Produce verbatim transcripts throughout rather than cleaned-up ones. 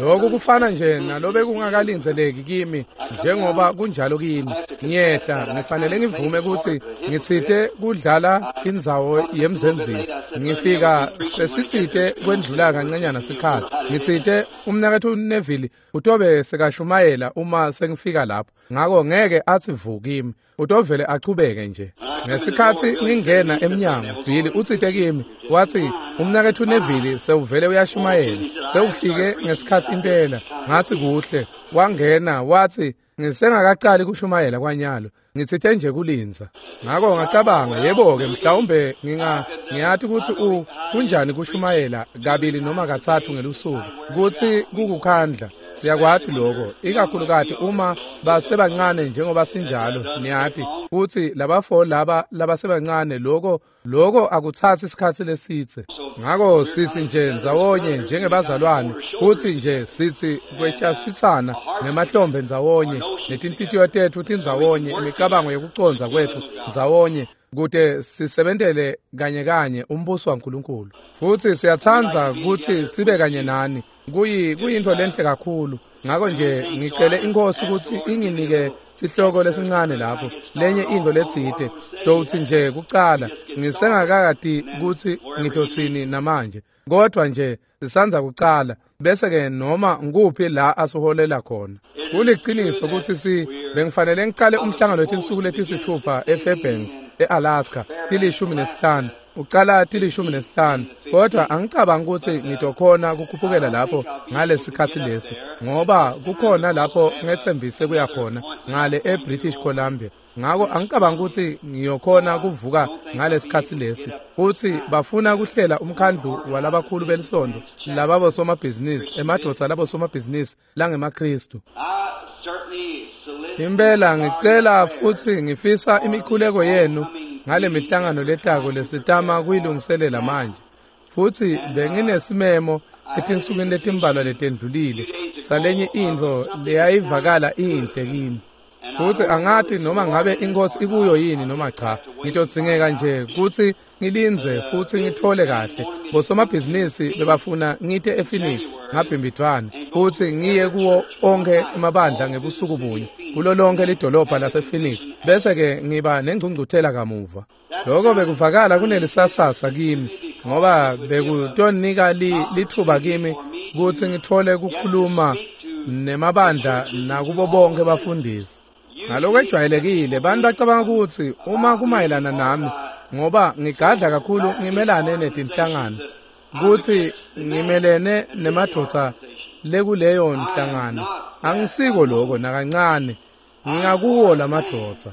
Lokhu kufana nje nalobe kungakalindzeleki kimi njengoba kunjalo kimi. Ngiyehla ngifanele ngivume ukuthi ngitsite kudlala indzawo yemzenzisi. Ngifika sesitsite kwendlula kancanyana sikhatsi. Ngitsite umnaketfu Neville utobe sekashumayela uma sengifika lapho. Ngako ngeke athi vu kimi, utovele achubeke nje. Ngesikhatsi ngingena emnyango, Billy utsite kimi, wathi umnaketfu Neville sewuvele uyashumayela, sewufike ngesikhatsi impela. Ngathi kuhle, wangena wathi ngisengakaqali kushumayela kwanyalo, ngitsite nje kulindza. Ngako ngacabanga, yebo-ke mhlawumbe nginga ngiyati ukuthi u kunjani kushumayela kabili noma katsatfu ngelusuku, kutsi kukukhandla. Siyakwati lokho, ikakhulukati uma basebancane njengoba sinjalo, niyati kutsi labafo laba labasebancane lokho lokho akuthatsi isikhatsi lesitse. Ngako sitsi nje ndzawonye njengebazalwane, kutsi nje sitsi kwetjasisana ngemahlombe ndzawonye, netinhlitiyo tetfu tindzawonye, imicabango yekucondza kwetfu ndzawonye, kute sisebentele kanye kanye umbuso waNkulunkulu. Futsi siyatsandza kutsi sibe kanye nani. Kuyi kuyintfo lenhle kakhulu. Ngako nje ngicele iNkhosi kutsi inginike sihloko lesincane lapho, lenye intfo letsite. Sowutsi nje kucala ngisengakakati kutsi ngitotsini namanje, kodvwa nje sisandza kucala, bese ke noma nguphi la asiholela khona. Kuliciniso kutsi si bengifanele ngicale umhlangano wetinsuku letisithupha eFairbanks eAlaska tilishumi nesihlanu, ucala tilishumi nesihlanu, kodwa angicabangi kutsi ngitokhona kukhuphukela lapho ngalesikhatsi lesi, ngoba kukhona lapho ngetsembise kuya khona ngale eBritish Columbia. Ngako angicabangi kutsi ngiyokhona kuvuka ngalesikhatsi lesi. Kutsi bafuna kuhlela umkhandlu walabakhulu belisonto lababo somabhizinisi, emadvodza labo somabhizinisi langemaKhristu. Impela ngicela futsi ngifisa imikhuleko yenu ngale mihlangano letako lesitama kuyilungiselela manje. Futsi benginesimemo etinsukwini letimbalwa letendlulile salenye intfo leyayivakala inhle kimi. Futsi angati noma ngabe iNkhosi ikuyo yini noma cha. Ngitodzingeka nje kutsi ngilindze futsi ngitfole kahle. Bosomabhizinisi bebafuna ngite ePhoenix ngabhimbidvwane futsi ngiye kuwo onkhe emabandla ngebusuku bunye kulo lonke lidolobha lasePhoenix, bese ke ngiba nengcungcuthela kamuva. Lokho bekuvakala kunelisasasa kimi, ngoba bekutonika litfuba kimi kutsi ngitfole kukhuluma nemabandla nakubo bonke bafundisi. Ngalokwejwayelekile bantu bacabanga kutsi uma kumayelana nami, ngoba ngigadla kakhulu ngimelane netinhlangano, kutsi ngimelene nemadvodza lekuleyo nhlangano. Angisiko lokho nakancane, ngingakuwo lamadvodza.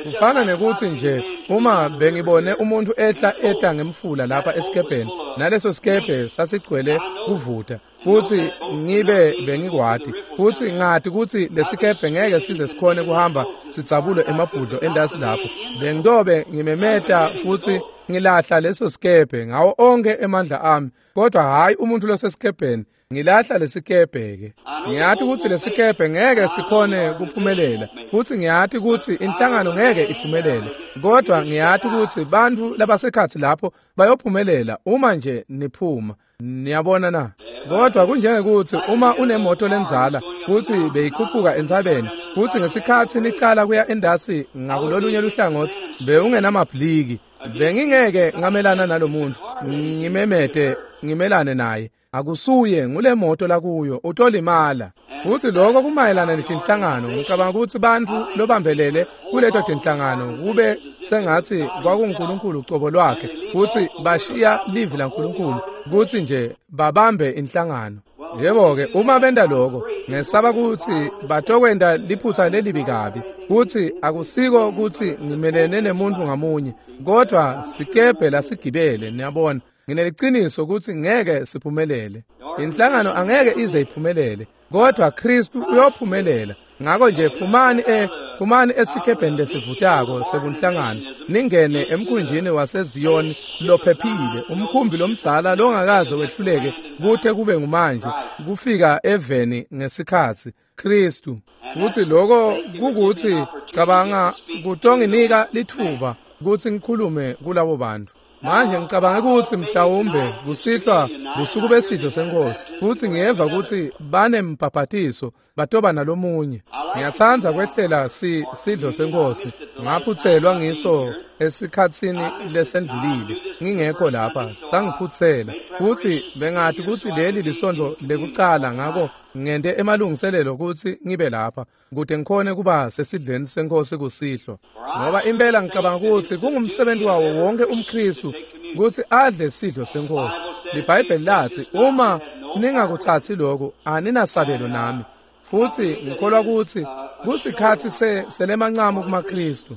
Kufana nekutsi nje uma bengibone umuntu ehla eta ngemfula lapha esikebheni, naleso sikebhe sasigcwele kuvuta, kutsi ngibe bengikwati kutsi ngati kutsi lesikebhe ngeke size sikhone kuhamba sidzabule emabhudlo endasi lapho, bengitobe ngimemeta futsi ngilahla leso sikebhe ngawo onke emandla ami, kodwa hhayi umuntu losesikebheni. Ngilahla lesikebhe ke. Ngiyati kutsi lesikebhe ngeke sikhone kuphumelela, futsi ngiyati kutsi inhlangano ngeke iphumelele, kodwa ngiyati kutsi bantfu labasekhatsi lapho bayophumelela uma nje niphuma. Niyabona na? Kodwa kunjengekuthi uma unemoto lendzala kutsi beyikhuphuka entsabeni, futsi ngesikhatsi nicala kuya endasi ngakulolunye luhlangotsi bewungenamabhliki, bengingeke ngamelana nalomuntu ngimemete ngimelane naye. Akusuye ngule moto lakuyo, utolimala. Futsi lokho kumayelana netinhlangano. Ngicabanga kutsi bantfu lobambelele kuleto tinhlangano kube sengatsi kwakunguNkulunkulu ucobo lwakhe, kutsi bashiya livi laNkulunkulu kutsi nje babambe inhlangano. Yebo-ke, uma benta lokho, ngesaba kutsi batokwenta liphutsa lelibi kabi. Kutsi akusiko kutsi ngimelene nemuntfu ngamunye, kodwa sikebhe lasigibele, niyabona. Ngineliciniso kutsi ngeke siphumelele. Inhlangano angeke ize iphumelele, kodwa Khristu uyophumelela. Ngako nje phumani e phumani esikebheni lesivutako sebunhlangano, ningene emkhunjini waseZiyoni lophephile, umkhumbi lomdzala longakaze wehluleke kute kube ngumanje, kufika eveni ngesikhatsi Khristu. Futsi lokho kukuthi cabanga kutonginika litfuba kutsi ngikhulume kulabo bantu. Manje ngicabanga ukuthi mhlawumbe kusihlwa busuku besidlo senkosi, futhi ngiyeva ukuthi banembhabhatiso batoba nalomunye. Ngiyatsandza kwehlela si sidlo senkosi, ngaphutselwa ngiso esikhatsini lesendlulile ngingekho lapha, sangiphutsela futhi bengathi ukuthi leli lisondlo lekucala, ngako ngente emalungiselelo ukuthi ngibe lapha kude ngikhone kuba sesidleni senkosi kusihlwa, ngoba impela ngicabanga ukuthi kungumsebenzi wawo wonke umKristu ukuthi adle sidlo senkosi. LiBhayibheli lathi uma ningakuthathi lokho aninasabelo nami, futhi ngikholwa ukuthi kusikhathi selemancamo kumaKristu.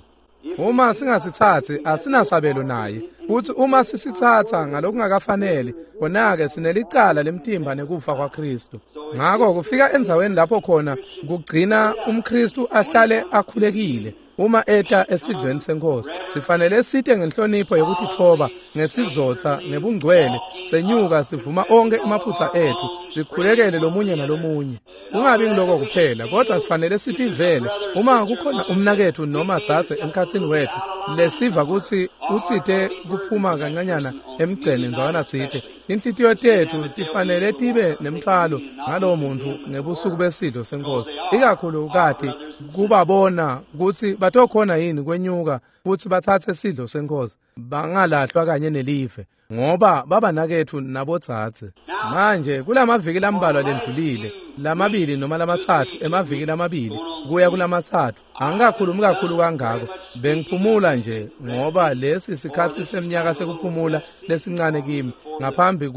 Uma singasithathi asinasabelo naye, futhi uma sisithatha ngalokungakafanele khona-ke sinelicala lemtimba nekufa kwaKristu. Ngakho kufika endzaweni lapho khona kugcina umKristu ahlale akhulekile uma eta esidlweni senkosi. Sifanele site ngenhlonipho yokutithoba, ngesizotha, ngebungcwele, senyuka sivuma onke emaphutha ethu, sikhulekele lomunye nalomunye. Kungabi ngiloko kuphela, kodwa sifanele sitivele uma kukhona umnakethu noma dzadze emkhatsini wethu lesiva kutsi utsite kuphuma kancanyana emgceni ndzawana tsite. Inhlitiyo tethu tifanele tibe nemthwalo ngalowo muntfu ngebusuku besidlo senkosi, ikakhulukati kubabona kutsi batokhona yini kwenyuka futsi batsatse sidlo senkosi, bangalahlwa kanye nelive, ngoba babanaketfu nabodzadze. Manje kulamaviki lambalwa lendlulile, lamabili noma lamatsatfu, emaviki lamabili kuya kulamatsatfu, angikakhulumi kakhulu kangako, bengiphumula nje ngoba lesi sikhatsi semnyaka sekuphumula lesincane kimi ngaphambi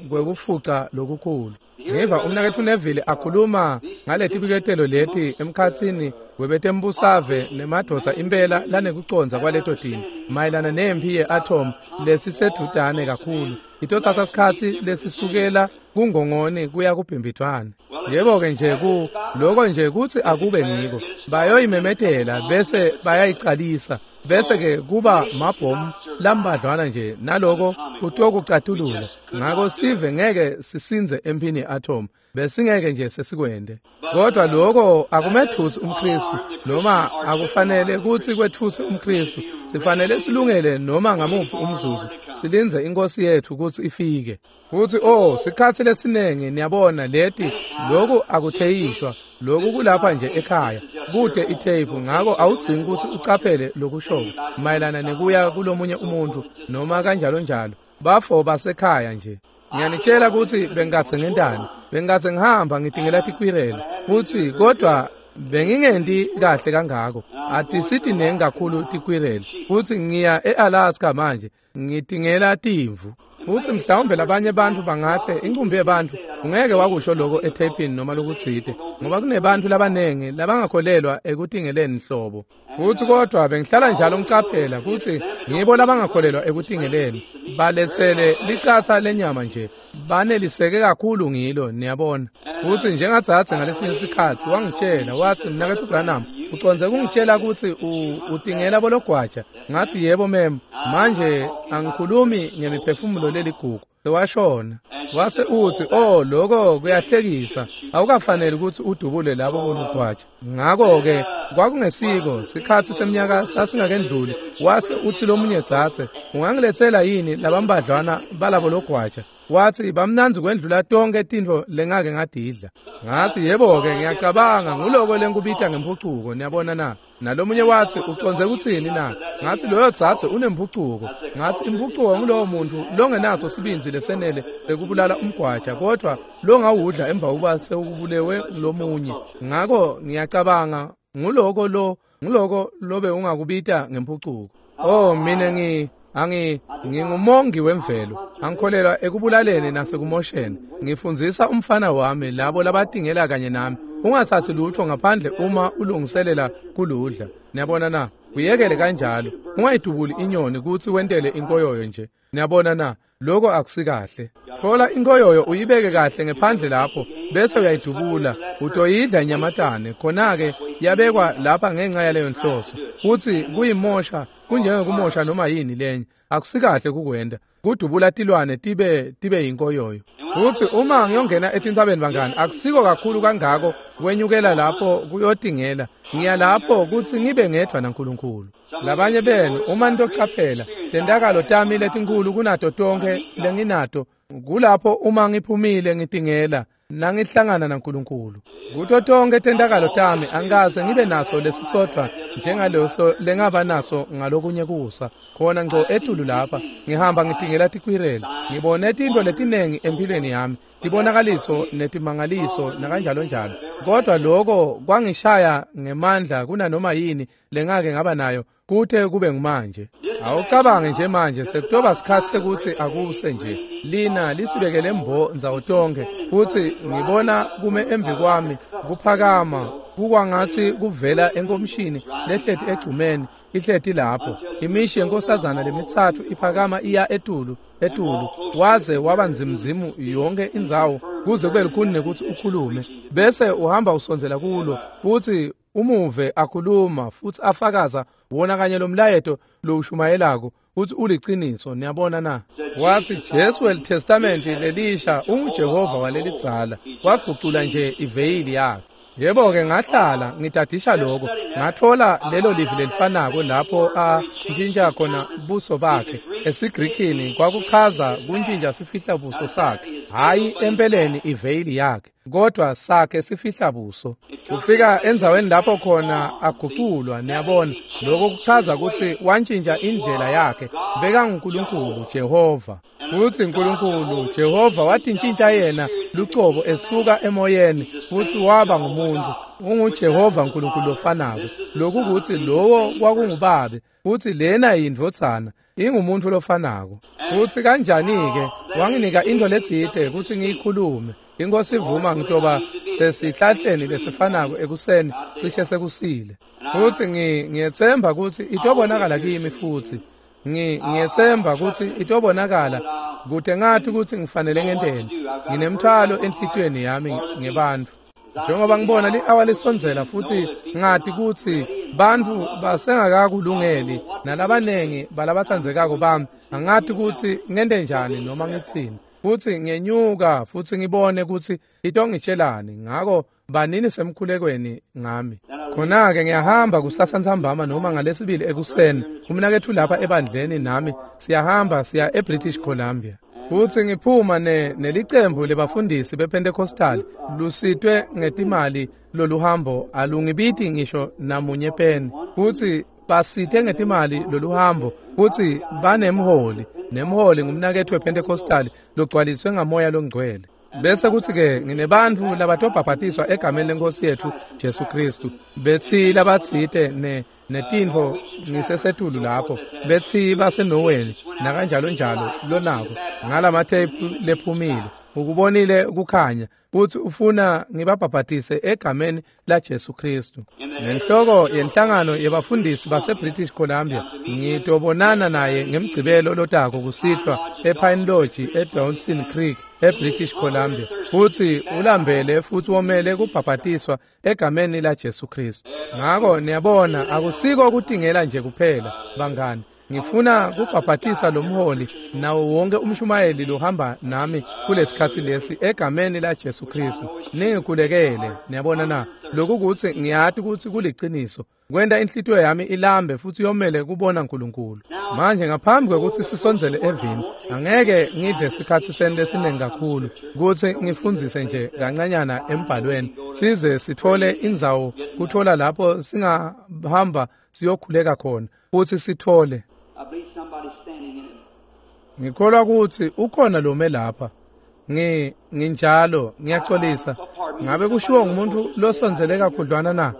kwekufuca lokukhulu. Ngiva umnaketfu Neville akhuluma ngaletibiketelo leti emkhatsini webetembusave nemadvodza impela lanekucondza kwaleto tintfo mayelana nemphi ye-atom lesisedvutane kakhulu, itotsatsa sikhatsi lesisukela kungongoni kuya kubhimbidvwane. Yebo-ke nje ku loko nje kutsi akube ngiko bayoyimemetela bese bayayicalisa, bese-ke kuba mabhomu lambadlwana nje naloko kutokucatulula. Ngako sive ngeke sisinze emphini ye-atom, besingeke nje sesikwende. Kodwa lokho akumethusi umKristu, noma akufanele kutsi kwetfuse umKristu. Sifanele silungele noma ngamuphi umzuzu, silindze inkosi yethu kutsi ifike. Futhi oh sikhatsi lesinengi niyabona leti lokhu akutheyishwa, lokhu kulapha nje ekhaya kude itape, ngako awudzingi kutsi ucaphele lokushoyo mayelana nekuya kulomunye umuntu noma kanjalo njalo, bafo basekhaya nje. Ngiyanitshela ukuthi bengingatse ngentani, bengingatse ngihamba ngidingela tikwirele futhi, kodwa bengingenti kahle kangako, atisitinengi kakhulu tikwirele, futhi ngiya e-Alaska manje ngidingela timvu. Futhi mhlawumbe labanye bantu bangahle inqumbi yebantu ungeke wakusho lokho ethepini noma lokutsite, ngoba kunebantu labanengi labangakholelwa ekutingeleni nhlobo. Futhi kodwa bengihlala njalo ngicaphela ukuthi ngibo labangakholelwa ekutingeleni baletsele licatsa lenyama nje, baneliseke kakhulu ngilo, niyabona. Futhi njengadzadze ngalesinye sikhatsi wangitshela wathi, mnaketfu Branham, ucondze kungitshela ukuthi utingela bologwaja? Ngathi yebo mem, manje angikhulumi ngemiphefumulo leligugu, sewashona. Wase uthi, oh lokho kuyahlekisa, awukafanele ukuthi udubule labo bologwaja. Ngako-ke kwakungesiko sikhatsi semnyaka sasingakendluli. Wase uthi lomunye dzadze, ungangiletsela yini labambadlwana balabo logwaja? Wathi bamnandzi kwendlula tonke tintfo lengake ngadidla. Ngathi yebo-ke ngiyacabanga nguloko lenkubita ngemphucuko, niyabona na. Nalomunye wathi ucondze kutsini na? Ngathi loyo dzadze unemphucuko. Ngathi imphucuko ngulowo muntu longenaso sibindzi lesenele lekubulala umgwaja, kodwa longawudla emva kokuba sewubulewe ngulomunye. Ngako ngiyacabanga nguloko lo nguloko lobe ungakubita ngemphucuko. Oh mina ngi angi ngingumongi wemvelo, angikholelwa ekubulaleni nasekumosheni. Ngifundzisa umfana wami labo labatingela kanye nami, ungathathi lutho ngaphandle uma ulungiselela kuludla. Niyabona na? Uyekele kanjalo, ungayidubuli inyoni kutsi wentele inkoyoyo nje. Niyabona na? Lokho akusikahle. Thola inkoyoyo uyibeke kahle ngephandle lapho bese uyayidubula, utoyidla inyamatane. Khona-ke yabekwa lapha ngenxa yaleyo nhloso, futhi kuyimosha kunjengekumosha noma yini lenye, akusikahle kukwenda. kudubula tilwane tibe tibe yinkoyoyo. Futhi uma ngiyongena etintsabeni bangani, akusiko kakhulu kangako kwenyukela lapho kuyotingela. Ngiya lapho kutsi ngibe ngedvwa naNkulunkulu. Labanye benu uma nitochaphela tentakalo tami letinkulu kunato tonkhe lenginato kulapho uma ngiphumile ngitingela nangihlangana naNkulunkulu. Kuto tonkhe tentakalo tami angikaze ngibe naso lesisodvwa njengaleso lengaba naso ngalokunye kusa. Khona ngco etulu lapha ngihamba ngitingela tikwirela, ngibone tintfo letinengi empilweni yami, tibonakaliso netimangaliso nakanjalo njalo. Kodwa lokho kwangishaya ngemandla kunanoma yini lengake ngaba nayo kute kube ngumanje. Awucabange nje manje sekutoba sikhatsi sekutsi akuse nje lina lisibekele mbo ndzawo tonkhe, futsi ngibona kume embi kwami kuphakama kukwangatsi kuvela enkomishini lehleti egcumeni ihleti lapho imishi yenkosazana lemitsatfu iphakama iya etulu etulu waze waba nzimzimu yonke indzawo kuze kube lukhuni nekutsi ukhulume, bese uhamba usondzela kulo futsi umuve akhuluma futsi afakaza wona kanye lomlayeto lowushumayelako futsi uliciniso. Niyabona na? Watsi Jesu welitestamenti lelisha unguJehova walelidzala, wagucula nje iveyili yakhe. Yebo-ke ngahlala ngitadisha lokho, ngathola lelo livi lelifanako lapho antshintsha khona buso bakhe. EsiGrikini kwakuchaza kuntshintsha sifihla buso sakhe, hhayi empeleni iveyili yakhe, kodwa sakhe sifihla buso. Kufika endzaweni lapho khona aguculwa, niyabona, lokho kuchaza kutsi wantshintsha indlela yakhe, bekanguNkulunkulu Jehova. Futsi Nkulunkulu Jehova watintshintsha yena lucobo esuka emoyeni futsi waba ngumuntu. UnguJehova Nkulunkulu lofanako. Lokhu kutsi lowo kwakungubabe futsi lena yindvodzana, ingumuntu lofanako. Futsi kanjani-ke wanginika intfo letsite kutsi ngiyikhulume. Inkosi ivuma ngitoba sesihlahleni lesifanako ekuseni cishe sekusile. Futsi ngiyetsemba kutsi itobonakala kimi futsi. Ngiyetsemba kutsi itobonakala kute ngathi kutsi ngifanele ngenteni. Nginemthwalo enhlitiyweni yami ngebantfu. Njengoba ngibona li-awa lisondzela futhi ngati kutsi bantfu basengakakulungeli nalabanengi balabatsandzekako bami, angati kutsi ngente njani noma ngitsini. Futsi ngenyuka futsi ngibone kutsi itongitshelani, ngako banini semkhulekweni ngami. Khona-ke ngiyahamba kusasa ntsambama noma ngalesibili ekuseni. Umnaketfu lapha ebandleni nami siyahamba siya eBritish Columbia. Futsi ngiphuma ne nelicembu lebafundisi bePentecostal lusitwe ngetimali loluhambo alungibiti ngisho namunye peni. Futsi basite ngetimali loluhambo futsi banemholi, nemholi ngumnaketfu wePentecostal logcwaliswe ngamoya longcwele. Bese kuthi-ke nginebantfu labatobhabhatiswa egameni lenkosi yetfu Jesu Kristu. Betsi labatsite ne netintfo ngisesetulu lapho, betsi baseNoweni nakanjalo njalo lonako ngalamatheyiphu lephumile. Ukubonile kukhanya futsi ufuna ngibabhabhatise egameni la Jesu Kristu. Nenhloko yenhlangano yebafundisi baseBritish Columbia ngitobonana naye ngemgcibelo lotako kusihlwa ePine Lodge eDawson Creek eBritish Columbia. Futsi ulambele futsi womele kubhabhatiswa egameni la Jesu Kristu. Ngako niyabona akusiko kutingela nje kuphela bangani. Ngifuna kubhabhatisa lomholi nawo wonke umshumayeli lohamba nami kulesikhatsi lesi egameni la Jesu Kristu. Ningikhulekele, niyabona na? Lokhu kutsi ngiyati kutsi kuliciniso. Kwenta inhlitiyo yami ilambe futsi yomele kubona uNkulunkulu. Manje ngaphambi kwekutsi sisondzele evini, angeke ngidle sikhatsi senu lesiningi kakhulu kutsi ngifundzise nje kancanyana embhalweni size sithole indzawo kuthola lapho singahamba siyokhuleka khona futsi sithole. Ngikholwa kutsi ukhona lome lapha. Ngi nginjalo ngiyaxolisa. Ngabe kushiwo ngumuntu losondzele kakhudlwana na?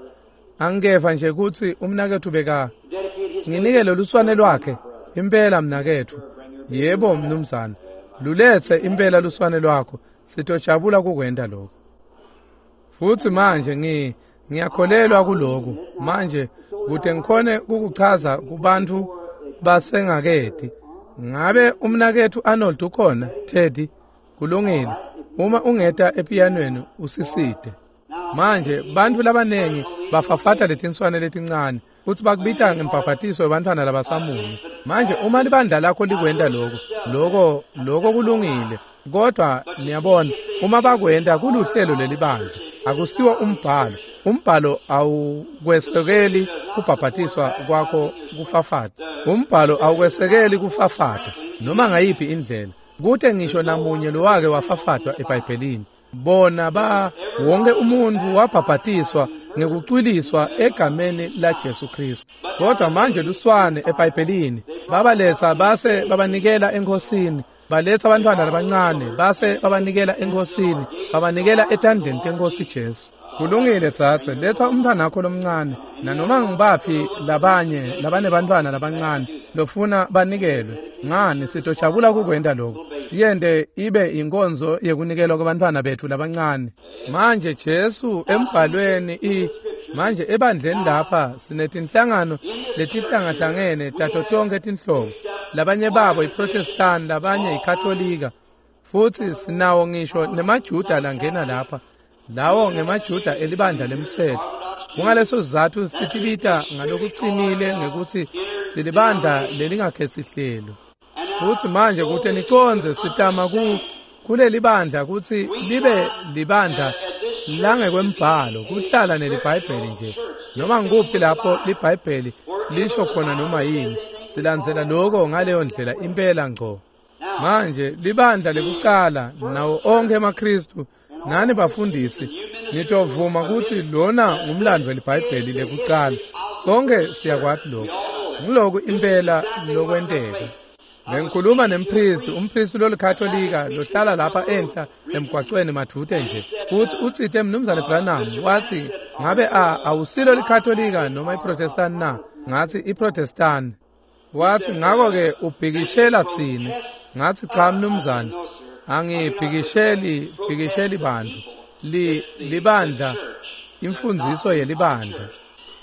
Angikeva nje kutsi umnaketfu beka nginike loluswane lwakhe. Impela mnaketfu. Yebo mnumzane. Luletse impela luswane lwakho. Sitojabula kukwenta lokho. Futsi manje ngi ngiyakholelwa kuloku. Manje kute ngikhone ukuchaza kubantu basengaketi. Ngabe umnaketfu Arnold ukhona? Teddy, kulungile. Uma ungeta epianweni usisite. Manje bantfu labanengi bafafata letinswane letincane futsi bakubita ngembhabhatiso webantfwana labasamunye. Manje uma libandla lakho likwenta lokho, lokho lokho kulungile. Kodwa niyabona, uma bakwenta kuluhlelo lelibandla, akusiwo umbhalo. Umbhalo awukwesekeli kubhabhatiswa kwakho kufafata. Umbhalo awukwesekeli kufafata noma ngayiphi indlela. Kute ngisho namunye lowake wafafatwa eBhayibhelini. Bona ba wonke umuntu wabhabhatiswa ngekucwiliswa egameni la Jesu Kristu. Kodwa manje luswane eBhayibhelini babaletha base babanikela enkosini, baletha abantwana abancane base babanikela enkosini, babanikela etandleni tenkosi Jesu. Kulungile tsatse, letha umntwana wakho lomncane nanoma ngibaphi labanye labanebantwana labancane lofuna banikelwe. Ngani sitojabula kukwenta lokho, siyente ibe inkonzo yekunikelwa kwabantwana bethu labancane. Manje Jesu embhalweni i manje ebandleni lapha sinetinhlangano letihlangahlangene tato tonke tinhlobo. Labanye babo iProtestant, labanye iKatolika, futhi sinawo ngisho nemaJuda langena lapha, lawo ngemaJuda elibandla lemtsetfo. Kungaleso sizatfu sitibita ngalokuqinile ngekuthi silibandla lelingakhesihlelo. Futhi manje kute nicondze sitama ku kuleli bandla kutsi libe libandla langekwembhalo, kuhlala neliBhayibheli nje. Noma ngikuphi lapho liBhayibheli lisho khona noma yini, silandzela lokho ngaleyo ndlela impela ngco. Manje libandla lekucala nawo onke emaKristu nani bafundisi nitovuma ukuthi lona ngumlando weliBhayibheli lekucala. Sonke siyakwati lokho. Ngiloku impela lokwenteka. Bengikhuluma nempristi, umpristi lolikatolika lohlala lapha enhla emgwaqweni madvute nje. Uthi utsite Mnumzane Branham, wathi ngabe a awusilo likatolika noma iProtestant na? Ngathi iProtestant. Wathi ngakho-ke ubhikishela tsine. Ngathi cha mnumzane, angibhikisheli bhikisheli bantu. Li libandla, imfundiso yelibandla.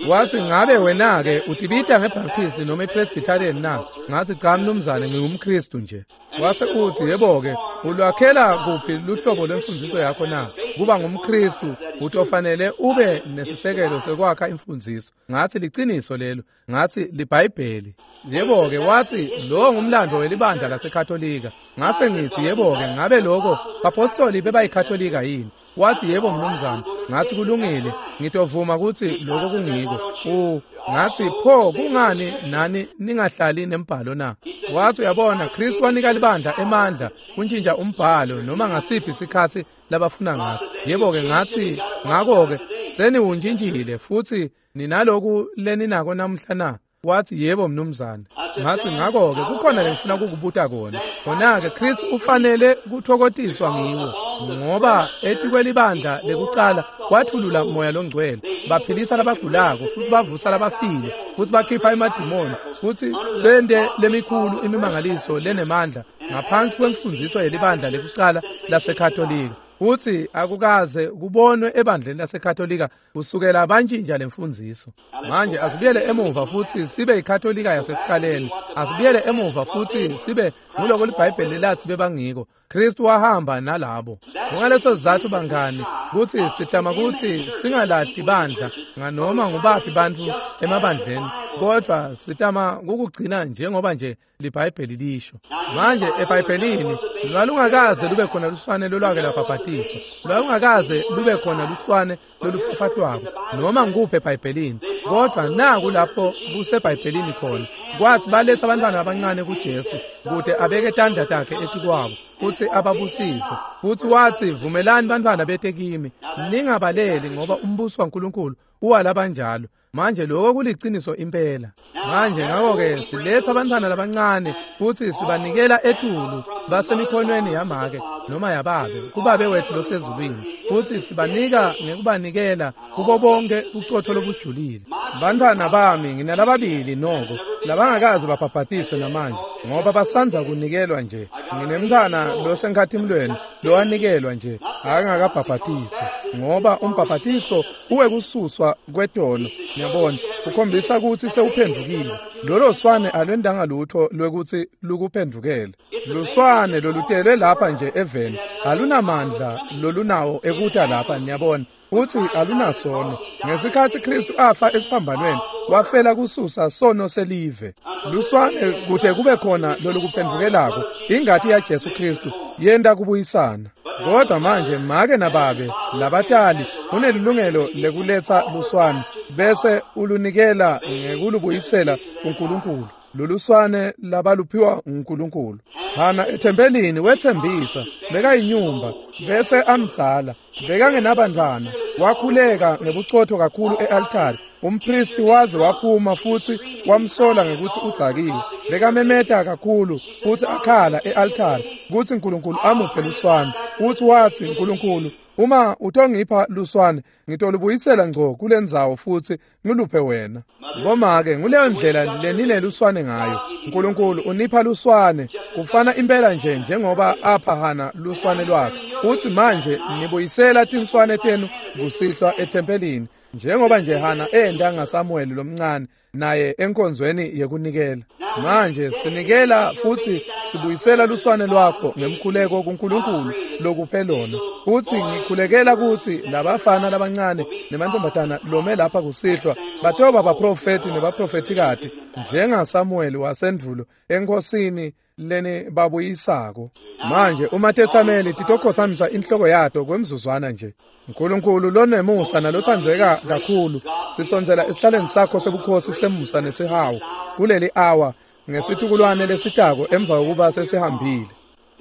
Wathi ngabe wena-ke utibita ngeBaptist noma iPresbyterian na? Ngathi cha mnumzane, ngingumKristu nje. Wase uthi yebo-ke ulwakhela kuphi luhlobo lwemfundiso yakho na? Kuba ngumKristu utofanele ube nesisekelo sekwakha imfundiso. Ngathi liciniso lelo. Ngathi liBhayibheli. Yebo-ke wathi lo ngumlando welibandla laseKatolika. Ngase ngithi yebo-ke ngabe lokho bapostoli bebayikatolika yini? Wathi yebo mnumzane. Ngathi kulungile, ngitovuma ukuthi lokho kungiko. U ngathi pho kungani nani ningahlali nembhalo na? Wathi uyabona, Kristu wanika libandla emandla kuntshintsha umbhalo noma ngasiphi isikhathi labafuna ngaso. Yebo-ke ngathi ngakho-ke seniwuntshintshile futhi ninaloku leninako namhla na? Wathi yebo mnumzane. Ngathi ngakho-ke kukhona lengifuna ukukubuta kona. Kona-ke Kristu ufanele kuthokotiswa ngiwo, ngoba etikwelibandla lekucala wathulula moya longcwele, baphilisa labagulako futhi bavusa labafile futhi bakhipha emadimoni futhi bente lemikhulu imimangaliso lenemandla ngaphansi kwemfundiso yelibandla lekucala laseKatolika. Uthi akukaze kubonwe ebandleni laseKatolika kusukela bantshintsha lemfundiso. Manje asibuyele emuva futhi sibe iKatolika yasekuqaleni. Asibuyele emuva futhi sibe nguloko liBhayibheli lathi bebangiko. Kristu wahamba nalabo. Ngaleso sizathu bangani kuthi sitama kuthi singalahli bandla nganoma ngubaphi bantu emabandleni, kodwa sitama ukugcina njengoba nje liBhayibheli lisho. Manje eBhayibhelini lwalungakaze lube khona luswane lolwake lwabhabhatiswa, lwalungakaze lube khona luswane lolufafatwako noma ngikuphi eBhayibhelini. Kodwa naku lapho kuseBhayibhelini khona kwathi baletha abantwana abancane kuJesu kude abeke tandla takhe etikwabo futhi ababusise. Futhi wathi vumelani bantwana bete kimi, ningabaleli, ngoba umbuso waNkulunkulu uwalabanjalo. Manje lokho kuliciniso impela. Manje ngakho-ke siletha abantwana labancane futhi sibanikela etulu basemikhonweni yamake noma yababe kubabe wethu losezulwini, futhi sibanika ngekubanikela kubo bonke ucotho lobujulile. Bantwana bami nginalababili noko labangakaze babhabhatiswe namanje, ngoba basanza kunikelwa nje. Nginemntwana losenkhathimlweni lowanikelwa nje akangakabhabhatiswa, ngoba umbhabhatiso uwekususwa kwetono. Ngiyabona ukhombisa ukuthi sewuphendukile. Lolo swane alwendanga lutho lwekuthi lukuphendukele. Luswane lolutelwe lapha nje eveni alunamandla lolunawo ekuta lapha, niyabona. Uthi alunasono. Ngesikhathi Kristu afa esiphambanweni Wafela kususa sono selive. Luswane kute kube khona lolukuphendvukelako. Ingati ya Jesu Kristu yenta kubuyisana. Kodwa manje make nababe labatali unelilungelo lekuletsa luswane bese ulunikela ngekulubuyisela kuNkulunkulu. Luluswane labaluphiwa uNkulunkulu. Hana ethempelini wethembisa bekayinyumba bese amdzala bekangenabantwana wakhuleka ngebucotho kakhulu ealtari. Umpristi waze waphuma futhi wamsola ngekuthi udzakiwe. Bekamemeta kakhulu futhi akhala ealtari kuthi uNkulunkulu amuphe luswane. Uthi wathi uNkulunkulu uma utongipha luswane ngitolubuyisela ngco kulendzawo futhi ngiluphe wena. Bomake nguleyo ndlela lenile luswane ngayo. uNkulunkulu unipha luswane kufana impela nje njengoba apha Hana luswane lwakhe. Uthi manje nibuyisela tinswane tenu kusihlwa ethempelini njengoba nje Hana enda ngaSamuel lomncane naye enkonzweni yekunikela. Manje sinikela futhi sibuyisela luswane lwakho ngemkhuleko kuNkulunkulu lokuphe lona. Uthi ngikhulekela ukuthi labafana labancane nemantombazana lome lapha kusihlwa batoba baprofeti nebaprofetikati njengaSamuel wasendvulo enkosini leni babuyisako. Manje uma tetsameli titokhothamisa inhloko yato kwemzuzwana nje. uNkulunkulu lonemusa nalothandzeka kakhulu sisondzela esihlalweni sakho sebukhosi semusa nesihawu kuleli hour ngesitukulwane lesitako emva kokuba sesihambile.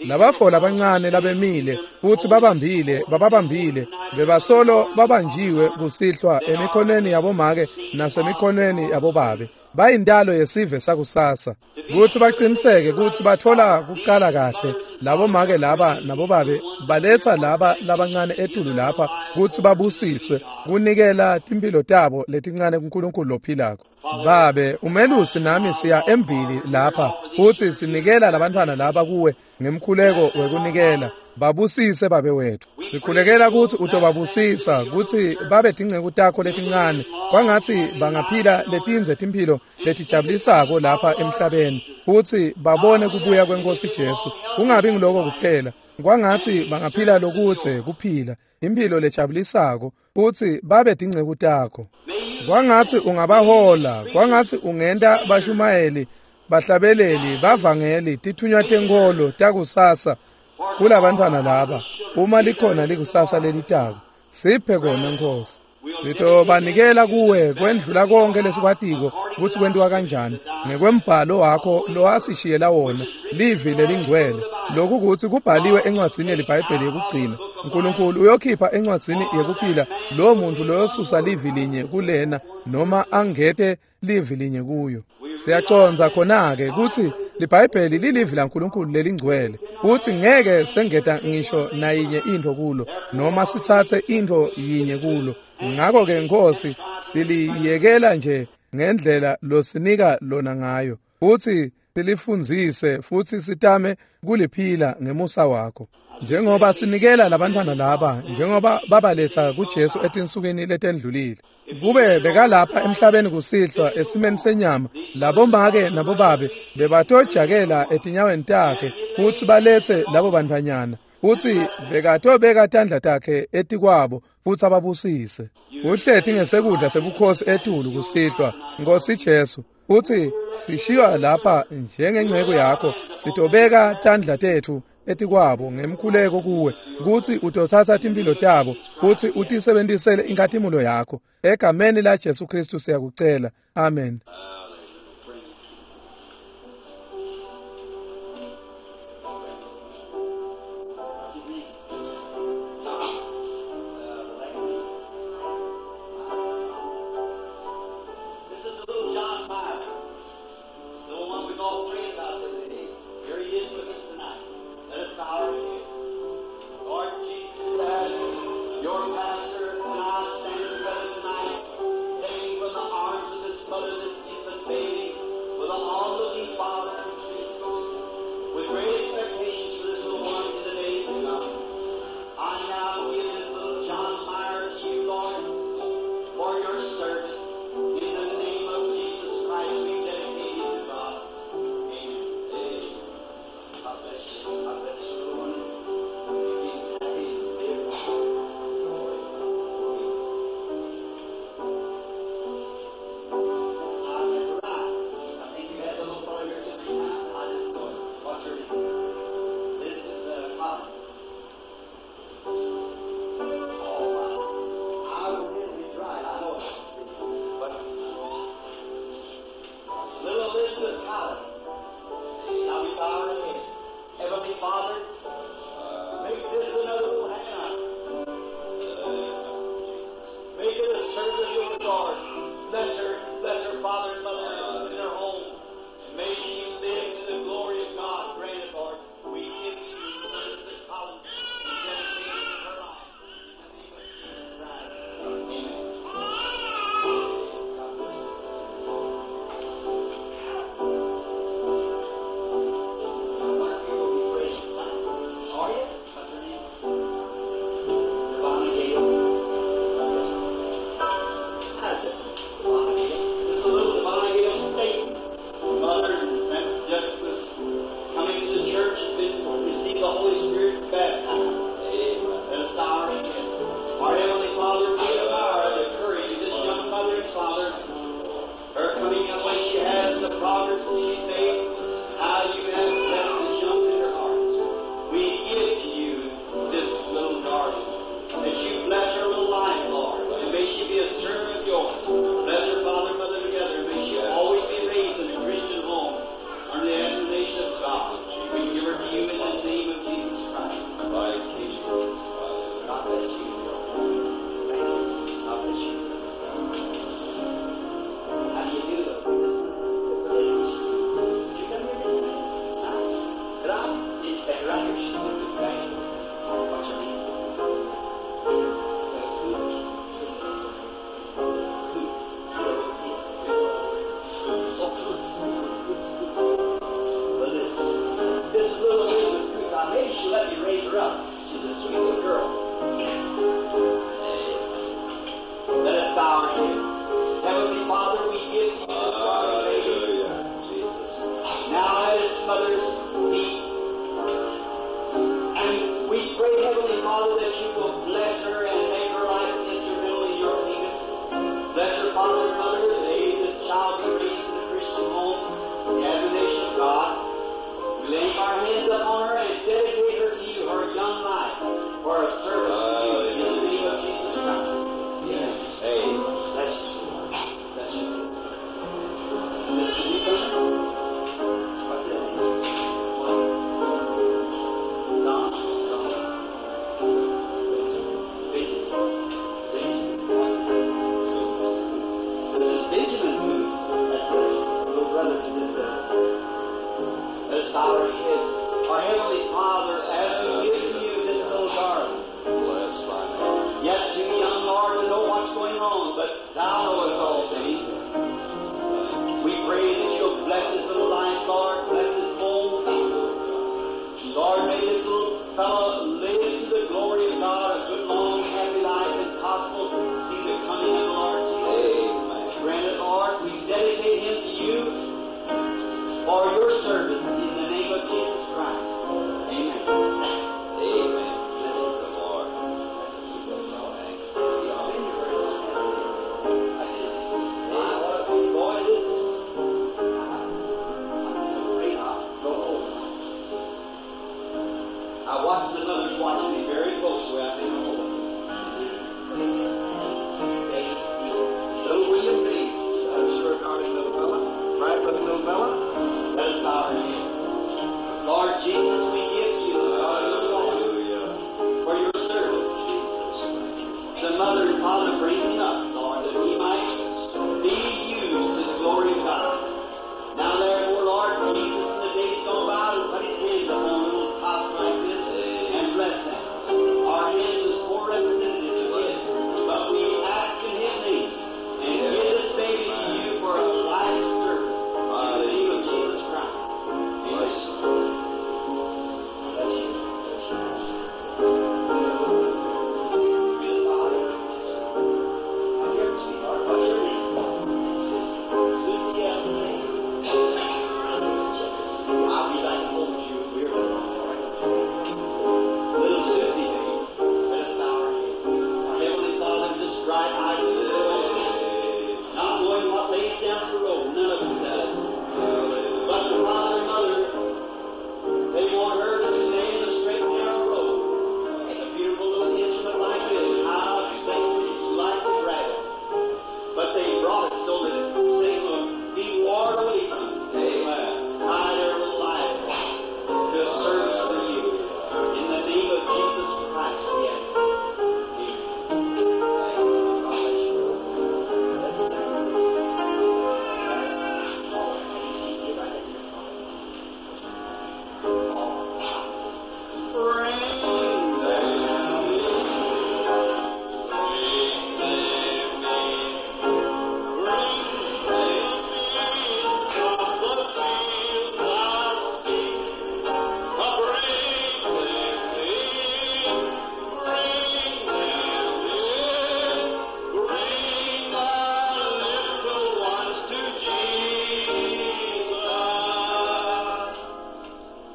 Labafo labancane labemile futhi babambile bababambile bebasolo babanjiwe kusihlwa emikhonweni yabomake nasemikhonweni yabobabe. Bayindalo yesive sakusasa kuthi baqiniseke kuthi bathola kuqala kahle labo make laba nabobabe baletha laba labancane etulu lapha kuthi babusiswe kunikela timpilo tabo letincane kuNkulunkulu lophilako. Babe umelusi nami siya embili lapha futhi sinikela labantwana laba kuwe ngemkhuleko wekunikela. Babusise babe wethu. Sikhulekela ukuthi utobabusisa kuthi babe tinceku takho letincane kwangathi bangaphila letinze timphilo letijabulisako lapha emhlabeni futhi babone kubuya kwenkosi Jesu. Kungabi ngiloko kuphela, kwangathi bangaphila lokuthe kuphila impilo lejabulisako futhi babe tinceku takho. Kwangathi ungabahola, kwangathi ungenta bashumayeli, bahlabeleli, bavangeli, tithunywa tenkolo takusasa kulabantwana laba uma likhona likusasa lelitako. Siphe kona Nkosi. Sitobanikela kuwe kwendlula konke lesikwatiko kutsi kwentiwa kanjani ngekwembhalo wakho lowasishiyela wona livi lelingcwele. Lokhu kutsi kubhaliwe encwadzini yeliBhayibheli yekugcina. uNkulunkulu uyokhipha encwadzini yekuphila lowo muntu loyosusa livi linye kulena noma angete livi linye kuyo. Siyacondza khona-ke kutsi liBhayibheli lilivi laNkulunkulu lelingcwele kutsi ngeke sengeta ngisho nayinye intfo kulo noma sitsatse intfo yinye kulo. Ngakho-ke Nkosi siliyekela nje ngendlela losinika lona ngayo futsi silifundzise futsi sitame kuliphila ngemusa wakho. Njengoba sinikela labantwana laba njengoba babaletha kuJesu etinsukwini letendlulile kube bekalapha emhlabeni kusihlwa esimeni senyama labomake nabobabe bebatojakela etinyaweni takhe futsi balethe labo bantfwanyana futsi bekatobeka tandla takhe etikwabo futsi ababusise. Uhleti ngesekudla sebukhosi etulu kusihlwa Nkosi Jesu futsi sishiywa lapha njengenceko yakho sitobeka tandla tetfu etikwabo ngemkhuleko kuwe kutsi utotsatsa timphilo tabo kutsi utisebentisele inkhatimulo yakho. Egameni la Jesu Kristu siyakucela. Amen. bless you. Thank you. God bless you. How do you do, though? Did you come here this minute? Huh? Could I? You stand right here. She's looking back. What's her name? This little Elizabeth Coots, I maybe she'll let me raise her up. She's a sweet little girl. Let us bow our heads. Heavenly Father, we give to you this darling baby. Hallelujah. Jesus. Now at its mother's feet. And we pray, Heavenly Father, that you will bless her and make her life instrumental in your kingdom. Bless her father and mother. May this child be raised in a Christian home, the admonition of God. We lay our hands upon her and dedicate her to you, her young life, for a service to you in the name of Jesus Christ. Yes. Amen. Bless you, Lord. Bless you. Bless you. What's that name? What? Don. Don. Benjamin. Benjamin. This is Benjamin Booth. That's the little brother to this brother. Let us bow our heads. Our Heavenly Father, as we give to you this little darling, Bless thy name. yet too young, Lord, to know what's going on, but Thou knowest all things. We pray that You'll bless his little life, Lord, bless his home. Lord, may this little fellow live to the glory of God, a good, long, happy life, and possible to see the coming of the Lord Jesus. Amen. Grant it, Lord, we dedicate him to you for your service in the name of Jesus Christ. Amen. Amen. Bless the Lord. Thanks be to God. I watched the mothers watch me very closely. I think, oh, Little William Bates. That's your darling little fella. Right, little little fella? Let us bow our heads. Lord Jesus, we give you the little boy Hallelujah. for your service. Jesus. The mother and father bring him up, Lord, that he might be used to the glory of God. Now therefore, Lord Jesus, in the days gone by, will put his hands upon little tots like this and bless them. Our hands is poor representatives of his, but we ask in his name and give this baby to you for a life of service. In the name of Jesus Christ. Amen. Bless you. Bless you. Good Father. I'm here, sweetheart. What's your name? Susie Ellen. I'll be back to hold you. We're Little Susie, baby. Let us bow our heads. Our Heavenly Father, just dry eyes of the world, not knowing what lays down the road. None of us does. But the father and mother, they want her to stay in the straight and narrow road. A beautiful little instrument like this, how Satan like to grab it. But they brought it so that Satan will be warned away from it. Amen. Tie their little life to a service for you. In the name of Jesus Christ, we ask. Amen. God bless you. Bring them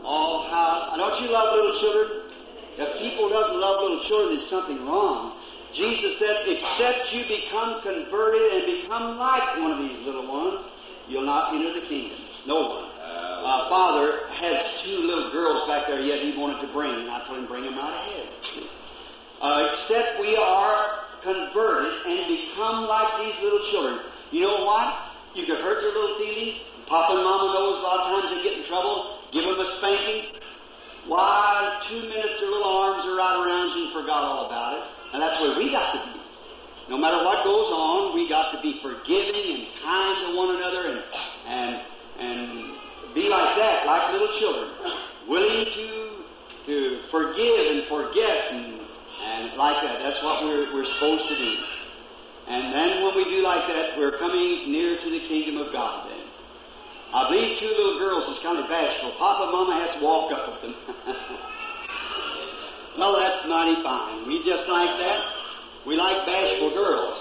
Oh, how don't you love little children? If people doesn't love little children, there's something wrong. Jesus said, except you become converted and become like one of these little ones, you'll not enter the kingdom. No one. Uh, Father has two little girls back there yet he wanted to bring, and I told him, bring them right ahead. Uh, except we are converted and become like these little children. You know what? You could hurt their little feelings. Papa and Mama knows a lot of times they get in trouble. Give them a spanking. Why, two minutes their little arms are right around you and forgot all about it. And that's where we got to be. No matter what goes on, we got to be forgiving and kind to one another and and and be like that, like little children, willing to to forgive and forget and, and like that. That's what we're we're supposed to do. And then when we do like that, we're coming near to the kingdom of God then. I believe two little girls is kind of bashful. Papa and Mama has to walk up with them. Well, that's mighty fine. We just like that. We like bashful girls.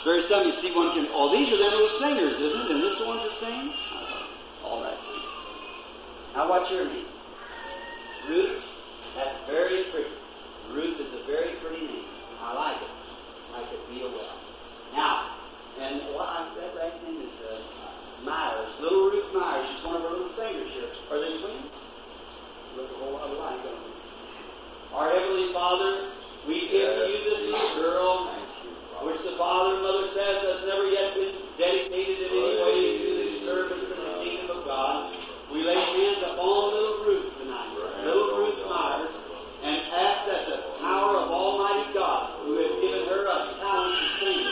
Very seldom you see one can... Oh, these are them little singers, isn't it? And this the ones that sing? All right. Now, what's your name? Ruth? That's very pretty. Ruth is a very pretty name. I like it. I like it real well. Now, and what I, that last name is uh, Myers. Little Ruth Myers. She's one of our little singers here. Are they twins? Look a whole lot alike, don't they? Our Heavenly Father, we give to you this little girl, which the father and mother says has never yet been dedicated in any way to the service in the kingdom of God. We lay hands upon little Ruth tonight, little Ruth Myers, and ask that the power of Almighty God, who has given her a talent to sing,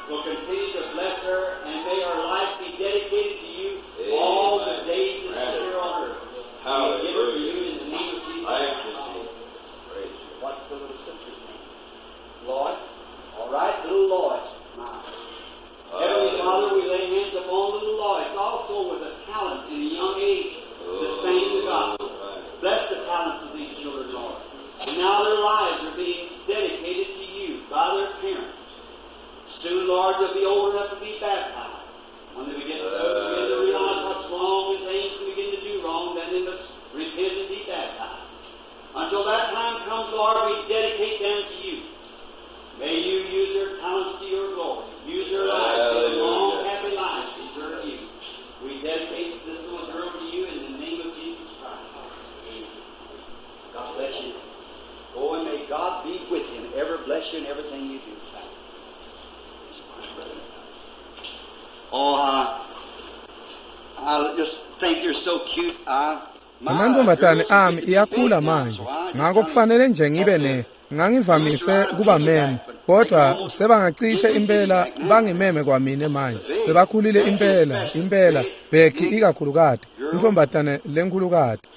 will continue to bless her, and may her life be dedicated to you all the days that she's here on earth. We give it to you in the name of Jesus. Christ. What's the little sister's name? Lois. All right, little Lois Myers. Heavenly Father, we lay hands upon little Lois, also with a talent in a young age to sing the gospel. Bless the talents of these children, Lord. And now their lives are being dedicated to you by their parents. Soon, Lord, they'll be old enough to be baptized. When they begin to, begin to realize what's wrong and things and begin to do wrong, then they must repent and be baptized. Until that time comes, Lord, we dedicate them to you. May you use their talents to your glory. Use their lives, their long, happy lives to serve you. We dedicate this little girl to you in the name of Jesus Christ. Amen. God bless you. Go and may God be with you and ever bless you in everything you do. Oh, I, I just think you're so cute. I, Amantombazane ami iyakhula manje, ngakho kufanele nje ngibe ne ngangivamise kuba meme, kodwa sebangacishe impela bangimeme kwamine manje. Sebakhulile impela, impela Becky ikakhulukati, intombazane lenkhulukati.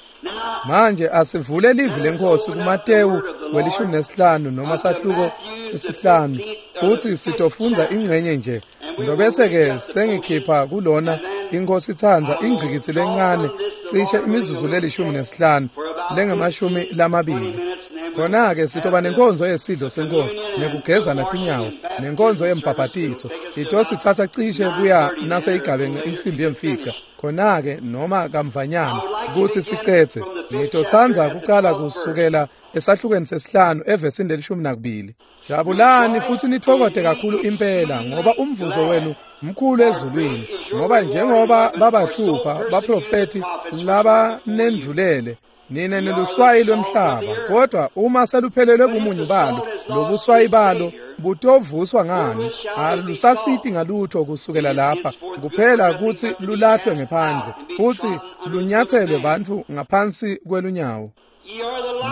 Manje asivule livi lenkosi kuMateyu welishumi nesihlanu noma sahluko sesihlanu, futhi sitofundza ingcenye nje. Ngobese ke sengikhipha kulona inkosi itsandza ingcikitsi lencane cishe imizuzu lelishumi nesihlanu lengamashumi lamabili. Khona ke sitoba nenkonzo yesidlo senkosi nekugezana tinyawo nenkonzo yembhabhatiso. Itositsatsa cishe kuya naseyigabence insimbi yemfica. Khona ke noma kamvanyana kutsi sicetse. Ngitotsandza kucala kusukela esahlukweni sesihlanu evesini lelishumi nakubili. Jabulani futhi nithokote kakhulu impela ngoba umvuzo wenu mkhulu ezulwini, ngoba njengoba babahlupha baprofeti labanendlulele nina niluswayi lwemhlaba, kodwa uma seluphelelwe bumunyu balo lobuswayi balo butovuswa ngani? Alusasiti ngalutho kusukela lapha, kuphela kutsi lulahlwe ngephandle futhi lunyatselwe bantfu ngaphansi kwelunyawo.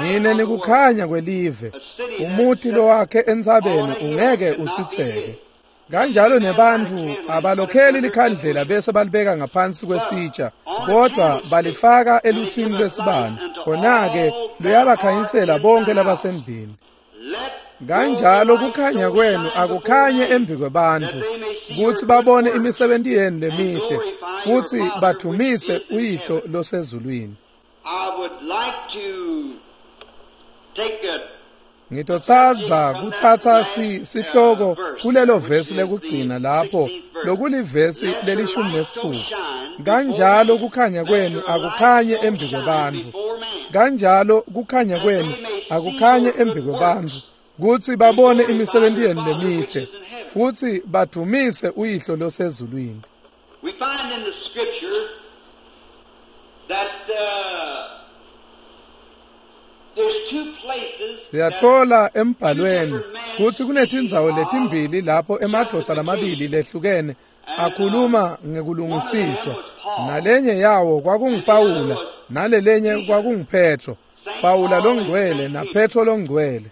Nine nikukhanya kwelive, umuti lowakhe entsabeni ungeke usitseke. Kanjalo nebantfu abalokheli likhandlela bese balibeka ngaphansi kwesitsha, kodwa balifaka eluthini lwesibane, khona-ke luyabakhanyisela bonke labasendlini. Kanjalo kukhanya kwenu akukhanye embi kwebantfu, kutsi babone imisebenti yenu lemihle futsi badumise uyihlo losezulwini. I would like to take a Ngitotsandza kutsatsa si sihloko kulelo vesi lekugcina lapho lokulivesi lelishumi nesitfupha. Kanjalo kukhanya kwenu akukhanye embi kwebantfu. Kanjalo kukhanya kwenu akukhanye embi kwebantfu, kutsi babone imisebenti yenu lemihle futsi badumise uyihlo losezulwini. We find in the scripture that uh, there's two places. Siyathola embhalweni kutsi kunetindzawo letimbili lapho emadvodza lamabili lehlukene akhuluma ngekulungisiswa. Nalenye yawo kwakunguPawula, nalelenye kwakunguPetro. Pawula longcwele naPetro longcwele.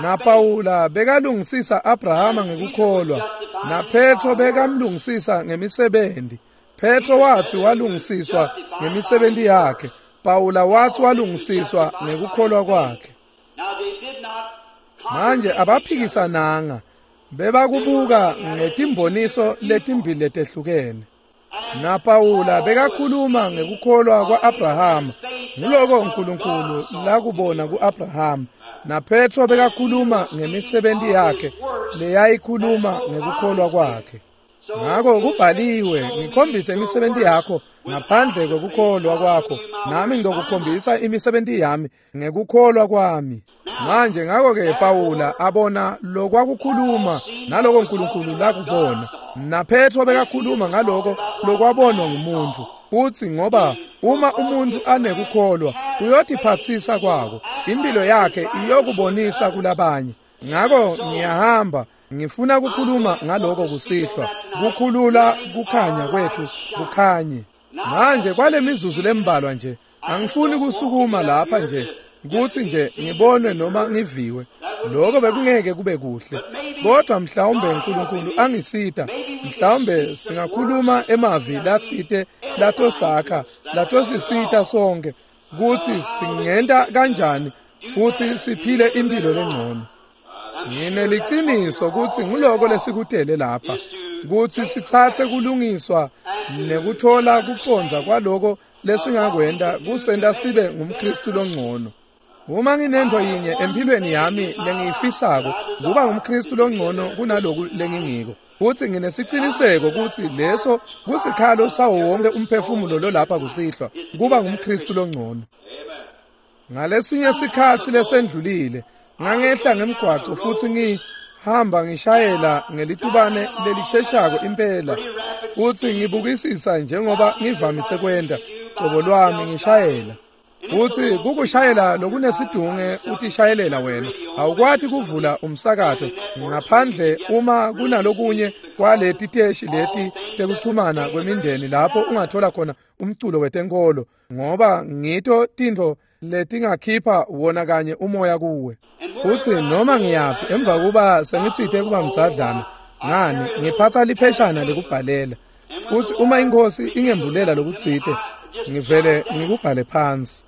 NaPawula bekalungisisa Abrahama ngekukholwa, naPetro bekamlungisisa ngemisebenzi. Petro wathi walungisiswa ngemisebenzi yakhe, Pawula wathi walungisiswa ngekukholwa kwakhe. Manje abaphikisananga, bebakubuka ngetimboniso letimbili letehlukene. NaPawula bekakhuluma ngekukholwa kwa-Abrahama, nguloko uNkulunkulu lakubona ku-Abrahama. NaPetro bekakhuluma ngemisebenzi yakhe leyayikhuluma ngekukholwa kwakhe. Ngakho kubhaliwe, ngikhombise imisebenzi yakho ngaphandle kokukholwa kwakho, nami ngizokukhombisa imisebenzi yami ngekukholwa kwami. Manje ngakho-ke Pawula abona lokwakukhuluma naloko uNkulunkulu lakubona, naPetro bekakhuluma ngaloko lokwabonwa ngumuntu. Futhi ngoba uma umuntu anekukholwa uyotiphatsisa kwako, impilo yakhe iyokubonisa kulabanye. Ngakho ngiyahamba ngifuna ukukhuluma ngaloko kusihlwa, kukhulula kukhanya kwethu kukhanye. Manje kwale mizuzu lembalwa nje, angifuni kusukuma lapha nje kuthi nje ngibonwe noma ngiviwe. Lokho bekungeke kube kuhle, kodwa mhlawumbe uNkulunkulu angisita, mhlawumbe singakhuluma emavi latsite latosakha, latosisita sonke kuthi singenta kanjani futhi siphile impilo lengcono. Ngineliciniso ukuthi nguloko lesikutele lapha, kuthi sitsatse kulungiswa nekuthola kucondza kwaloko lesingakwenta kusenta sibe ngumKristu longcono. Uma nginento yinye empilweni yami lengiyifisako, kuba ngumKristu longcono kunaloku lengingiko. Futhi nginesiciniseko ukuthi leso kusikhalo sawo wonke umphefumulo lolapha kusihlwa, kuba ngumKristu longcono. Ngalesinye sikhatsi lesendlulile, ngangehla ngemgwaco futhi ngihamba ngishayela ngelitubane lelisheshako impela, futhi ngibukisisa njengoba ngivamise kwenta cobo lwami ngishayela. Futhi kukushayela lokunesidunge utishayelela wena, awukwati kuvula umsakato ngaphandle uma kunalokunye kwaleti teshi leti tekuchumana kwemindeni lapho ungathola khona umculo wetenkolo, ngoba ngito tintfo letingakhipha wona kanye umoya kuwe. Futhi noma ngiyaphi emva kuba sengitsite kuba mdzadlana, ngani ngiphatha lipheshana lekubhalela. Futhi uma inkosi ingembulela lokutsite, ngivele ngikubhale phansi.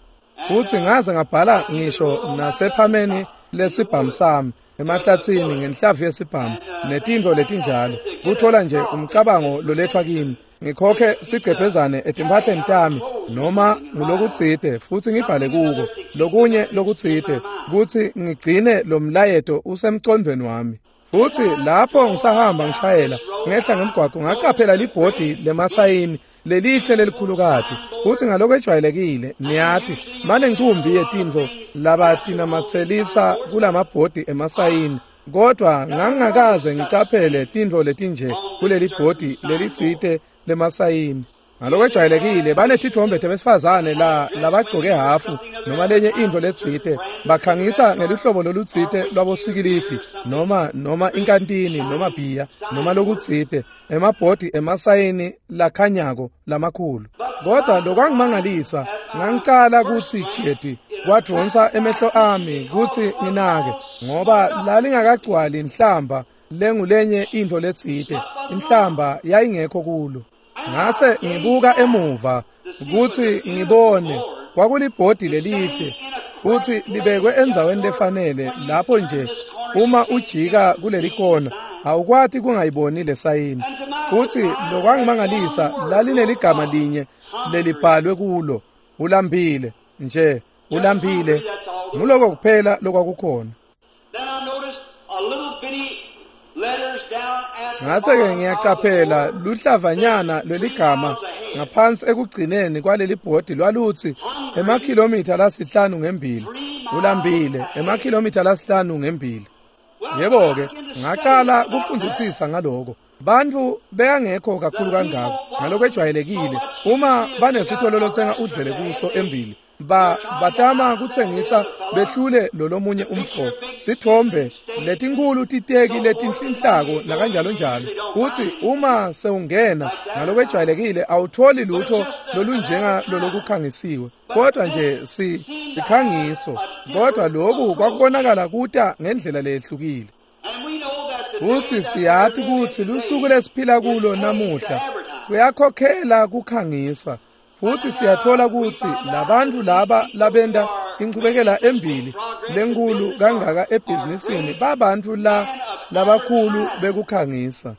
Futhi ngaze ngabhala ngisho nasephameni lesibhamu sami, emahlatsini ngenhlavu yesibhamu netintfo letinjalo, kuthola nje umcabango lolethwa kimi. Ngikhokhe sigcebhezane etimphahleni tami noma ngulokutsite futhi ngibhale kuko lokunye lokutsite kutsi ngigcine lo mlayeto usemcondvweni wami. Futhi lapho ngisahamba ngishayela ngehla ngemgwaqo, ngacaphela libhodi lemasayini lelihle lelikhulukati. Futhi ngaloko ejwayelekile niyati banencumbi yetintfo labatinamatselisa kulamabhodi emasayini, kodwa ngangingakaze ngicaphele tintfo letinje kuleli bhodi lelitsite lemasayini. Ngaloko ejwayelekile banetithombe tebesifazane la labagcoke hafu noma lenye intfo letsite, bakhangisa ngeluhlobo lolutsite lwabosikilidi noma noma inkantini noma bhiya noma lokutsite, emabhodi emasayini lakhanyako lamakhulu. Kodwa lokwangimangalisa, ngangicala kutsi jeti kwadvonsa emehlo ami kutsi nginake, ngoba lalingakagcwali inhlamba lengulenye intfo letsite, inhlamba yayingekho kulo. Ngase ngibuka emuva kutsi ngibone, kwakulibhodi lelihle futhi libekwe endzaweni lefanele lapho nje uma ujika kuleli kona awukwati kungayiboni lesayini. Futhi lokwangimangalisa, lalineligama linye lelibhalwe kulo, ulambile nje, ulambile. Nguloko kuphela lokwakukhona. Ngase-ke ngiyacaphela luhlavanyana lweligama ngaphansi ekugcineni kwaleli bhodi lwalutsi emakhilomitha lasihlanu ngembili, ulambile emakhilomitha lasihlanu ngembili. Yebo-ke, ngacala kufundzisisa ngaloko. Bantfu bekangekho kakhulu kangako ngaloko ejwayelekile uma banesitolo lotsenga udlele kuso embili, Ba batama kutsengisa behlule lolomunye umfo. Sithombe letinkulu titeki letinhlinhlako nakanjalo njalo. Uthi uma sewungena ngalokwejwayelekile awutholi lutho lolunjenga lolokukhangisiwe. Kodwa nje si sikhangiso. Kodwa lokhu kwakubonakala kuta ngendlela lehlukile. Futhi siyathi kutsi lusuku lesiphila kulo namuhla kuyakhokhela kukhangisa. Futhi siyathola kutsi labantu laba labenda inchubekela embili lenkulu kangaka ebhizinisini babantu la labakhulu bekukhangisa.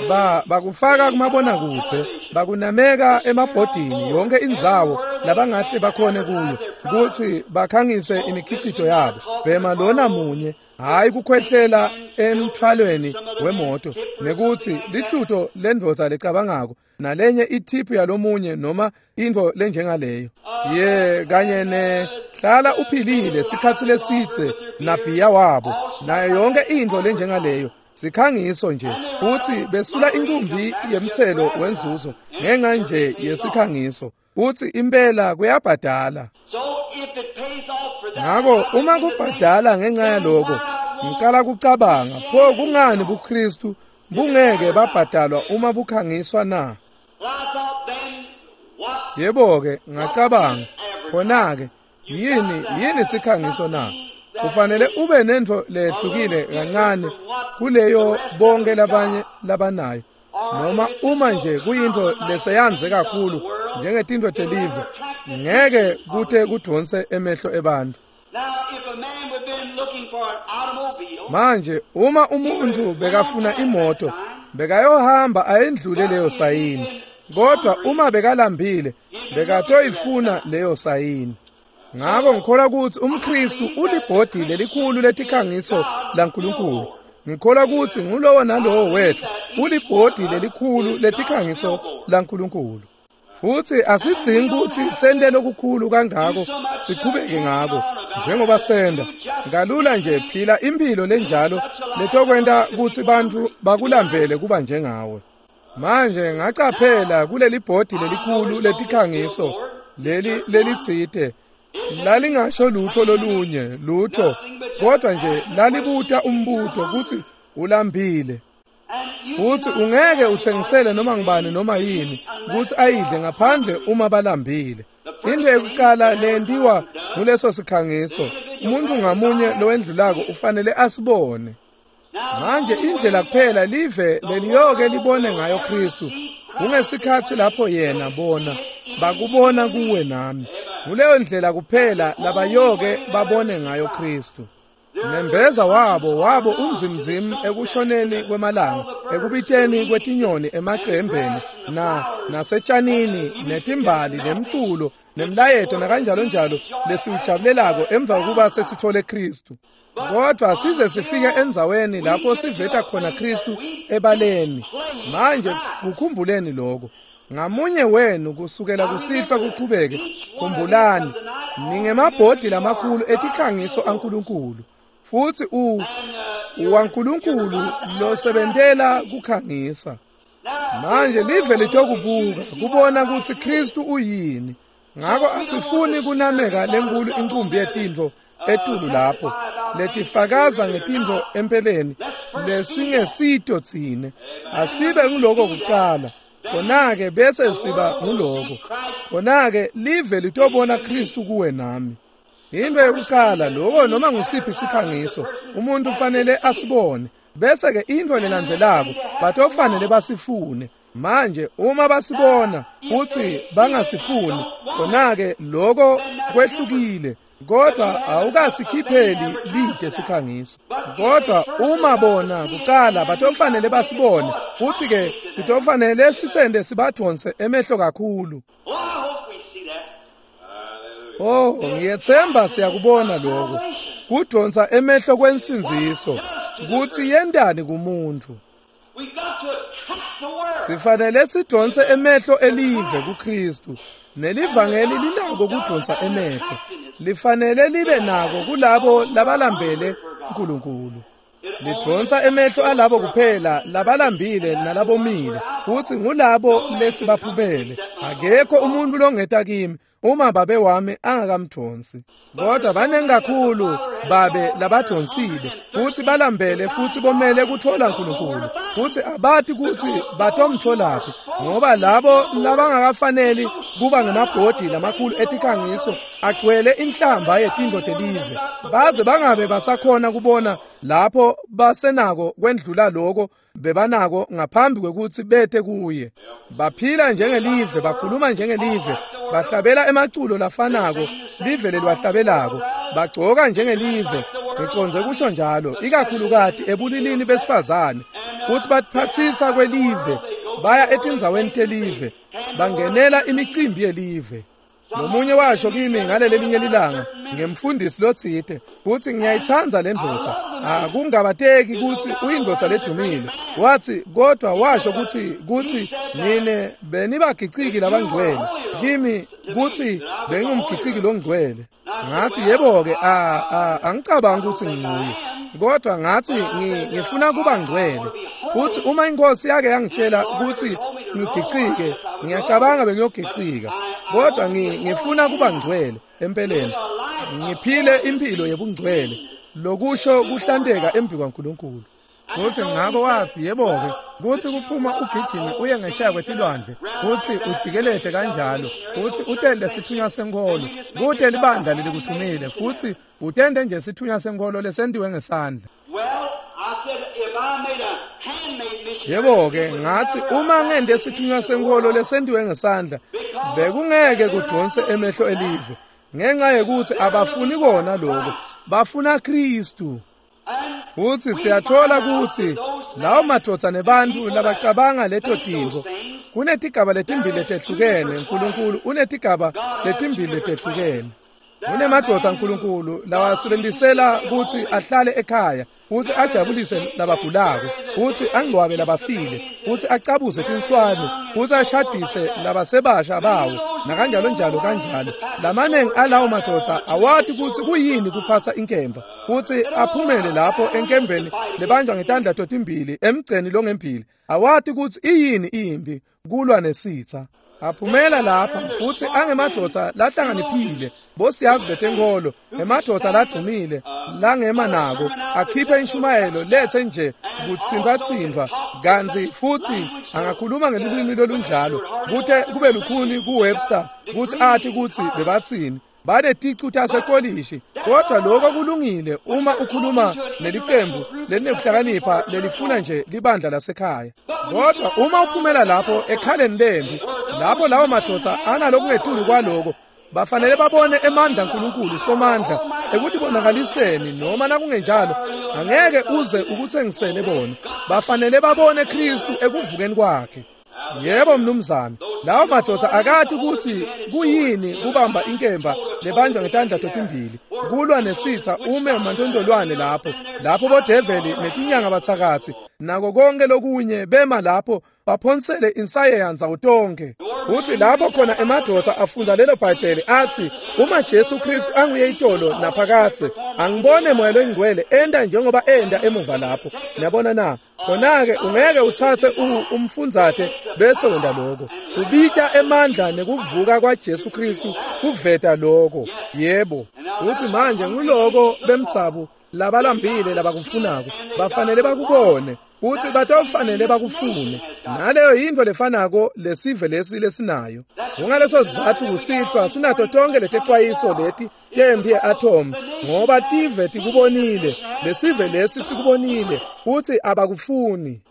Ba bakufaka kumabonakudze, bakunameka emabhodini yonke indzawo labangahle bakhone kuyo kutsi bakhangise imikhicito yabo. Bhema lona munye, hayi kukhwehlela emthwalweni wemoto, nekuthi lihluto lendvodza lecabangako nalenye ithiphu yalomunye noma intfo lenjengaleyo. Ye kanye ne hlala uphilile sikhatsi lesitse nabhiya wabo nayo yonke intfo lenjengaleyo. Sikhangiso nje uthi besula inkumbi yemthelo wenzuzo ngenxa nje yesikhangiso. Uthi impela kuyabhadala. Ngako uma kubhadala ngenxa yaloko ngicala kucabanga pho kungani buKristu bungeke babhadalwa uma bukhangiswa na? Yebo ke ngacabanga khona ke yini yini sikhangiso na? Kufanele ube nento lehlukile kancane kuleyo bonke labanye labanayo, noma uma nje kuyinto leseyanze kakhulu njengetinto telive ngeke kute kudonse emehlo ebantu. Manje uma umuntu bekafuna imoto bekayohamba ayendlule leyo sayini, kodwa uma bekalambile bekatoyifuna leyo sayini. Ngako ngikholwa kutsi umKristu ulibhodi lelikhulu letikhangiso laNkulunkulu. Ngikholwa kutsi ngulowo nalowo wethu ulibhodi lelikhulu letikhangiso laNkulunkulu. Futhi asidzingi kutsi sente lokukhulu kangako siqhubeke ngako njengoba senda. Ngalula nje phila impilo lenjalo letokwenta kutsi bantfu bakulambele kuba njengawe. Manje ngacaphela kuleli bhodi lelikhulu letikhangiso leli lelitsite lalingasho lutho lolunye lutho, kodwa nje lalibuta umbuto kutsi ulambile. Futhi ungeke uthengisele noma ngibani noma yini kutsi ayidle ngaphandle uma balambile. Into yokuqala lentiwa nguleso sikhangiso, umuntu ngamunye lowendlulako ufanele asibone. Manje indlela kuphela live leliyoke libone ngayo Kristu kungesikhatsi lapho yena bona bakubona kuwe nami. Nguleyo ndlela kuphela labayoke babone ngayo Kristu. Nembeza wabo wabo unzimzim ekushoneni kwemalanga, ekubiteni kwetinyoni emacembeni na nasetshanini netimbali nemculo nemlayeto nakanjalo njalo lesiwujabulelako emva kokuba sesithole Kristu. Kodwa size sifike endzaweni lapho siveta khona Kristu ebaleni. Manje kukhumbuleni lokho. Ngamunye wenu kusukela kusihlwa kuqhubeke, khumbulani ningemabhodi lamakhulu etikhangiso aNkulunkulu. Futhi u uwaNkulunkulu losebentela kukhangisa. Manje live litokubuka kubona kutsi Kristu uyini. Ngako asifuni kunameka lenkulu incumbi yetintfo etulu lapho letifakaza ngetintfo empeleni lesingesito tsine. Asibe nguloko kucala, khona-ke bese siba nguloko. Khona-ke live litobona Kristu kuwe nami. Into yokucala lokho noma ngusiphi sikhangiso umuntu ufanele asibone, bese ke into lelandzelako batofanele basifune. Manje uma basibona uthi bangasifuni, khona-ke lokho kwehlukile, kodwa awukasikhipheli lide sikhangiso. Kodwa uma bona kucala batofanele basibone, uthi ke litofanele sisende sibadonse emehlo kakhulu. Oh, ngiyethemba siyakubona lokho. Kudonsa emehlo kwensindziso kutsi yentani kumuntu. Sifanele sidonse emehlo elive kuKristu. Nelivangeli linako kudonsa emehlo. Lifanele libe nako kulabo labalambele uNkulunkulu. Lidonsa emehlo alabo kuphela labalambile nalabomile, futhi ngulabo lesibaphumele. Akekho umuntu longeta kimi uma babe wami angakamdonsi. Kodwa banengi kakhulu babe labadonsile kutsi balambele futsi bomele kutfola Nkulunkulu, kutsi abati kutsi batomtfolaphi, ngoba labo labangakafaneli kuba ngemabhodi lamakhulu etikhangiso agcwele inhlamba yetintfo telive, baze bangabe basakhona kubona lapho basenako kwendlula loko bebanako ngaphambi kwekutsi bete kuye. Baphila njengelive, bakhuluma njengelive, bahlabela emaculo lafanako live leliwahlabelako, bagcoka njengelive, ngicondze kusho njalo, ikakhulukati ebulilini besifazane, futsi batiphatsisa kwelive, baya etindzaweni telive, bangenela imicimbi yelive. Lomunye washo kimi ngalelelinye lilanga ngemfundisi lotsite kutsi ngiyayitsandza le ndvodza, akungabateki kutsi uyindvodza ledumile. Watsi kodwa washo kutsi kutsi nine benibagiciki labangcwele kimi, kutsi bengingumgiciki longcwele. Ngathi yebo-ke, angicabangi kutsi nginguye, kodwa ngathi ngifuna kuba ngcwele, futhi uma inkosi yake yangitshela kutsi ngigicike, ngiyacabanga bengiyogicika, kodwa ngifuna kuba ngcwele empeleni, ngiphile impilo yebungcwele, lokusho kuhlanteka embi kwaNkulunkulu. Kuthi ngako wathi yebo-ke, kuthi kuphuma ugijime uye ngesheya kwetilwandle, kuthi ujikelete kanjalo, kuthi utende sithunywa senkholo, kute libandla lelikuthumile, futhi utende nje sithunywa senkholo lesentiwe ngesandla. Yebo-ke, ngathi uma ngente sithunywa senkholo lesentiwe ngesandla, bekungeke kudonse emehlo elive, ngenxa yekuthi abafuni kona lokho, bafuna Kristu. Futsi siyathola kutsi lawo madvodza nebantfu labacabanga leto tintfo, kunetigaba letimbili letehlukene. Nkulunkulu unetigaba letimbili letehlukene. Kunemadvodza Nkulunkulu lawasebenzisela kutsi ahlale ekhaya, kutsi ajabulise labagulako, kutsi angcwabe labafile, kutsi acabuze tinswane, kutsi ashadise labasebasha bawo, nakanjalo njalo kanjalo. Lamanengi alawo madvodza awati kutsi kuyini kuphatsa inkemba, kutsi aphumele lapho enkembeni lebanjwa ngetandla totimbili emgceni longembili, awati kutsi iyini impi kulwa nesitha. Aphumela lapha futsi angemadvodza lahlakaniphile, bosiyazi betenkholo, emadvodza ladumile langema nako, akhiphe inshumayelo lethe nje kutsintfwatsintfwa, kantsi futsi angakhuluma ngelulwimi lolunjalo kute kube lukhuni kuWebster kutsi ati kutsi bebatsini. Baneticu tasekolishi, kodwa lokho kulungile uma ukhuluma nelicembu lelinekuhlakanipha lelifuna nje libandla lasekhaya. Kodwa uma uphumela lapho ekhaleni lembi, lapho lawo madvodza analokungetulu kwaloko, bafanele babone emandla aNkulunkulu somandla ekutibonakaliseni, noma nakungenjalo angeke uze ukutsengisele bona. Bafanele babone Kristu ekuvukeni kwakhe. Yebo mnumzane, lawo madvodza akati kutsi kuyini kubamba inkemba lebanjwa ngetandla totimbili, kulwa nesitha ume mantontolwane lapho, lapho bodeveli netinyanga bathakathi nako konke lokunye bema lapho baphonsele insayeya ndzawo tonke. Kuthi lapho khona emadvodza afunda lelo Bhayibheli athi uma Jesu Kristu anguye itolo naphakathe, angibone moya loyingcwele enda njengoba enda emuva lapho. Niyabona na? Khona-ke ungeke uthathe umfundzate bese wenda lokho. Kubita emandla nekuvuka kwaJesu Kristu kuveta lokho. Yebo. Kuthi manje nguloko bemtsabu labalambile labakufunako bafanele bakubone, kuthi batofanele bakufune. Naleyo yintfo lefanako lesive lesi lesinayo. Kungaleso sizatfu kusihlwa sinato tonke letexwayiso leti tempi ye-atom, ngoba tive tikubonile, lesive lesi sikubonile, kuthi abakufuni.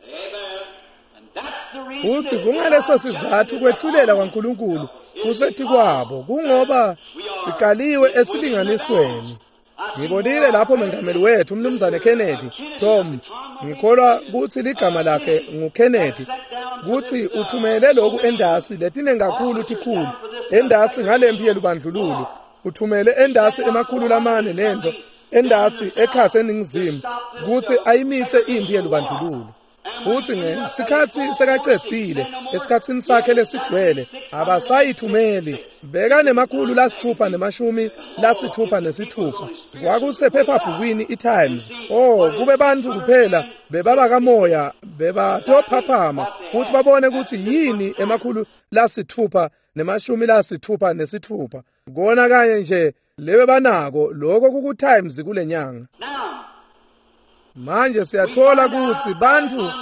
Kuthi kungaleso sizatfu kwehlulela kwaNkulunkulu kusetikwabo, kungoba sikaliwe esilinganisweni. Ngibonile lapho mengameli wethu umnumzane Kennedy, Tom, ngikholwa kutsi ligama lakhe nguKennedy, kutsi uthumele lokhu endasi letinengi kakhulu tikhulu endasi ngalempi yelubandlululo, uthumele endasi emakhulu lamane nento endasi ekhatsi eningizimu kutsi ayimitse impi yelubandlululo. Futsi ngesikhatsi sekacedzile esikhatsini sakhe lesigcwele abasayithumeli. Bekanemakhulu lasithupha nemashumi lasithupha nesithupha. Kwakusephephabhukwini iTimes. Oh, kube bantfu kuphela bebaba kamoya bebatophaphama kutsi babone kutsi yini emakhulu lasithupha nemashumi lasithupha nesithupha. Kona kanye nje lebe banako lokho kuku Times kulenyanga. Manje siyathola kutsi bantfu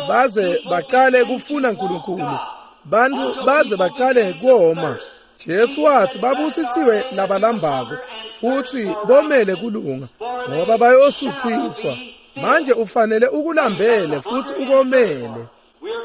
baze baqale kufuna uNkulunkulu. Bantfu baze baqale koma. Jesu wathi babusisiwe labalambako futhi bomele kulunga ngoba bayosuthiswa. Manje ufanele ukulambele futhi ukomele.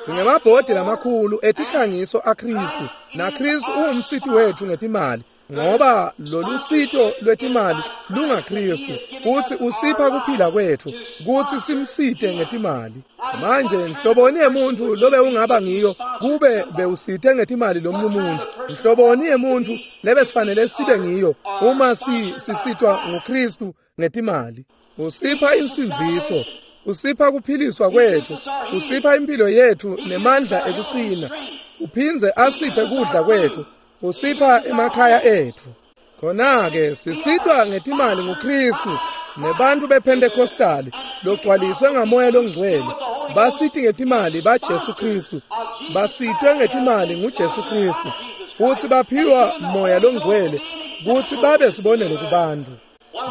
Singemabhodi lamakhulu etikhangiso aKristu, naKristu ungumsiti wethu ngetimali, ngoba lolu sito lwetimali lungaKristu futhi usipha kuphila kwethu kuthi simsite ngetimali. Manje nhloboni yemuntu lobe ungaba ngiyo kube bewusite ngetimali lomunye umuntu? Nhloboni yemuntu lebe sifanele sibe ngiyo uma si sisitwa nguKristu ngetimali? Usipha insindziso, usipha kuphiliswa kwethu, usipha impilo yethu nemandla ekucina, uphindze asiphe kudla kwethu, usipha emakhaya ethu. Khona-ke sisitwa ngetimali nguKristu nebantu bePentecostali logcwaliswe ngamoya longcwele basiti ngetimali baJesu Kristu, basitwe ngetimali nguJesu Kristu futhi baphiwa moya longcwele kutsi babe sibonelo kubantu.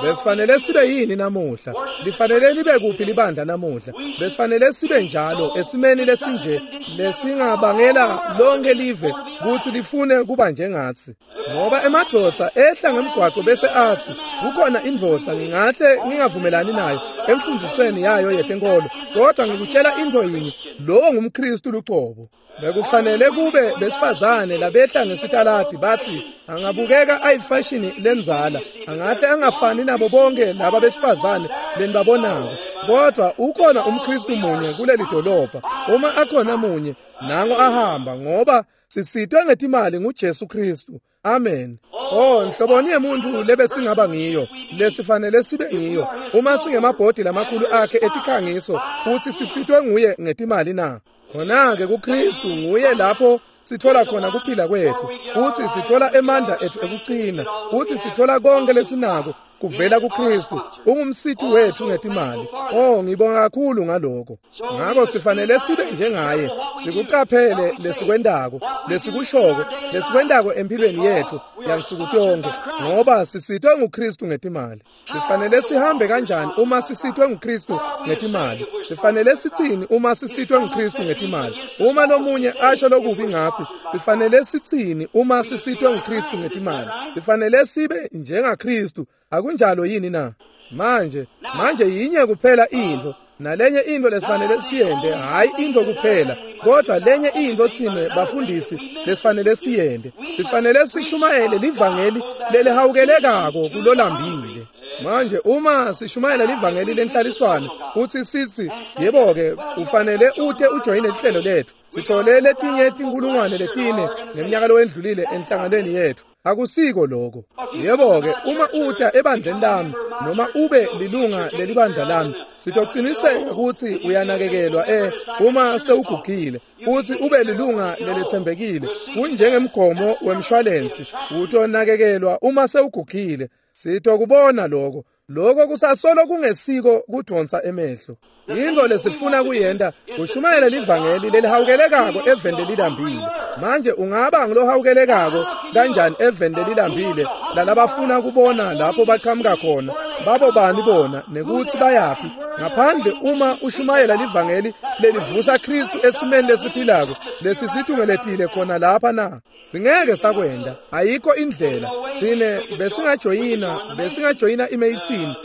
Besifanele sibe yini namuhla? Lifanele libe kuphi libandla namuhla? Besifanele sibe njalo esimeni lesinje lesingabangela lonke live kutsi lifune kuba njengatsi. Ngoba emadvodza ehla ngemgwaqo bese athi kukhona indvodza ngingahle ngingavumelani nayo emfundisweni yayo yetenkolo, kodwa ngikutshela into yinye, lowo ngumKristu lucobo. Bekufanele kube besifazane labehla ngesitaladi bathi angabukeka ayifashini lenzala, angahle angafani nabo bonke laba besifazane lenibabonako, kodwa ukhona umKristu munye kuleli dolobha. Uma akhona munye nango ahamba, ngoba sisitwe ngetimali nguJesu Kristu. Amen. Oh, nhloboni yemuntu lebe singaba ngiyo, lesifanele sibe ngiyo uma singemabhodi lamakhulu akhe etikhangiso futhi sisitwe nguye ngetimali na? Khona-ke kuKristu nguye lapho sithola khona kuphila kwethu, futhi sithola emandla ethu ekucina, futhi sithola konke lesinako kuvela kuKristu. Ungumsithi wethu ngetimali. Oh, ngibonga kakhulu ngaloko. Ngakho sifanele sibe njengaye, sikuqaphele lesikwendako, lesikushoko, lesikwendako empilweni yethu yansuku tonke, ngoba sisitwe nguKristu ngetimali. Sifanele sihambe kanjani uma sisitwe nguKristu ngetimali? Sifanele sitsini uma sisitwe nguKristu ngetimali? Uma lomunye asho lokubi ngathi, sifanele sitsini uma sisitwe nguKristu ngetimali? Sifanele sibe njengaKristu, akunjalo yini na? Manje, manje yinye kuphela intfo, nalenye intfo lesifanele siyente, hayi intfo kuphela, kodwa lenye intfo tsine bafundisi lesifanele siyente. Sifanele sishumayele livangeli lelihawukelekako kulolambile. Manje uma sishumayela livangeli lenhlaliswano uthi sithi yebo-ke ufanele ute ujoyine lihlelo lethu, sithole letinye tinkulungwane letine ngeminyaka lowendlulile enhlanganweni yethu. Akusiko lokho. Yebo-ke uma uta ebandleni lami noma ube lilunga lelibandla lami, sitociniseka kutsi uyanakekelwa eh uma sewugugile, uthi ube lilunga leletsembekile. Kunjengemgomo wemshwalensi, utonakekelwa uma sewugugile. Sitokubona lokho. Lokho kusasolo kungesiko kudonsa emehlo. Into lesifuna kuyenta kushumayela livangeli lelihawukelekako eveni lelilambile. Manje ungaba ngilohawukelekako kanjani eveni lelilambile lalabafuna kubona lapho baqhamuka khona, babo bani bona nekuthi bayaphi, ngaphandle uma ushumayela livangeli lelivusa Kristu esimeni lesiphilako lesisitungeletile khona lapha na? Singeke sakwenda, ayikho indlela. Tsine besingajoyina, besingajoyina iMason,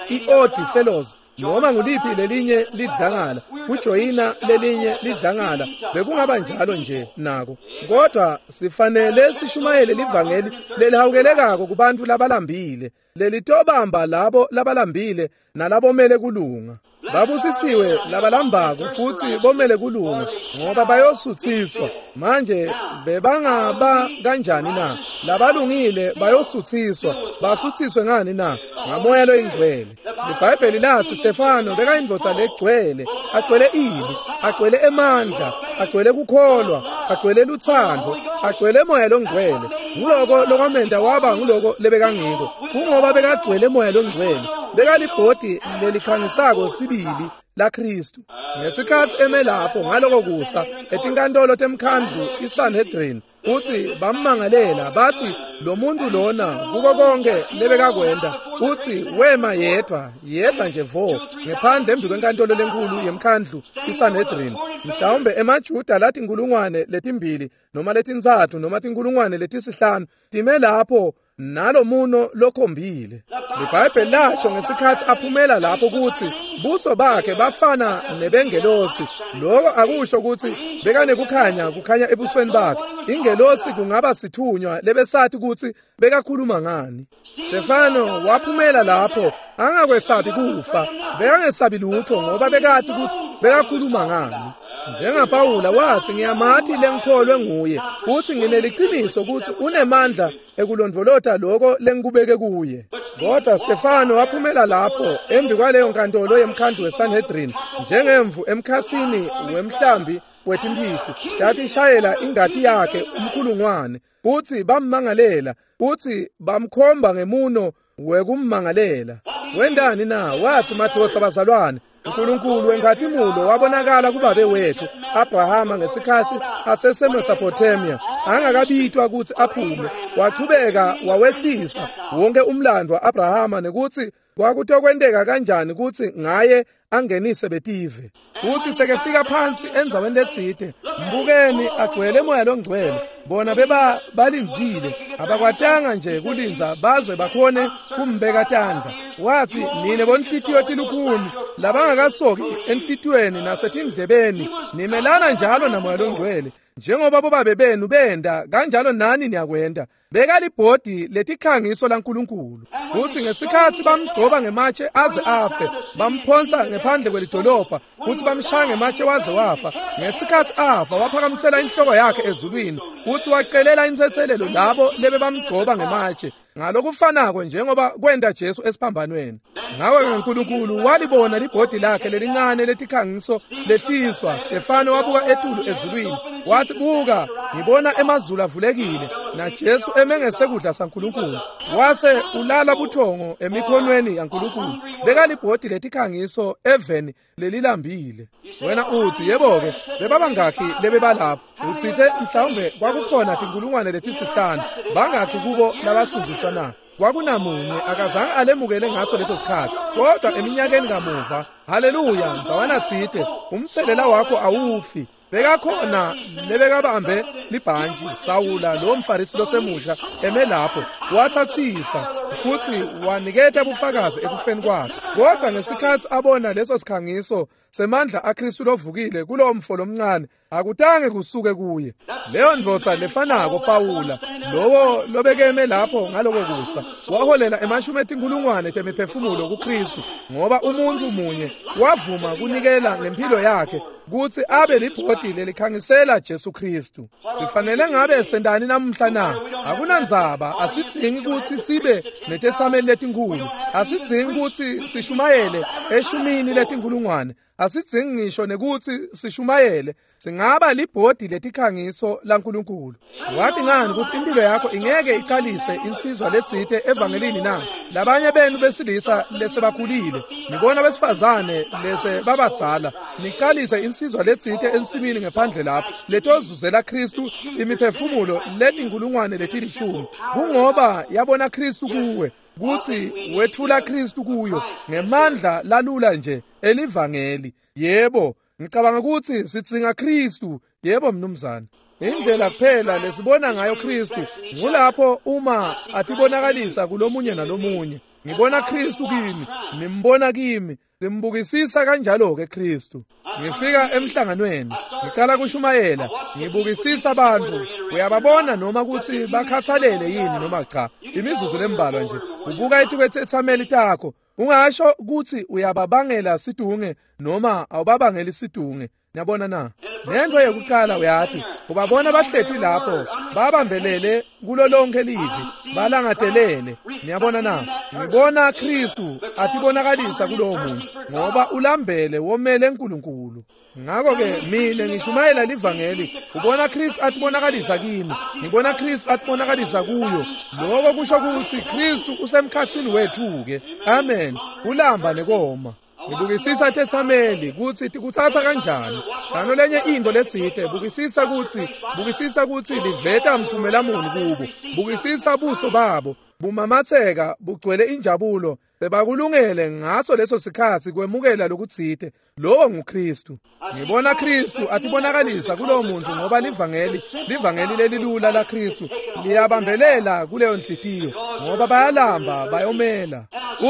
i-Odd Fellows, noma nguliphi lelinye lidlangala, kujoyina lelinye lidlangala, bekungaba njalo nje nako. Kodwa sifanele sishumayele livangeli lelihawukelekako kubantu labalambile, lelitobamba labo labalambile nalabomele kulunga. Babusisiwe labalambako futhi bomele kulunga, ngoba bayosuthiswa. Manje bebangaba kanjani na? Labalungile bayosuthiswa. Basuthiswe ngani na? Ngamoya loyingcwele. LiBhayibheli latsi Stefano bekayindvodza legcwele, agcwele ini, agcwele emandla, agcwele kukholwa, agcwele lutsandvo, agcwele moya longcwele. Nguloko lokwamenta waba nguloko lebekangiko. Kungoba bekagcwele moya longcwele. Bekalibhodi lelikhangisako sibili la Kristu. Ngesikhatsi eme lapho ngaloko kusa etinkantolo temkhandlu iSanhedrin, utsi bammangalela batsi lo muntu lona kuko konke lebekakwenta, utsi wema yedwa yedwa nje vo ngephandle embi kwenkantolo lenkulu yemkhandlu iSanhedrin. Mhlawumbe emaJuda lathi inkulungwane letimbili noma letintsatfu noma tinkulungwane letisihlanu time lapho nalomuno lokhombile. LiBhayibheli lasho ngesikhatsi aphumela lapho kutsi buso bakhe bafana nebengelosi. Lokho akusho ukuthi bekanekukhanya kukhanya ebusweni bakhe. Ingelosi kungaba sithunywa lebesathi kutsi bekakhuluma ngani. Stefano waphumela lapho angakwesabi kufa, bekangesabi lutho ngoba bekati kutsi bekakhuluma ngani. NjengaPawula watsi ngiyamati lengikholwe nguye, uthi ngineliciniso kutsi unemandla ekulondvolota lokho lengikubeke kuye. Kodwa Stefano waphumela lapho embi kwaleyo nkantolo yemkhandlu weSanhedrin njengemvu emkhatsini wemhlambi wetimphisi tatishayela ingati yakhe umkhulungwane, utsi bammangalela, utsi bamkhomba ngemuno wekummangalela. Wendani na? Watsi madvodza bazalwane, uNkulunkulu wenkhatimulo wabonakala kubabe wethu Abrahama ngesikhatsi aseseMesopotamia angakabitwa kutsi aphume, wachubeka wawehlisa wonke umlando wa-Abrahama nekutsi kwakutokwenteka kanjani kutsi ngaye angenise betive. Utsi sekefika phansi endzaweni letsite, mbukeni agcwele moya longcwele. Bona beba balindzile, abakwatanga nje kulindza baze bakhone kumbeka tandla. Watsi nine bonhlitiyo tilukhuni labangakasoki enhlitiyweni nasetindlebeni, nimelana njalo namoya longcwele njengoba bobabe benu benda kanjalo nani niyakwenda. Bekalibhodi letikhangiso laNkulunkulu. Kutsi ngesikhatsi bamgcoba ngematshe aze afe, bamphonsa ngephandle kwelidolobha, kutsi bamshaya ngematshe waze wafa. Ngesikhatsi afa waphakamisela inhloko yakhe ezulwini, kutsi wacelela intsetselelo labo lebebamgcoba ngematshe, ngalokufanako njengoba kwenta Jesu esiphambanweni. Ngako uNkulunkulu walibona libhodi lakhe lelincane letikhangiso lehliswa. Stefano wabuka etulu ezulwini, wathi buka, ngibona emazulu avulekile na Jesu emengesekudla saNkulunkulu. Wase ulala buthongo emikhonweni yaNkulunkulu. Bekalibhodi letikhangiso eveni lelilambile. Wena utsi yebo-ke bebabangakhi lebebalapho? Utsite mhlawumbe kwakukhona tinkulungwane letisihlanu. Bangakhi kubo labasindziswa na? Kwakunamunye akazange alemukele ngaso leso sikhatsi, kodwa eminyakeni kamuva, haleluya, ndzawana tsite umtselela wakho awufi. Bekakhona lebekabambe libhantji Sawula lo mfarisi losemusha eme lapho, watsatsisa futsi waniketa bufakazi ekufeni kwakhe. Kodwa ngesikhatsi abona leso sikhangiso semandla aKristu lovukile kulowo mfo lomncane, akutange kusuke kuye. Leyo ndvodza lefanako Pawula, lowo lobekeme lapho ngaloko kusa, waholela emashumi etinkulungwane temiphefumulo kuKristu, ngoba umuntu munye wavuma kunikela ngempilo yakhe kutsi abe libhodi lelikhangisela Jesu Kristu. Sifanele ngabe sendani namuhla na? Akunandzaba, asidzingi kutsi sibe netetsameli letinkhulu, asidzingi kutsi sishumayele eshumini letinkulungwane, asidzingi ngisho nekutsi sishumayele. Singaba libhodi letikhangiso laNkulunkulu. Wathi ngani kutsi impilo yakho ingeke iqalise insizwa letsite evangelini na? Labanye benu besilisa lesebakhulile, nibona besifazane lese babadzala, niqalise insizwa letsite ensimini ngephandle lapho letozuzela Kristu imiphefumulo letinkulungwane letilishumi, kungoba yabona Kristu kuwe, kutsi wetfula Kristu kuyo ngemandla lalula nje elivangeli. Yebo, ngicabanga kutsi sidzinga Kristu. Yebo mnumzane. Indlela kuphela lesibona ngayo Kristu ngulapho uma atibonakalisa kulomunye nalomunye. Ngibona Kristu kimi, nimbona kimi, simbukisisa kanjalo-ke Kristu. Ngifika emhlanganweni, ngicala kushumayela, ngibukisisa abantu, uyababona noma kutsi bakhathalele yini noma cha. Imizuzu lembalwa nje, ubuka etikwethethameli takho, ungasho kutsi uyababangela sidunge noma awubabangeli sidunge. Niyabona na? Nento yekuqala uyati, Ubabona bahleti lapho babambelele kulo lonke livi, balangatelele. Niyabona na? Ngibona Kristu atibonakalisa kulowo muntu ngoba ulambele womele uNkulunkulu. Ngakho-ke mina ngishumayela livangeli, ubona Kristu atibonakalisa kimi, ngibona Kristu atibonakalisa kuyo. Lokho kusho ukuthi Kristu usemkhathini wethu-ke. Amen. Ulamba nekoma. Ngibukisisa tethameli kutsi tikutsatsa kanjani. Njalo lenye into letsite, bukisisa kutsi, bukisisa kutsi liveta mphumela muni kubo. Bukisisa buso babo bumamatheka bugcwele injabulo, sebakulungele ngaso leso sikhatsi kwemukela lokutsite. Lowo nguKristu. Ngibona Kristu atibonakalisa kulowo muntu ngoba livangeli, livangeli lelilula laKristu liyabambelela kuleyo nhliziyo ngoba bayalamba bayomela.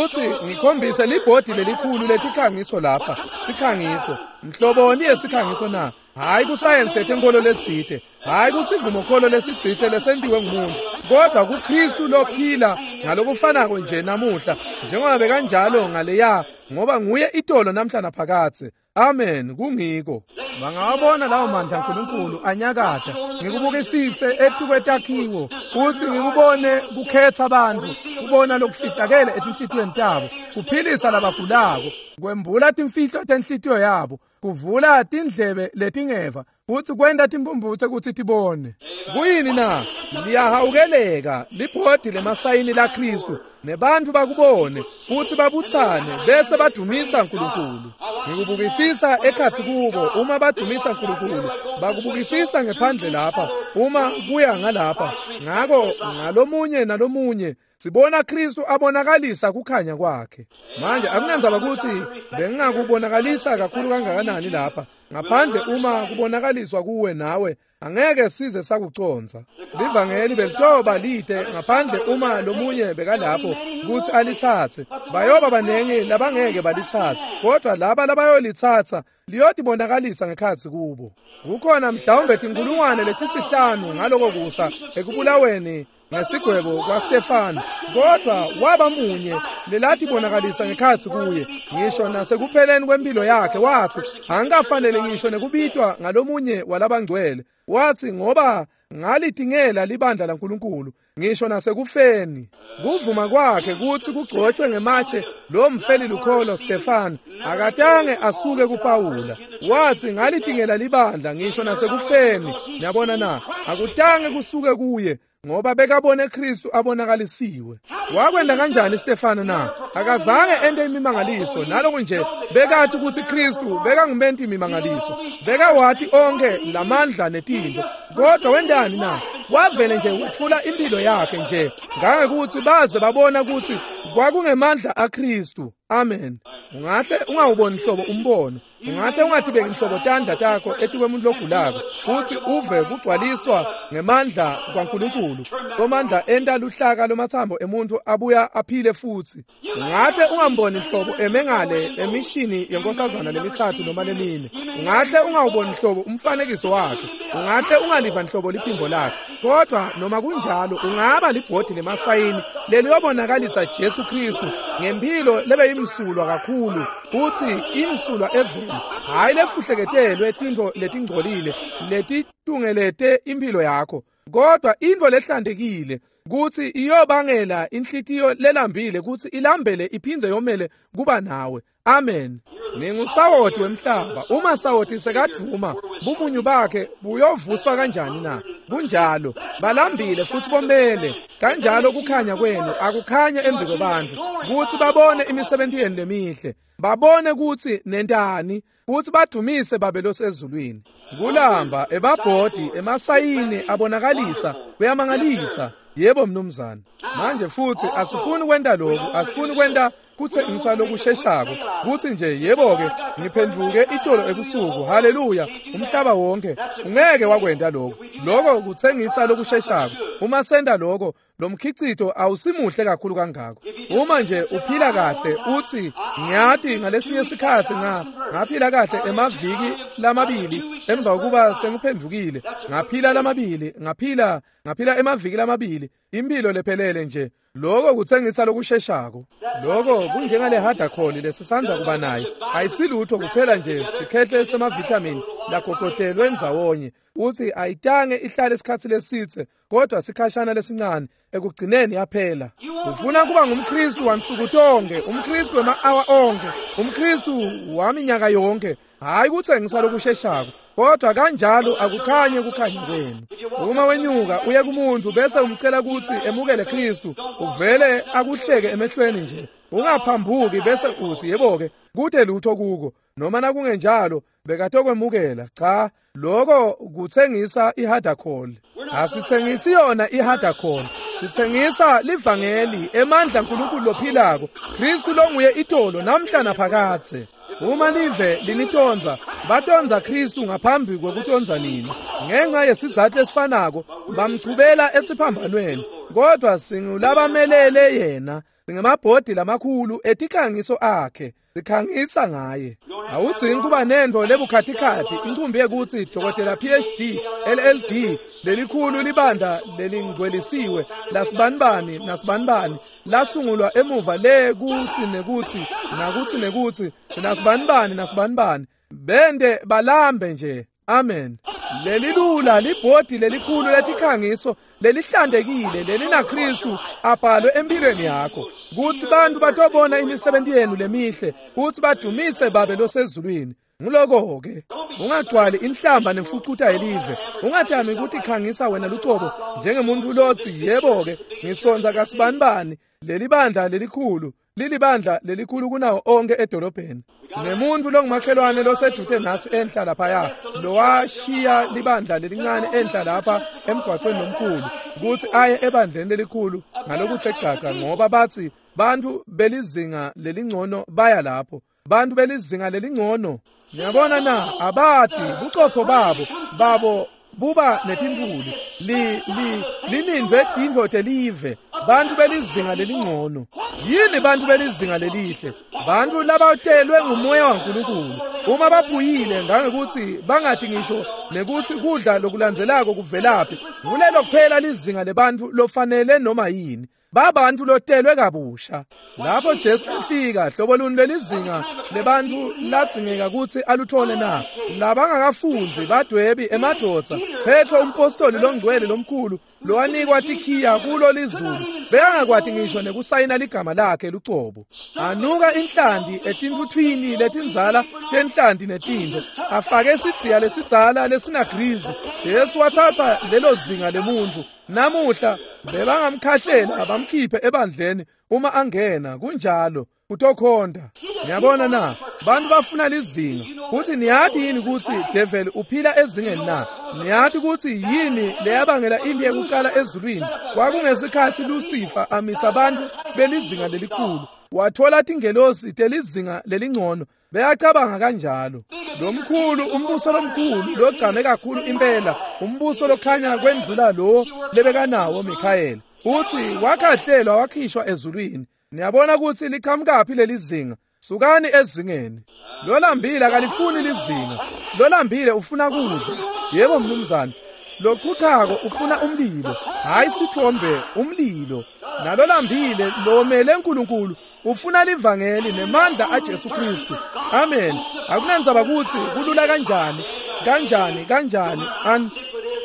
Uthi ngikhombise libhodi lelikhulu letikhangiso lapha, sikhangiso. Mhloboni yesikhangiso na? Hayi kusayensi yetenkolo letsite, hayi kusivumokholo lesitsite lesentiwe ngumuntu, kodwa kuKristu lophila ngalokufanako nje namuhla njengoba bekanjalo ngaleya, ngoba nguye itolo namhla naphakadze. Amen. Kungiko bangawabona lawo mandla uNkulunkulu anyakata. Ngikubukisise etukwetakhiwo futhi ngikubone kukhetha abantu, kubona lokufihlakele etinhlitiyweni tabo, kuphilisa labagulako, kwembula timfihlo tenhlitiyo yabo, kuvula tindlebe letingeva futhi kwenta timphumphutse kutsi tibone. Kuyini na? Liyahawukeleka libhodi lemasayini laKristu, nebantfu bakubone futhi babutsane bese badumisa uNkulunkulu. Ngikubukisisa ekhatsi kubo uma badumisa uNkulunkulu, bakubukisisa ngephandle lapha uma kuya ngalapha. Ngako ngalomunye nalomunye sibona Kristu abonakalisa kukhanya kwakhe. Manje akunandzaba ukuthi bengingakubonakalisa kakhulu kangakanani lapha, ngaphandle uma kubonakaliswa kuwe nawe angeke size sakuconza. Livangeli belitoba lide ngaphandle uma lomunye bekalapho kutsi alitsatse. Bayoba banengi labangeke balitsatse, kodwa laba labayolitsatsa liyotibonakalisa ngekhatsi kubo. Kukhona mhlawumbe tinkulungwane letisihlanu ngaloko kusa ekubulaweni ngesigwebo kwaStefano, kodwa waba munye lelatibonakalisa ngekhatsi kuye. Ngisho nasekupheleni kwempilo yakhe wathi angikafanele ngisho nekubitwa ngalomunye walabangcwele. Wathi ngoba ngalitingela libandla laNkulunkulu ngisho nasekufeni. Kuvuma kwakhe kutsi kugcotshwe ngematshe lo mfeli lukholo Stefano akatange asuke kuPawula. Wathi ngalitingela libandla ngisho nasekufeni. Niyabona na? Akutange kusuke kuye ngoba bekabone Kristu abonakalisiwe. Wakwenda kanjani Stefano na? Akazange ente imimangaliso, naloku nje bekati ukuthi Kristu bekangumenti imimangaliso, bekawati onke lamandla netintfo. Kodwa wendani na? Wavele nje wetfula impilo yakhe nje ngangekuthi baze babona ukuthi kwakungemandla aKristu. Amen. Ungahle ungawuboni hlobo umbono, ungahle ungatibeki nhlobo tandla takho etikwemuntu logulako kutsi uve kugcwaliswa ngemandla kwaNkulunkulu. Somandla enta luhlaka lomathambo emuntu abuya aphile futhi. Ungahle ungamboni hlobo emengale emishini yenkosazana lemithathu noma lemine. Ungahle ungawuboni hlobo umfanekiso wakhe, ungahle ungaliva nhlobo liphimbo lakhe, kodwa noma kunjalo ungaba libhodi lemasayini leliyobonakalisa Jesu Kristu ngempilo lebeyimsulwa kakhulu, kutsi imsulwa eveni, hayi lefuhleketelwe tintfo letingcolile letitungelete impilo yakho, kodwa intfo lehlantekile kutsi iyobangela inhlitiyo lelambile kutsi ilambele iphindze yomele kuba nawe. Amen. Ningusawoti wemhlaba. Uma sawoti sekadvuma, bumunyu bakhe buyovuswa kanjani na? Kunjalo, balambile futhi bomele. Kanjalo kukhanya kwenu akukhanye embi kwebantfu kutsi babone imisebenti yenu lemihle, babone kutsi nentani, kutsi badumise Babe losezulwini. Kulamba emabhodi emasayini abonakalisa kuyamangalisa. Yebo mnumzane. Manje futhi asifuni kwenta lokhu, asifuni kwenta kutsengisa lokusheshako kutsi nje yebo ke ngiphendvuke itolo ebusuku, haleluya, umhlaba wonke. Ungeke wakwenta lokho. Lokho kutsengisa lokusheshako. Uma senta lokho, lo mkhicito awusimuhle kakhulu kangako. Uma nje uphila kahle uthi ngiyati ngalesinye isikhatsi nga ngaphila kahle emaviki lamabili emva kokuba sengiphendvukile, ngaphila lamabili, ngaphila ngaphila emaviki lamabili, impilo lephelele nje. Loko kutsengisa lokusheshako. Loko kunjengale hadakholi lesisandza kuba nayo. Ayisilutho kuphela nje sikhehle semavithamini lagogotelwe ndzawonye. Uthi ayitange ihlale isikhatsi lesitse kodwa sikhashana lesincane ekugcineni yaphela. Ufuna kuba ngumKristu wansuku tonke, umKristu wema-awa onke, umKristu waminyaka yonke. Hayi kutsengisa lokusheshako, kodwa kanjalo akukhanye kukhanya kwenu. Uma wenyuka uye kumuntu bese umcela ukuthi emukele Kristu, uvele akuhleke emehlweni nje. Ungaphambuki bese uthi yebo-ke kude lutho kuko, noma nakungenjalo bekatokwemukela. Cha, loko kutsengisa ihadakholi. Asitsengisi yona ihadakholi, sitsengisa livangeli, emandla nkulunkulu lophilako, Kristu longuye itolo namhla naphakadze. Uma live linitonza, batonza Kristu ngaphambi kwekutonza nini. Ngenxa yesizathu esifanako bamchubela esiphambanweni, kodwa singulabamelele yena. Singemabhodi lamakhulu etikhangiso akhe, sikhangisa ngaye. Awudzingi kuba nento lebukhatikhathi inkumbi yekuthi dokotela P H D L L D lelikhulu libandla lelingcwelisiwe lasibanibani nasibanibani lasungulwa emuva le kuthi nekuthi nakuthi nekuthi nasibanibani nasibanibani bende balambe nje. Amen. Lelilula libhodi lelikhulu letikhangiso lelihlandekile lelinaKristu abhalwe empilweni yakho, kuthi bantu batobona imisebenzi yenu lemihle, kuthi badumise Babe losezulwini. Nguloko ke ungagcwali inhlamba nemfucuta yelive. Ungatami ukuthi khangisa wena lucobo njengemuntu lothi yebo ke ngisonza kasibanibani leli bandla lelikhulu lilibandla lelikhulu kunawo onke edolobheni. Sinemuntu longumakhelwane losedute nathi enhla laphaya lowashiya libandla lelincane enhla lapha emgwaqweni lomkhulu ukuthi aye ebandleni lelikhulu ngalokuthe gaga, ngoba bathi bantu belizinga lelingcono baya lapho. Bantu belizinga lelingcono, niyabona na, abati bucopho babo babo buba netimvuli li li linindwe tintfo live. Bantu belizinga lelingcono. Yini bantu belizinga lelihle? Bantu labatelwe ngumoya waNkulunkulu. Uma baphuyile ngangekuthi bangathi ngisho nekuthi kudla lokulandzelako kuvelaphi, ngulelo kuphela lizinga lebantu lofanele noma yini. Babantu lotelwe kabusha. Lapho Jesu efika, hlobo luni lelizinga lebantu ladzingeka ukuthi aluthole na? Labangakafunzi badwebi emadvodza. Petro umpostoli longcwele lomkhulu lowanikwa tikhiya kulo lizulu, bekangakwati ngisho nekusayina ligama lakhe lucobo. Anuka inhlanti etinfuthwini letindzala tenhlanti netintfo, afake sidziya lesidzala lesinagrizi. Jesu wathatha lelo zinga lemuntu. Namuhla bebangamkhahlela bamkhiphe ebandleni uma angena. Kunjalo utokhonda. Niyabona na, bantu bafuna lizinga. Kuthi niyati yini ukuthi devil uphila ezingeni na? Niyati ukuthi yini leyabangela impi yekucala ezulwini? Kwakungesikhathi Lucifer amisa abantu belizinga lelikhulu, wathola tingelosi telizinga lelingcono. Beyacabanga kanjalo. Lomkhulu umbuso lomkhulu logcame kakhulu impela, umbuso lokhanya kwendlula lo lebekanawo Mikhayeli, uthi wakhahlelwa wakhishwa ezulwini. Niyabona ukuthi liqhamukaphi lelizinga? Sukani ezingeni. Lolambile akalifuni lizinga. Lolambile ufuna kudla. Yebo mnumzane. Lochuchako ufuna umlilo, hayi sithombe, umlilo. Nalolambile lomele uNkulunkulu ufuna livangeli nemandla aJesu Kristu. Amen. Akunandzaba ukuthi kulula kanjani, kanjani, kanjani, an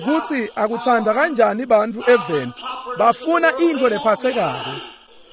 kuthi akuthanda kanjani bantu eveni. Bafuna into lephathekako.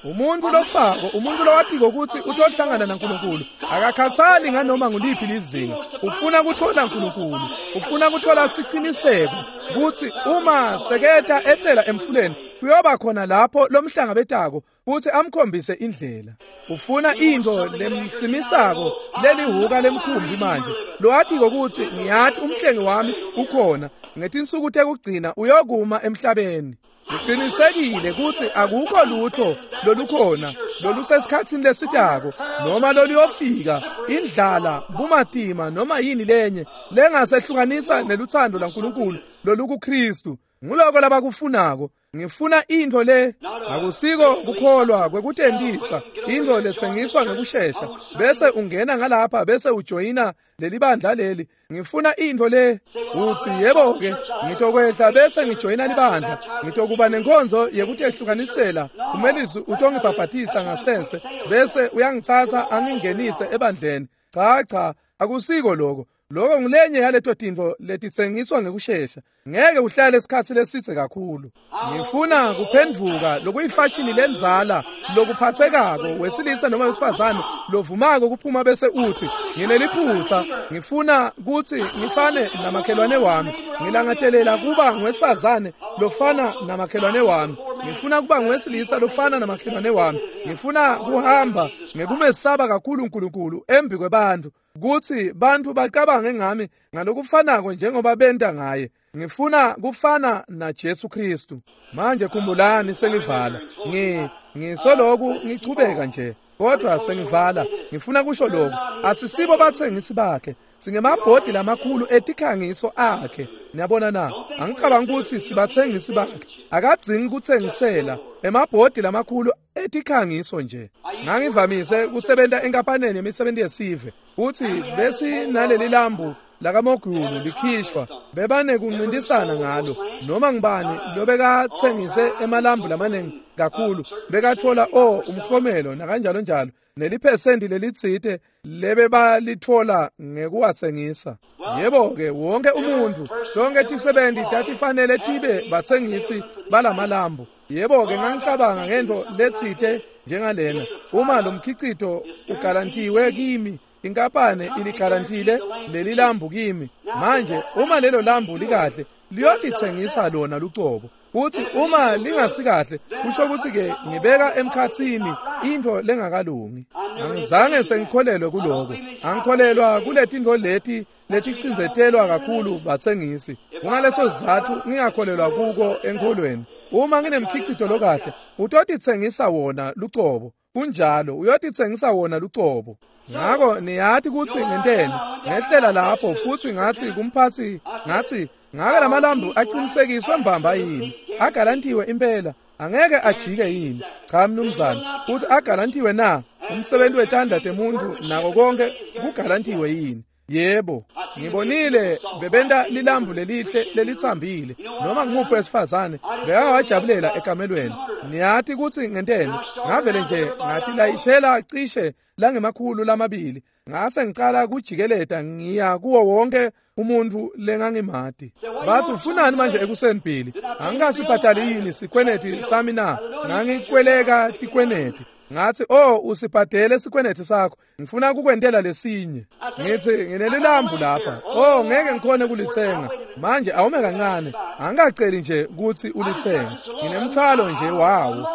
Umuntu lofako, umuntu lowatiko ukuthi utohlangana naNkulunkulu, akakhathali nganoma nguliphi lizinga. Ufuna kuthola uNkulunkulu, ufuna kuthola siqiniseko ukuthi uma seketa ehlela emfuleni kuyoba khona lapho lomhlangabetako futhi amkhombise indlela. Ufuna into lemsimisako lelihuka lemkhumbi manje lowatiko ukuthi ngiyati umhlengi wami ukhona, ngetinsuku tekugcina uyokuma emhlabeni. Ngiqinisekile ukuthi akukho lutho lolukhona lolusesikhatsini lesitako noma loluyofika, indlala, bumatima noma yini lenye lengasehlukanisa neluthando laNkulunkulu lolukuKristu. Nguloko labakufunako. Ngifuna intfo le akusiko kukholwa kwekutentisa, intfo letsengiswa ngekushesha bese ungena ngalapha bese ujoyina lelibandla leli. Ngifuna intfo le utsi yebo ke ngitokwehla bese ngijoyina libandla, ngitokuba nenkonzo yekutehlukanisela, umelisi utongibhabhatisa ngasense bese uyangitsatsa angingenise ebandleni. Cha cha, akusiko lokho. Lokho ngilenye yaleto tintfo letitsengiswa ngekushesha, ngeke uhlale isikhatsi lesitse kakhulu. Ngifuna kuphendvuka lokuyifashini lenzala lokuphathekako wesilisa noma wesifazane lovumako kuphuma bese uthi ngineliphutha, ngifuna kutsi ngifane namakhelwane wami, ngilangatelela kuba ngwesifazane lofana namakhelwane wami, ngifuna kuba ngwesilisa lofana namakhelwane wami, ngifuna kuhamba ngekumesaba kakhulu uNkulunkulu embi kwebantu, kutsi bantu bacabange ngami ngalokufanako njengoba benta ngaye. Ngifuna kufana na Jesu Kristu. Manje khumbulani, sengivala. Ngi ngisoloku ngichubeka nje, kodwa sengivala. Ngifuna kusho lokhu, asisibo batsengisi bakhe, singemabhodi lamakhulu etikhangiso akhe. Niyabona na? Angicabangi ukuthi sibatsengisi bakhe. Akadzingi kutsengisela emabhodi lamakhulu etikhangiso nje. Ngangivamise kusebenta enkampaneni yemisebenzi yesive, uthi besinaleli lambu lakamogulu likhishwa, bebane kuncintisana ngalo. Noma ngibani lobekatsengise emalambu lamaningi kakhulu bekathola o umklomelo nakanjalo njalo, neliphesenti lelitsite lebebalithola ngekuwatsengisa. Yebo ke wonke umuntu, tonke tisebenti tatifanele tibe batsengisi balamalambu. Yebo ke ngangicabanga ngento letsite njengalena, uma lo mkhicito ugarantiwe kimi, inkampane iligarantile leli lambu kimi, manje uma lelo lambu likahle liyotitsengisa lona lucobo. Kuthi uma lingasikahle kusho ukuthi ke ngibeka emkhatsini into lengakalungi. Angizange sengikholelwe kuloko, angikholelwa kuletintfo leti leticindzetelwa kakhulu batsengisi. Kungaleso sizatfu ngingakholelwa kuko enkholweni. Uma nginemkhicito lokahle utotitsengisa wona lucobo. Kunjalo, uyotitsengisa wona lucobo. Ngako niyati kutsi ngenteni? Ngehlela lapho futsi ngathi kumphatsi, ngathi ngabe lamalambu aqinisekiswe mbamba yini? Agarantiwe impela, angeke ajike yini? Cha mnumzane, uthi agarantiwe na? Umsebenzi wetandla temuntu nako konke kugarantiwe yini? Yebo, ngibonile bebenta lilambu lelihle lelitsambile. Noma ngumuphi wesifazane bekangawajabulela ekamelweni. Niyati kutsi ngenteni? Ngavele nje ngatilayishela cishe langemakhulu lamabili, ngase ngicala kujikeleta ngiya kuwo wonke umuntu lengangimati. Bathi ufunani manje ekuseni Billy? Angikasibhadali yini sikweneti sami na? Ngangikweleka tikweneti. Ngathi oh usibhadele sikweneti sakho, ngifuna kukwentela lesinye. Ngithi nginelilambu lapha, oh ngeke ngikhone kulitsenga manje, awume kancane, angikaceli nje kutsi ulitsenge, nginemthwalo nje wawo.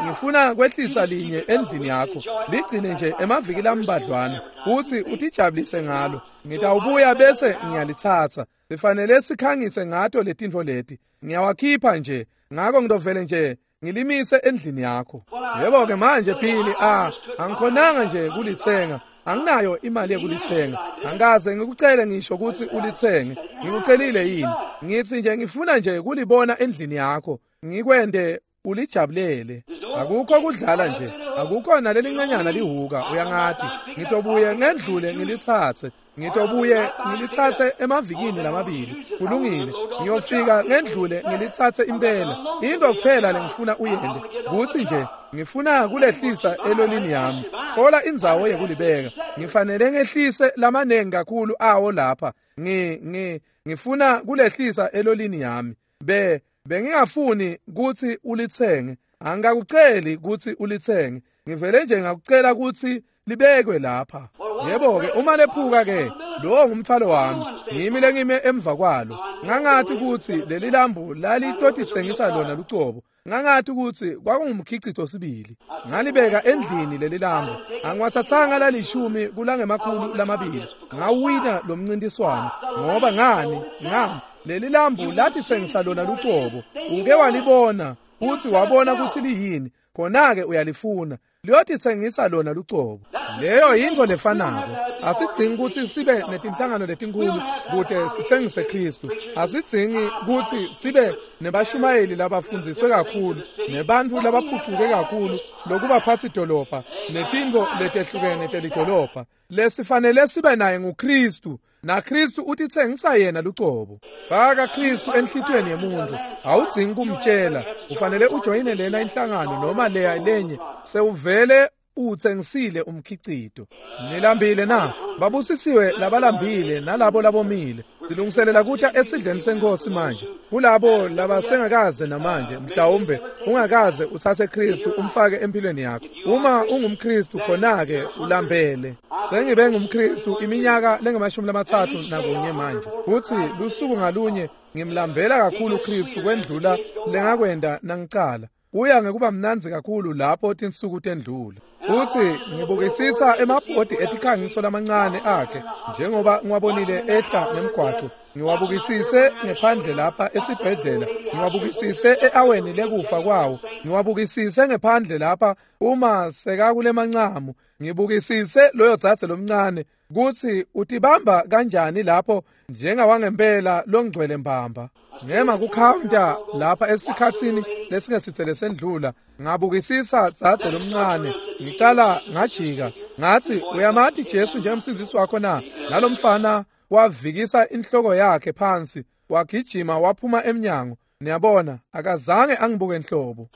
Ngifuna kwehlisa linye endlini yakho, ligcine nje emaviki lambadlwana uthi utijabulise ngalo, ngitawubuya bese ngiyalitsatsa. Sifanele sikhangise ngato letintfo leti, ngiyawakhipha nje, ngako ngitovele nje ngilimise endlini yakho. Yebo ke manje Billy, ah angikhonanga nje kulitsenga, anginayo imali yokulitsenga, angikaze ngikucele ngisho ukuthi ulitsenge. Ngikucelile yini? Ngithi nje ngifuna nje kulibona endlini yakho, ngikwende ulijabulele. Akukho kudlala nje, akukho nalelincanyana lihuka, uyangati. Ngitobuye ngendlule ngilitsatse, ngitobuye ngilitsatse emavikini lamabili. Kulungile, ngiyofika ngendlule ngilitsatse impela. Into kuphela lengifuna uyende kutsi nje ngifuna kulehlisa elolini yami, thola indzawo yekulibeka. Ngifanele ngehlise lamanengi kakhulu awo lapha. Ngi ngi ngifuna kulehlisa elolini yami. Be bengingafuni kutsi ulitsenge, angikakuceli kutsi ulitsenge, ngivele nje ngakucela kutsi libekwe lapha. Yebo ke uma lephuka ke lowo ngumthwalo wami, ngimi lengime emva kwalo. Ngangathi kutsi leli lambu lalitotitsengisa lona lucobo, ngangathi kutsi kwakungumkhicito sibili. Ngalibeka endlini leli lambu, angiwathathanga lalishumi kulangemakhulu lamabili, ngawina lo mncintiswano. Ngoba ngani? Ngani leli lambu latitsengisa lona lucobo. Uke walibona futhi wabona kutsi liyini, khona-ke uyalifuna. Liyotitsengisa lona lucobo. Leyo yintfo lefanako. Asidzingi kutsi sibe netinhlangano letinkhulu kute sitsengise Khristu. Asidzingi kutsi sibe nebashumayeli labafundziswe kakhulu, nebantfu labaphucuke kakhulu lokubaphatsi dolobha netintfo letehlukene telidolobha. Lesifanele sibe naye nguKhristu. NaKhristu utitsengisa yena lucobo. Faka Khristu enhlitiyweni yemuntu. Awudzingi kumtshela, ufanele ujoyine lena inhlangano noma leya lenye. Sewuvele utsengisile umkhicito. Nilambile na? Babusisiwe labalambile nalabo labomile. Silungiselela kuta esidleni senkosi manje. Kulabo labasengakaze namanje, mhlawumbe ungakaze utsatse Khristu umfake empilweni yakho. Uma ungumKhristu khona-ke ulambele. Sengibe ngumKhristu iminyaka lengamashumi lamatsatfu nakunye manje. Futsi lusuku ngalunye ngimlambela kakhulu Khristu kwendlula lengakwenda nangicala. Kuya ngekuba mnandzi kakhulu lapho tinsuku tendlula. Futsi ngibukisisa emabhodi etikhangiso lamancane akhe njengoba ngiwabonile ehla ngemgwaco. Ngiwabukisise ngephandle lapha esibhedlela, ngiwabukisise e-aweni lekufa kwawo, ngiwabukisise ngephandle lapha uma sekakulemancamu, ngibukisise loyo dzadze lomncane kutsi utibamba kanjani lapho njengawangempela longcwele mbamba. Ngema kukhawunta lapha esikhatsini lesingesitse lesendlula, ngabukisisa dzadze lomncane, ngicala ngajika, ngathi uyamati Jesu njengomsindzisi wakho na? Nalomfana wavikisa inhloko yakhe phansi, wagijima waphuma emnyango. Niyabona, akazange angibuke enhlobo.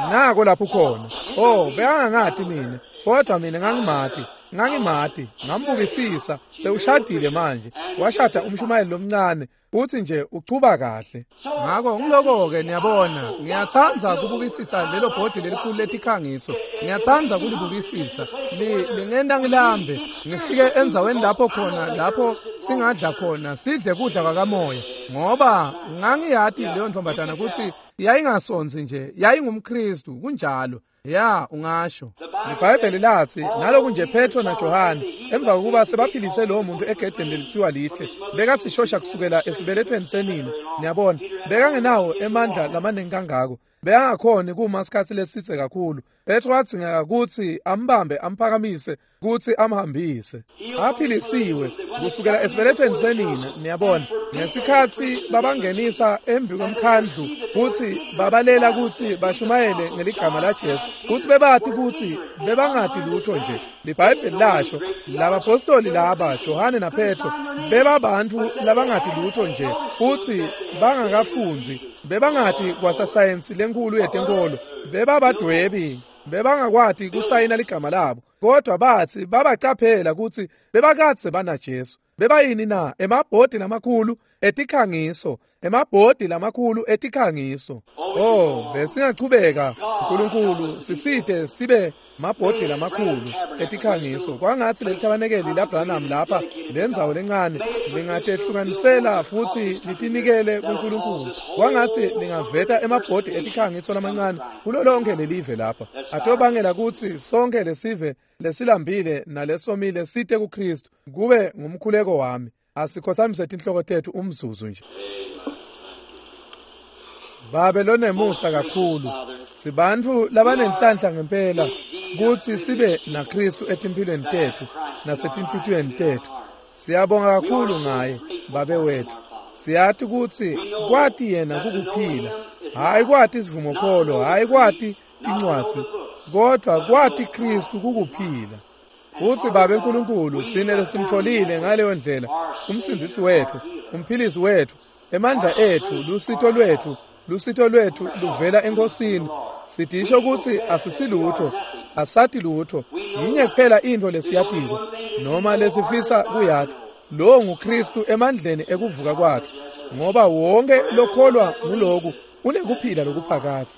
Nako lapho khona. Oh, bekangangati mina, kodwa mina ngangimati. Ngangimati, ngambukisisa, sewushadile manje. Washada umshumayeli lomncane, uthi nje uchuba kahle. Ngakho ngiloko-ke niyabona, ngiyatsandza kubukisisa lelo bhodi lelikhulu letikhangiso. Ngiyatsandza kulibukisisa. Lingenta ngilambe, ngifike endzaweni lapho khona lapho singadla khona, sidle kudla kwakamoya. Ngoba ngangiyati leyo ntombazana kutsi yayingasonzi nje, yayingumKhristu, kunjalo. Ya, ungasho. IBhayibheli lathi naloku nje Petro naJohane emva kokuba sebaphilise lowo muntu egedeni lelithiwa lihle, bekasishosha kusukela esibelethweni senina. Niyabona, bekangenawo emandla lamaningi kangako. Bekangakhoni kuma isikhatsi lesitse kakhulu. Petro wadzingeka kutsi ambambe amphakamise kutsi amhambise. Aphilisiwe kusukela esibelethweni senina. Niyabona, ngesikhatsi babangenisa embi kwemkhandlu kutsi babalela kutsi bashumayele ngeligama laJesu, kutsi bebati kutsi bebangati lutho nje. LiBhayibheli lasho labapostoli laba Johane naPetro bebabantfu labangati lutho nje, kutsi bangakafundzi, bebangati kwasasayensi lenkulu yetenkolo, bebabadwebi, bebangakwati kusayina ligama labo, kodwa batsi babacaphela kutsi bebakadze banaJesu. Bebayini na? Emabhodi lamakhulu etikhangiso, emabhodi lamakhulu etikhangiso. Oh, besingachubeka. uNkulunkulu sisite sibe mabhodi lamakhulu etikhangiso. Kwangatsi lelithabanekeli laBranham lapha lendzawo lencane lingatehlukanisela futsi litinikele kuNkulunkulu. Kwangatsi lingaveta emabhodi etikhangiso lamancane kulo lonke lelive lapha. Atobangela kutsi sonke lesive lesilambile nalesomile site kuKhristu. Kube ngumkhuleko wami. Asikhothamise tinhloko tetfu umzuzu nje. Babe lonemusa kakhulu, sibantfu labanenhlanhla ngempela kutsi sibe naKhristu etimphilweni tetfu nasetinhlitiyweni tetfu. Siyabonga kakhulu ngaye, Babe wetfu. Siyati kutsi kwati yena kukuphila, hhayi kwati isivumokholo, hhayi kwati tincwadzi, kodwa kwati Khristu kukuphila. Futsi Babe Nkulunkulu, tsine lesimtfolile ngaleyo ndlela umsindzisi wetfu, umphilisi wetfu, emandla etfu, lusito lwetfu, lusito lwetfu luvela eNkosini. Sidisho kutsi asisilutho, asati lutho, yinye kuphela intfo lesiyatiko noma lesifisa kuyati, lowo nguKhristu emandleni ekuvuka kwakhe, ngoba wonke lokholwa nguloku unekuphila lokuphakadze.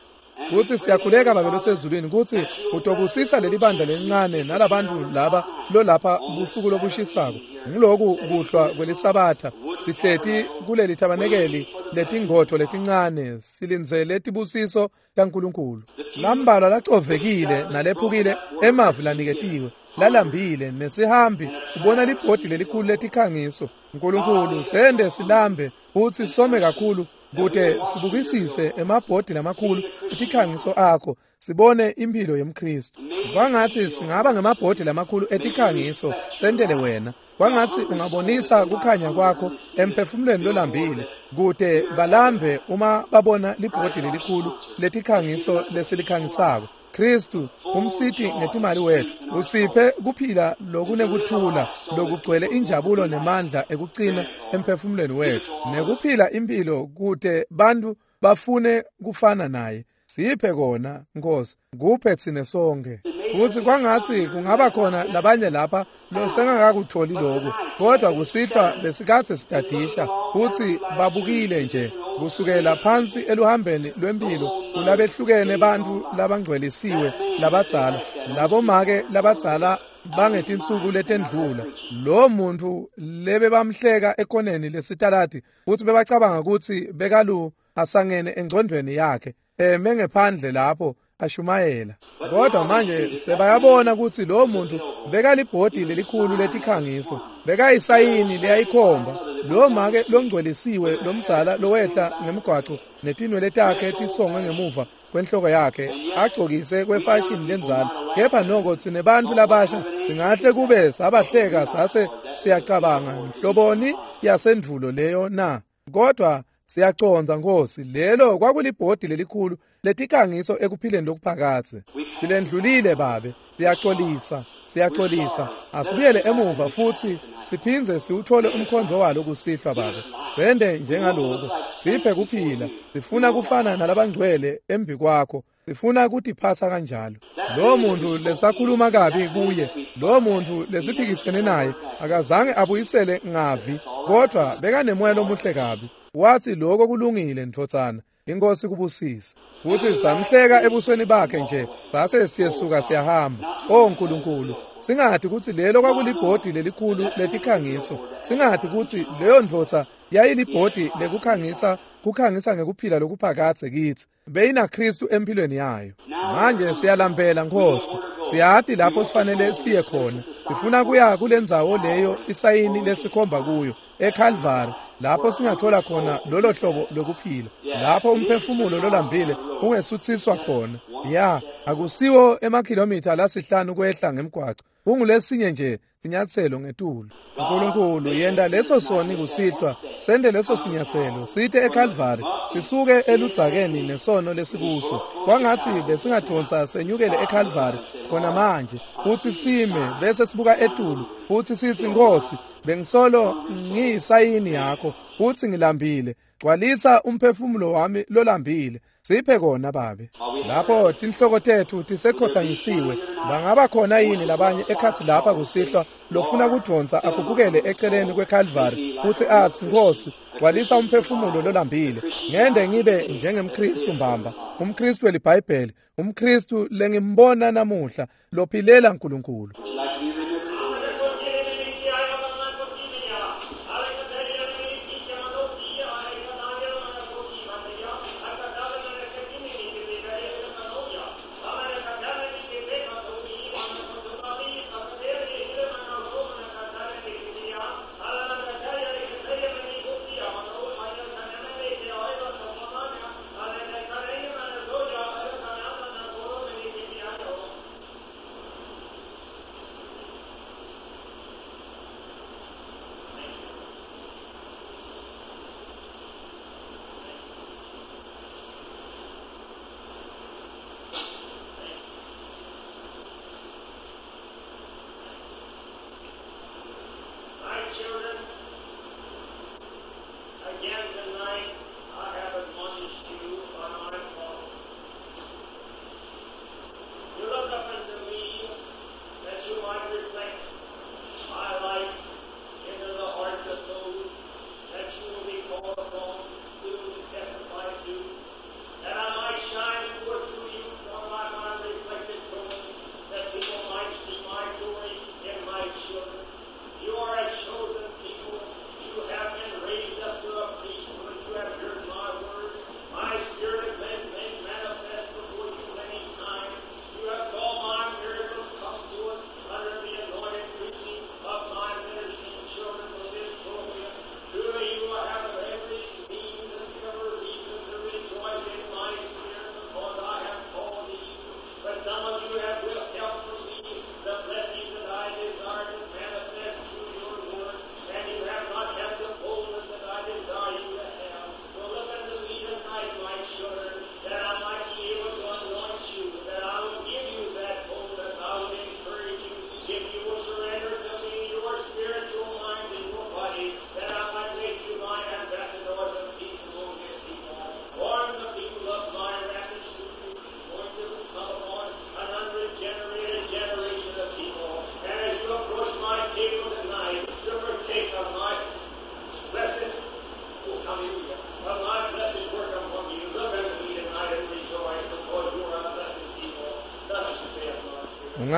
Kutsi siyakhuleka Babe losezulwini kutsi utobusisa leli bandla lelincane nalabantfu laba lolapha busuku lobushisako. Nguloku kuhlwa kwelisabatha sihleti kuleli thabanekeli letingodvo letincane silindzele tibusiso taNkulunkulu. Lambalwa lacovekile nalephukile emavi laniketiwe lalambile nesihambi ubona libhodi lelikhulu letikhangiso. Nkulunkulu sende silambe futsi some kakhulu Kute sibukisise emabhodi lamakhulu etikhangiso akho, sibone impilo yemKristu. Kwangathi singaba ngemabhodi lamakhulu etikhangiso sentele wena. Kwangathi ungabonisa kukhanya kwakho emphefumulweni lolambile, kute balambe uma babona libhodi lelikhulu letikhangiso lesilikhangisako. Kristu umsiti ngetimali wethu, usiphe kuphila lokunekuthula lokugcwele injabulo nemandla ekucina emphefumulweni wethu, nekuphila impilo kute bantu bafune kufana naye. Siphe kona Nkosi, kuphe tsine sonke. Futhi kwangathi kungaba khona labanye lapha losengakakutholi lokhu, kodwa kusihlwa besikade sidadisha futhi babukile nje kusukela phansi eluhambeni lwempilo kulabehlukene bantu labangcwelisiwe labadzala, labomake labadzala bangetinsuku letendlula. Lo muntu lebe bamhleka ekoneni lesitaladi futhi bebacabanga ukuthi bekalu asangene engcondweni yakhe eme ngephandle lapho ashumayela, kodwa manje sebayabona ukuthi lo muntu bekalibhodi lelikhulu letikhangiso, bekayisayini leyayikhomba. Lo make longcwelisiwe lomdzala lowehla ngemgwaco netinwele takhe tisongwe ngemuva kwenhloko yakhe agcokise kwefashini lenzala, kepha noko tsine bantfu labasha singahle kube sabahleka sase siyacabanga nhloboni yasendvulo leyo na? Kodwa siyacondza Nkosi, lelo kwakulibhodi lelikhulu letikangiso ekuphileni lokuphakadze. Silendlulile Babe, siyaxolisa, siyaxolisa. Asibuyele emuva futhi siphindze siwuthole umkhondo walo kusihlwa Babe. Sende njengaloko, siphe kuphila. Sifuna kufana nalabangcwele embi kwakho, sifuna kutiphatsa kanjalo. Lo muntu lesakhuluma kabi kuye, lo muntu lesiphikisene naye, akazange abuyisele ngavi, kodwa bekanemoya lomuhle kabi. Wathi lokho kulungile ndvodzana, inkosi kubusise. Futhi samhleka ebusweni bakhe nje, sase siyesuka siyahamba. O Nkulunkulu, singathi ukuthi lelo kwakulibhodi lelikhulu letikhangiso, singathi ukuthi leyo ndvodza yayilibhodi lekukhangisa, kukhangisa ngekuphila lokuphakadze kithi. Beyina Kristu empilweni yayo. Manje siyalambela Nkosi, siyati lapho sifanele siye khona. Sifuna kuya kulendzawo leyo isayini lesikhomba kuyo, eCalvary, lapho singathola khona lolo hlobo lokuphila, lapho umphefumulo lolambile ungesuthiswa khona. Ya, akusiwo emakhilomitha lasihlanu kwehla ngemgwaco, kungulesinye nje sinyatselo ngetulu. Nkulunkulu, yenda leso soni kusihlwa, sende leso sinyatselo site eCalvary, sisuke eludzakeni nesono lesikuso. Kwangathi besingadonsa senyukele eCalvary khona manje, futhi sime bese sibuka etulu futhi sithi, Nkosi, bengisolo ngiyisayini yakho futhi ngilambile, gcwalisa umphefumulo wami lolambile. Siphe kona Babe. Lapho tinhloko tethu tisekhothanyisiwe, bangaba khona yini labanye ekhathi lapha kusihlwa lofuna kudonsa akhuphukele eceleni kweCalvary futhi athi, Nkosi, gcwalisa umphefumulo lolambile, ngende ngibe njengemKristu mbamba, umKristu weliBhayibheli, umKristu lengimbona namuhla lophilela uNkulunkulu.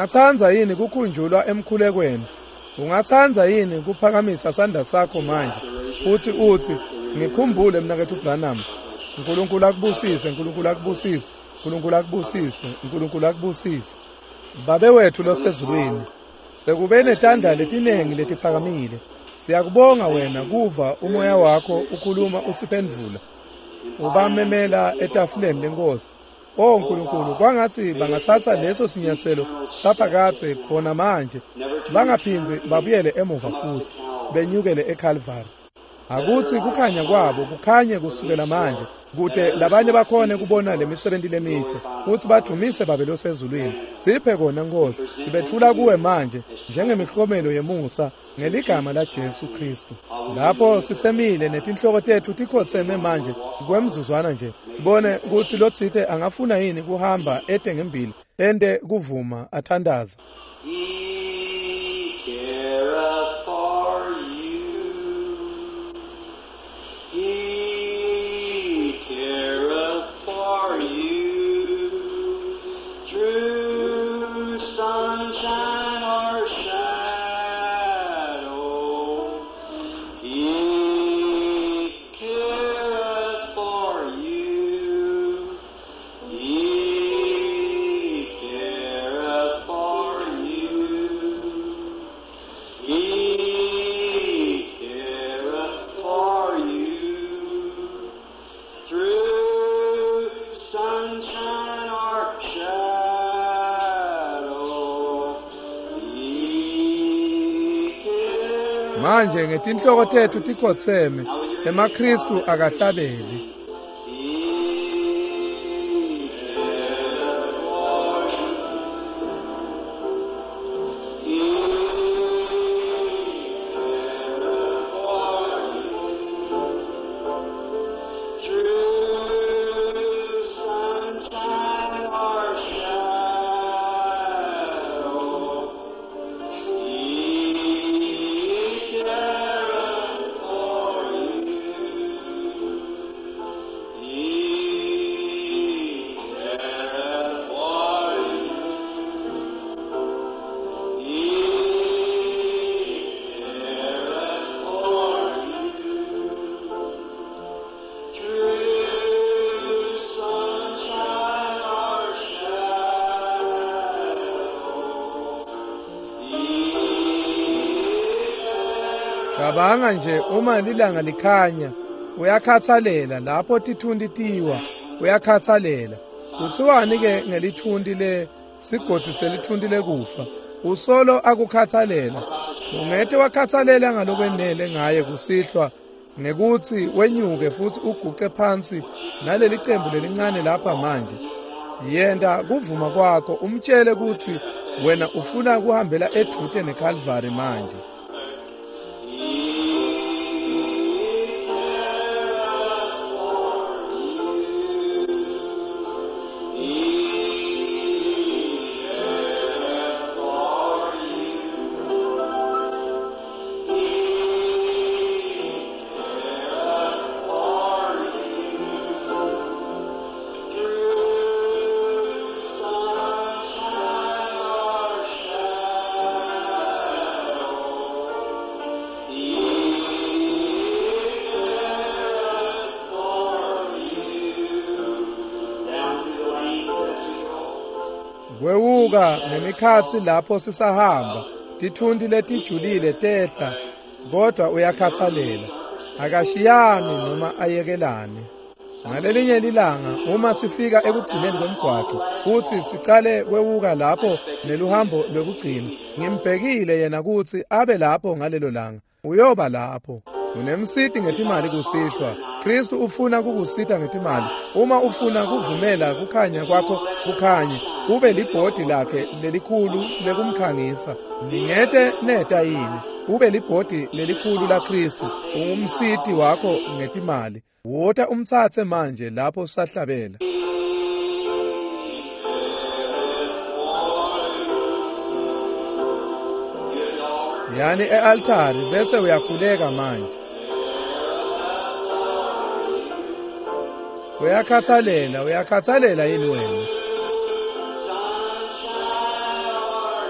Ungatsandza yini kukhunjulwa emkhulekweni? Ungatsandza yini kuphakamisa sandla sakho manje futhi uthi ngikhumbule mnaketfu Branham? Nkulunkulu akubusise, Nkulunkulu akubusise, Nkulunkulu akubusise, Nkulunkulu akubusise. Babe wethu losezulwini, sekube netandla letinengi letiphakamile. Siyakubonga wena kuva umoya wakho ukhuluma usiphendvula. Ubamemela etafuleni lenkosi. O Nkulunkulu, kwangatsi bangatsatsa leso sinyatselo saphakadze khona manje, bangaphindzi babuyele emuva futsi benyukele eKalvari. Akutsi kukhanya kwabo kukhanye kusukela manje, kute labanye bakhone kubona lemisebenti lemihle kutsi badumise Babe losezulwini. Siphe kona Nkosi, sibetfula kuwe manje njengemihlomelo yemusa ngeligama la Jesu Kristu. Lapho sisemile netinhloko tetfu tikhotseme manje kwemzuzwana nje, bone kutsi lotsite angafuna yini kuhamba ete ngembili ente kuvuma athandaza. He careth for you. He careth for you. Through sunshine or shadow, He careth for you. He careth for you. He careth for you. Through sunshine or shadow, He careth. Manje ngetinhloko tetfu tikhotseme, emaKristu akahlabeli. He careth for you. He careth for you. Through sunshine or shadow, He careth for you. He careth for you. He careth for you. Through sunshine or shadow, He careth. Cabanga nje uma lilanga likhanya, uyakhathalela lapho tithunti tiwa, uyakhathalela. Kuthiwani ke ngelithunti le sigodzi selithunti lekufa? Usolo akukhathalela. Ungete wakhathalela ngalokwenele ngaye kusihlwa ngekutsi wenyuke futsi uguce phansi naleli cembu lelincane lapha manje. Yenta kuvuma kwakho umtshele kutsi wena ufuna kuhambela edvute neKalvari manje. Kwewuka ngemikhatsi lapho sisahamba, tithunti letijulile tehla, kodwa uyakhathalela. Akashiyani noma ayekelane. Ngalelinye lilanga uma sifika ekugcineni kwemgwaqo kutsi sicale kwewuka lapho neluhambo lwekugcina, ngimbhekile yena kutsi abe lapho ngalelo langa. Uyoba lapho. Unemsiti ngetimali kusihlwa. Kristu ufuna kukusita ngetimali. Uma ufuna kuvumela kukhanya kwakho kukhanye, kube libhodi lakhe lelikhulu lekumkhangisa. Ningete neta yini? Ube libhodi lelikhulu la Kristu, ungumsiti wakho ngetimali. Wota umtsatse manje lapho sahlabela. Yani e-altari bese uyakhuleka manje. Uyakhathalela, uyakhathalela yini wena? Sunshine or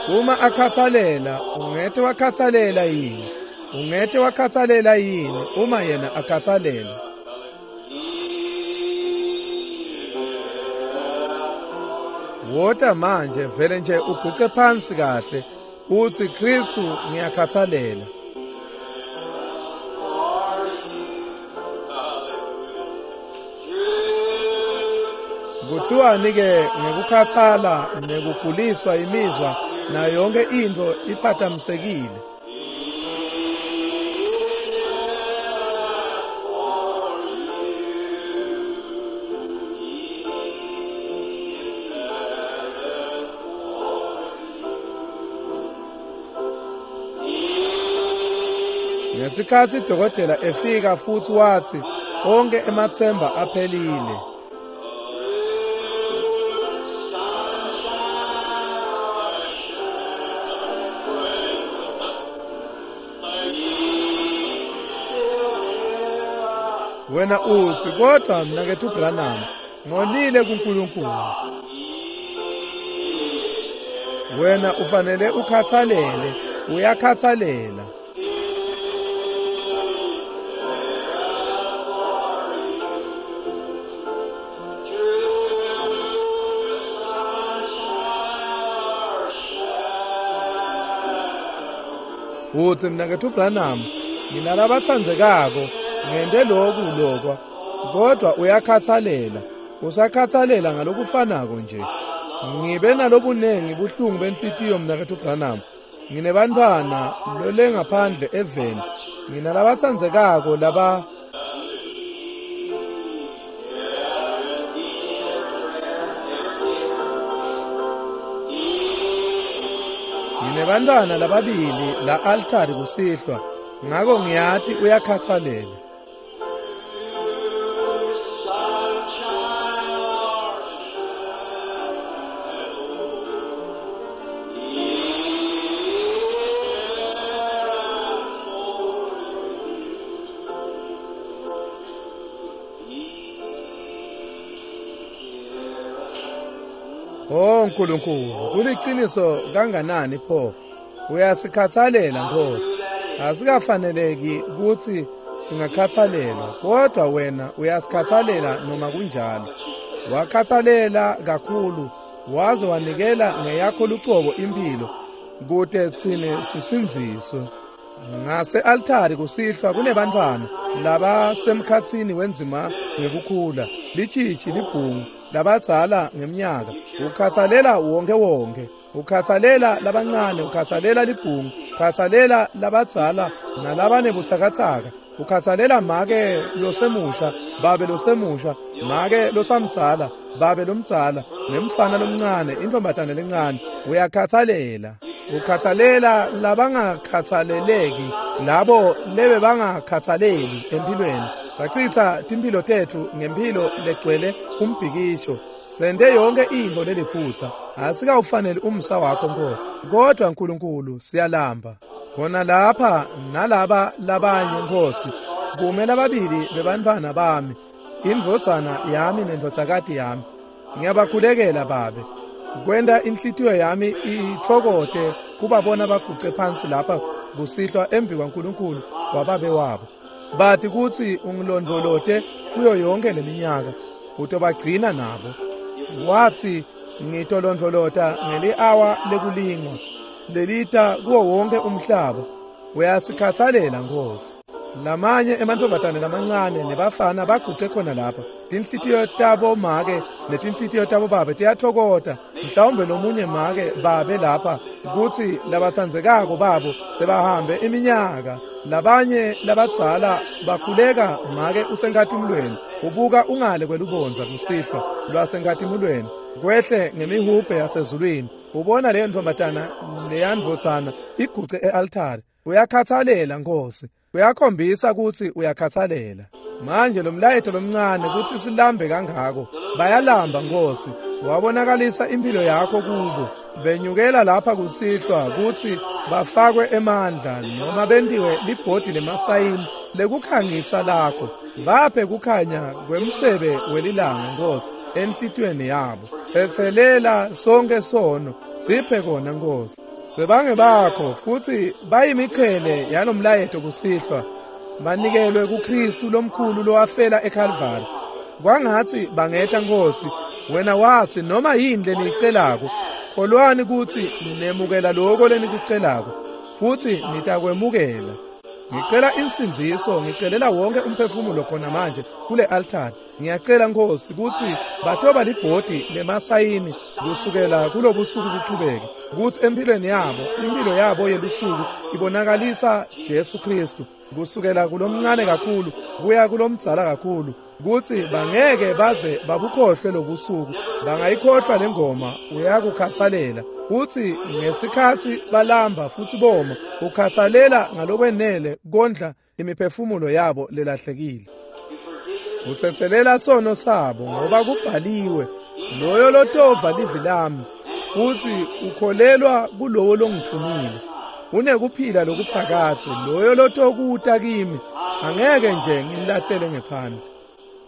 Uma akhathalela, ungete wakhathalela yini? Ungete wakhathalela yini uma yena akhathalela? Wota manje vele nje uguqe phansi kahle uthi Kristu ngiyakhathalela. Kuthiwani ke ngekukhathala nekuguliswa imizwa nayo yonke into iphathamisekile? Ngesikhathi idokotela efika futhi wathi onke emathemba aphelile. Wena uthi kodwa mina kethu Branham ngonile kuNkulunkulu. Wena ufanele ukhathalele, uyakhathalela. Uthi mina kethu Branham nginalabathandzekako ngente lokhu lokwa, kodwa uyakhathalela, usakhathalela ngalokufanako nje. Ngibe nalobunengi buhlungu benhlitiyo mina kethu Branham. Nginebantwana lole ngaphandle eveni, nginalabathandzekako laba. Nginebantwana lababili la altari kusihlwa, ngako ngiyati uyakhathalela. Oh Nkulunkulu, kuliqiniso kanganani pho? Uyasikhathalela Nkosi. Asikafaneleki ukuthi singakhathalelwa, kodwa wena uyasikhathalela noma kunjalo. Wakhathalela kakhulu waze wanikela ngeyakho lucobo impilo kute tsine sisindziswe. Ngase altari kusihlwa kunebantwana labasemkhatsini wenzima ngekukhula, litshitshi libhungu, labadzala ngeminyaka. Ukhathalela wonke wonke, ukhathalela labancane, ukhathalela libhungu, ukhathalela labadzala nalabanebutsakatsaka, ukhathalela make losemusha, babe losemusha, make losamdzala, babe lomdzala, nemfana lomncane, intombatane lencane. Uyakhathalela. Ukhathalela labangakhathaleleki, labo lebe bangakhathaleli empilweni. Sachitha timphilo tethu ngempilo legcwele umbhikisho. Sente yonke into leliphutha. Asikawufanele umsa wakho Nkosi, kodwa Nkulunkulu siyalamba. Khona lapha nalaba labanye Nkosi, kumele ababili bebantwana bami, indvodzana yami nendvodzakati yami. Ngiyabakhulekela babe. Kwenda inhlitiyo yami ithokote kubabona baguce phansi lapha kusihlwa embi kwaNkulunkulu wababe wabo. Bathi kutsi ungilondvolote kuyo yonke leminyaka, utobagcina nabo. Wathi ngitolondvolota ngeli-awa lekulingwa lelita kuwo wonke umhlaba. Uyasikhathalela Nkosi. Lamanye emantfombatane lamancane nebafana baguce khona lapha. Tinhlitiyo tabo make netinhlitiyo tabo babe tiyathokota. Mhlawumbe lomunye make babe lapha kutsi labatsandzekako babo sebahambe iminyaka. Labanye labadzala bakhuleka make usenkhatimulweni, ubuka ungale kwelubondza kusihlwa lwasenkhatimulweni, kwehle ngemihubhe yasezulwini. Ubona leyo ntombatana leyandvodzana iguce e-altari. Uyakhathalela Nkosi, uyakhombisa kutsi uyakhathalela. Manje lo mlayeto lomncane kutsi silambe kangako, bayalamba Nkosi. Wabonakalisa impilo yakho kubo. Benyukela lapha kusihlwa kutsi bafakwe emandla noma bentiwe libhodi lemasayini lekukhangisa lakho. Baphe kukhanya kwemsebe welilanga Nkosi enhlitiyweni yabo. Etselela sonke sono, siphe kona Nkosi. Sebange bakho futhi bayimichele yalomlayeto kusihlwa banikelwe kuKristu lomkhulu lowafela eKalvari. Kwangathi bangeta Nkosi, wena wathi noma yini leniyicelako, kholwani ukuthi nemukela lokho lenikucelako futhi nitakwemukela. Ngicela insindziso, ngicelela wonke umphefumulo khona manje kule altari. Ngiyacela Nkosi ukuthi batoba libhodi lemasayini kusukela kulobusuku kuqhubeke, ukuthi empilweni yabo, impilo yabo yelusuku ibonakalisa Jesu Kristu kusukela kulomncane kakhulu kuya kulomdzala kakhulu, ukuthi bangeke baze babukhohlwe lobusuku, bangayikhohlwa lengoma uyakukhathalela. Uthi ngesikhathi balamba futhi boma, ukhathalela ngalokwenele kondla imiphefumulo yabo lelahlekile. Uthetselela sono sabo ngoba kubhaliwe, loyo lotova livi lami futhi ukholelwa kulowo longithumile unekuphila lokuphakadze, loyo lotokuta kimi angeke nje ngimlahlele ngephandle.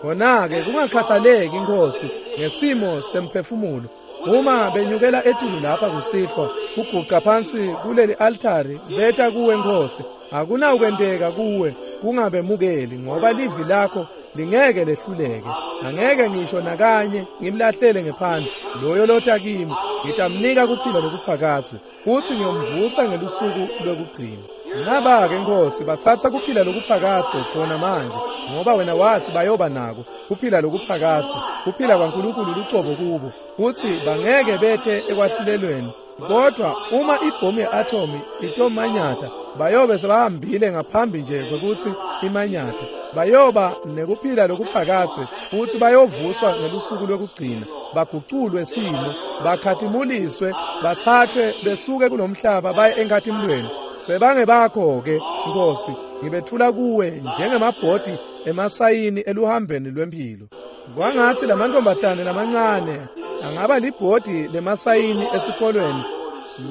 Khona-ke kungakhathaleki Inkosi ngesimo semphefumulo, uma benyukela etulu lapha kusihlwa kuguca phansi kuleli altari beta kuwe Nkosi, akunawukwenteka kuwe kungabemukeli, ngoba livi lakho lingeke lehluleke. Angeke ngisho nakanye ngimlahlele ngephandle loyo lota kimi, ngitamnika kuphila lokuphakadze futhi ngiyomvusa ngelusuku lwekugcina. Naba-ke Nkosi bathatha kuphila lokuphakadze khona manje, ngoba wena wathi bayoba nako kuphila lokuphakadze, kuphila kwaNkulunkulu lucobo kubo, kuthi bangeke bethe ekwahlulelweni. Kodwa uma ibhomu ye-atomi itomanyata, bayobe sebahambile ngaphambi nje kwekuthi imanyata. Bayoba nekuphila lokuphakadze futhi bayovuswa ngelusuku lwekugcina, baguculwe simo, bakhatimuliswe, bathathwe besuke kulomhlaba baye enkhatimulweni. Sebange bakho-ke Nkosi, ngibethula kuwe njengemabhodi emasayini eluhambeni lwempilo. Kwangathi lamantombazane lamancane angaba libhodi lemasayini esikolweni,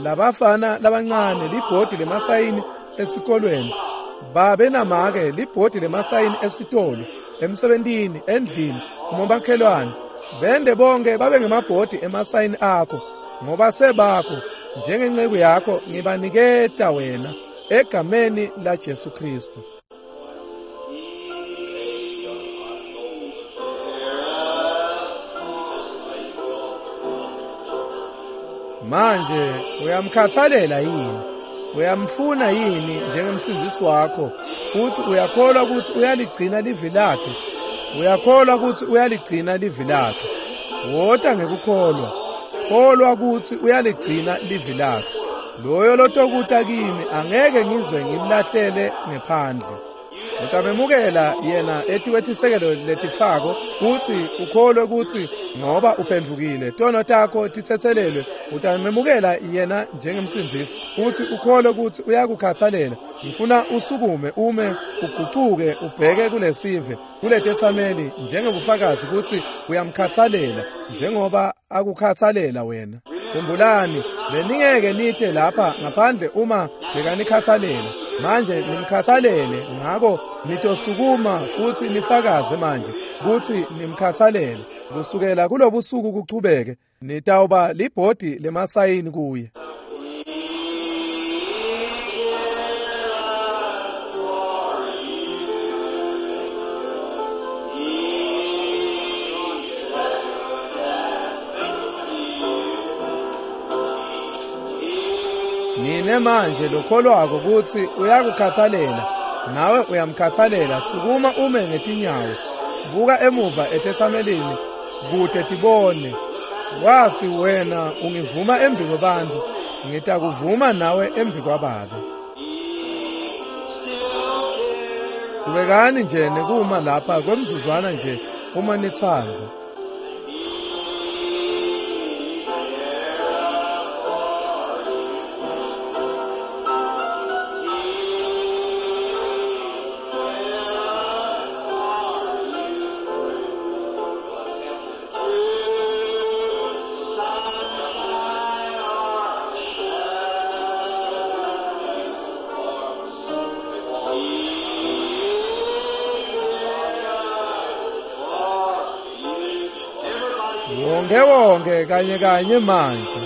labafana labancane libhodi lemasayini esikolweni, babe namake libhodi lemasayini esitolo, emsebentini, endlini, kumakhelwane. Bende bonke babe ngemabhodi emasayini akho, ngoba sebakho njengenceku yakho ngibaniketa wena egameni la Jesu Kristu. Manje uyamkhathalela yini? Uyamfuna yini njengemsindzisi wakho? Futhi uyakholwa ukuthi uyaligcina livi lakhe? Uyakholwa ukuthi uyaligcina livi lakhe? Wota ngekukholwa. Kholwa ukuthi uyaligcina livi lakhe. Loyo lotokuta kimi angeke ngize ngimlahlele ngephandle. Utamemukela yena etikwetisekelo letifako kutsi ukholwe ukuthi ngoba uphendvukile tono takho titsetselelwe. Utamemukela yena njengemsindzisi kutsi ukholwe kutsi uyakukhathalela. Ngifuna usukume ume ugucuke ubheke kulesive kuletetsameli njengebufakazi kutsi uyamkhathalela njengoba akukhathalela wena. Khumbulani, beningeke nite lapha ngaphandle uma bekanikhathalela. Manje nimkhathalele, ngako nitosukuma futhi nifakaze manje kutsi nimkhathalele. Kusukela kulobusuku kuchubeke nitawuba libhodi lemasayini kuye. Nine manje lokholwako kutsi uyakukhathalela, nawe uyamkhathalela, sukuma ume ngetinyawo. Buka emuva etetsamelini kute tibone. Wathi wena ungivuma embi kwebantfu, ngitakuvuma nawe embi kwaBabe. Kubekani nje nekuma lapha kwemzuzwana nje uma nitsandza. Wonke wonke kanye kanye manje.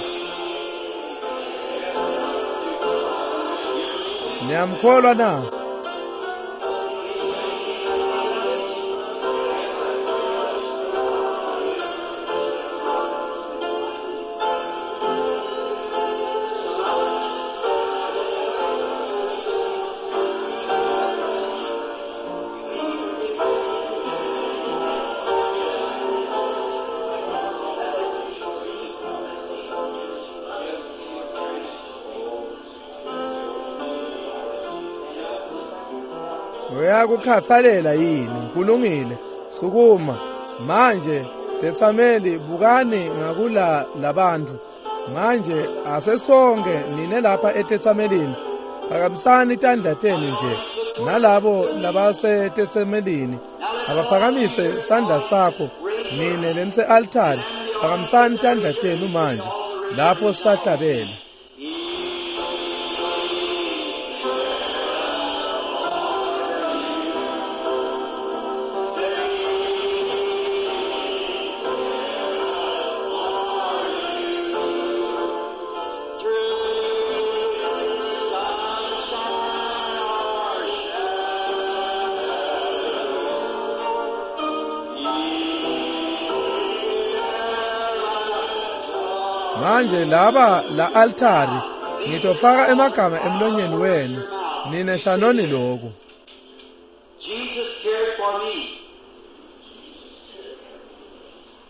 Niyamkholwa na? Uyakukhathalela yini? Kulungile. Sukuma. Manje tetsameli bukani ngakula labantu. Manje asesonke nine lapha etetsamelini. Phakamisani tandla tenu nje. Nalabo labasetetsamelini abaphakamise sandla sakho. Nine lense altari phakamisani tandla tenu manje lapho sahlabela. Manje laba la altari ngitofaka emagama emlonyeni wenu nine shanoni lokhu. Jesus cared for me.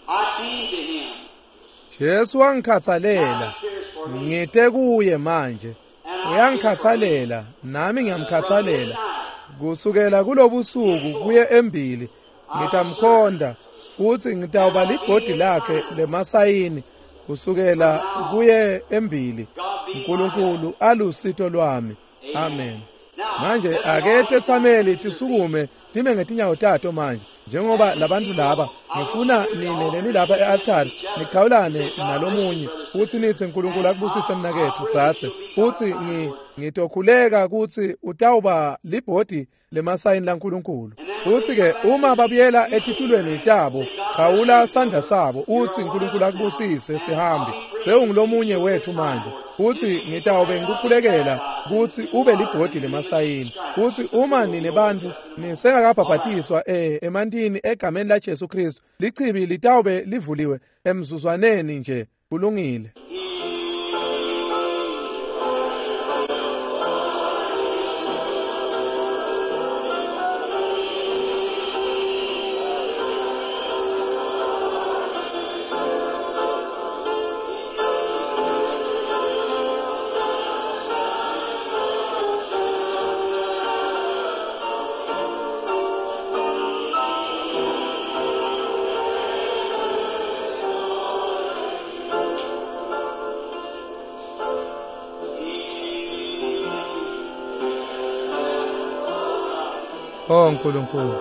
I came to him. Jesu wangikhathalela. Ngite kuye manje. Uyangikhathalela nami ngiyamkhathalela. Kusukela kulobusuku kuye embili ngitamkhonda futhi ngitawuba libhodi lakhe lemasayini. Kusukela kuye embili uNkulunkulu alusito lwami. Amen. Manje ake tetsameli tisukume time ngetinyawo tato manje njengoba labantu laba ngifuna nine leni lapha e-altari nichawulane nalomunye uthi nithi uNkulunkulu akubusise mnakethu tsatse uthi ngi ngitokhuleka ukuthi utawuba libhodi lemasayini laNkulunkulu. Uthi ke uma babuyela etitulweni tabo chawula sandla sabo uthi uNkulunkulu akubusise sihambe sewungulomunye wethu manje. Uthi ngitawube ngikukhulekela ukuthi ube libhodi lemasayini. Uthi uma nine bantu nisengakabhabhatiswa eh emantini egameni la Jesu Kristu lichibi litawube livuliwe emzuzwaneni nje. Kulungile. Oh Nkulunkulu.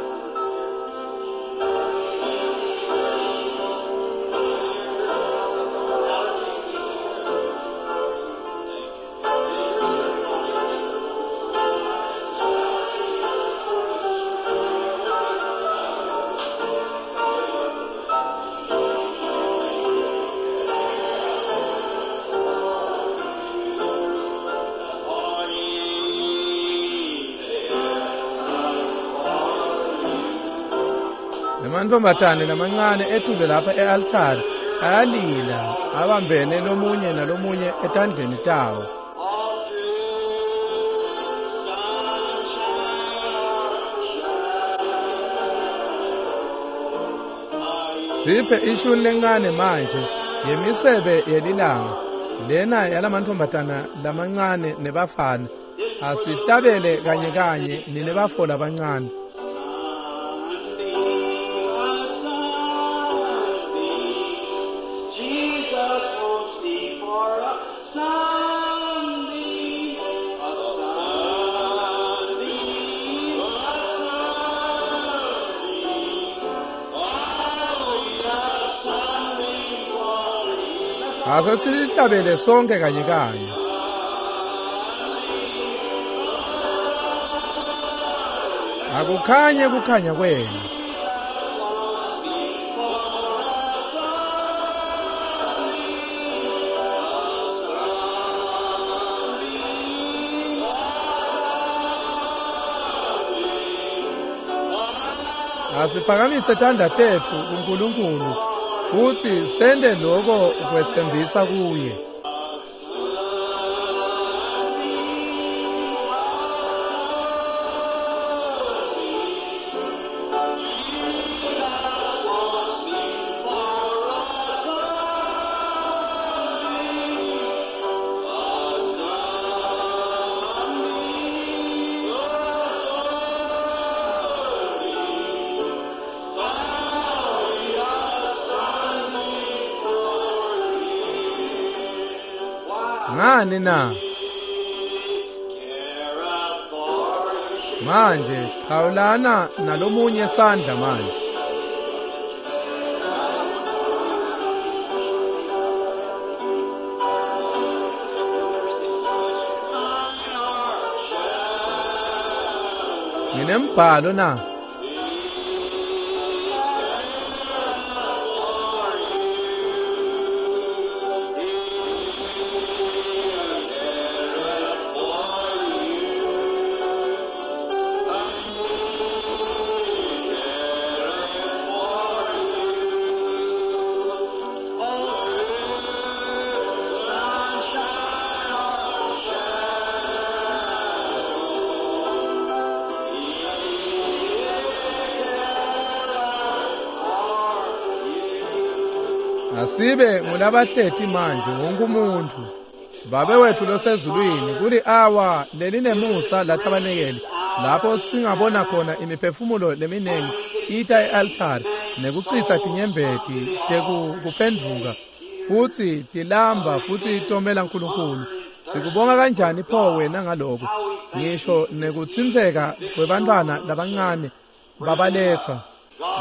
Amantombazane lamancane etule lapha e-altari ayalila abambene lomunye nalomunye etandleni tawo. Siphe ishuni lencane manje yemisebe yelilanga lena yalamantombazana lamancane nebafana. Asihlabele kanye kanye nine bafo labancane. Asesihlabele sonke kanye kanye. Akukhanye kukhanya kwenu. Asiphakamise tandla tetfu kuNkulunkulu futsi sente loko kwetsembisa kuye. Ngani na? Manje chawulana nalomunye sandla manje. Nginembhalo na? Asibe ngulabahleti manje wonke umuntu. Babe wethu losezulwini, kuli awa lelinemusa lathabanekele lapho singabona khona imiphefumulo leminengi ita e-altari nekuchitsa tinyembeti tekuphendvuka futsi tilamba futsi tomela uNkulunkulu. Sikubonga kanjani pho wena ngaloko, ngisho nekutsintseka kwebantwana labancane babaletsa.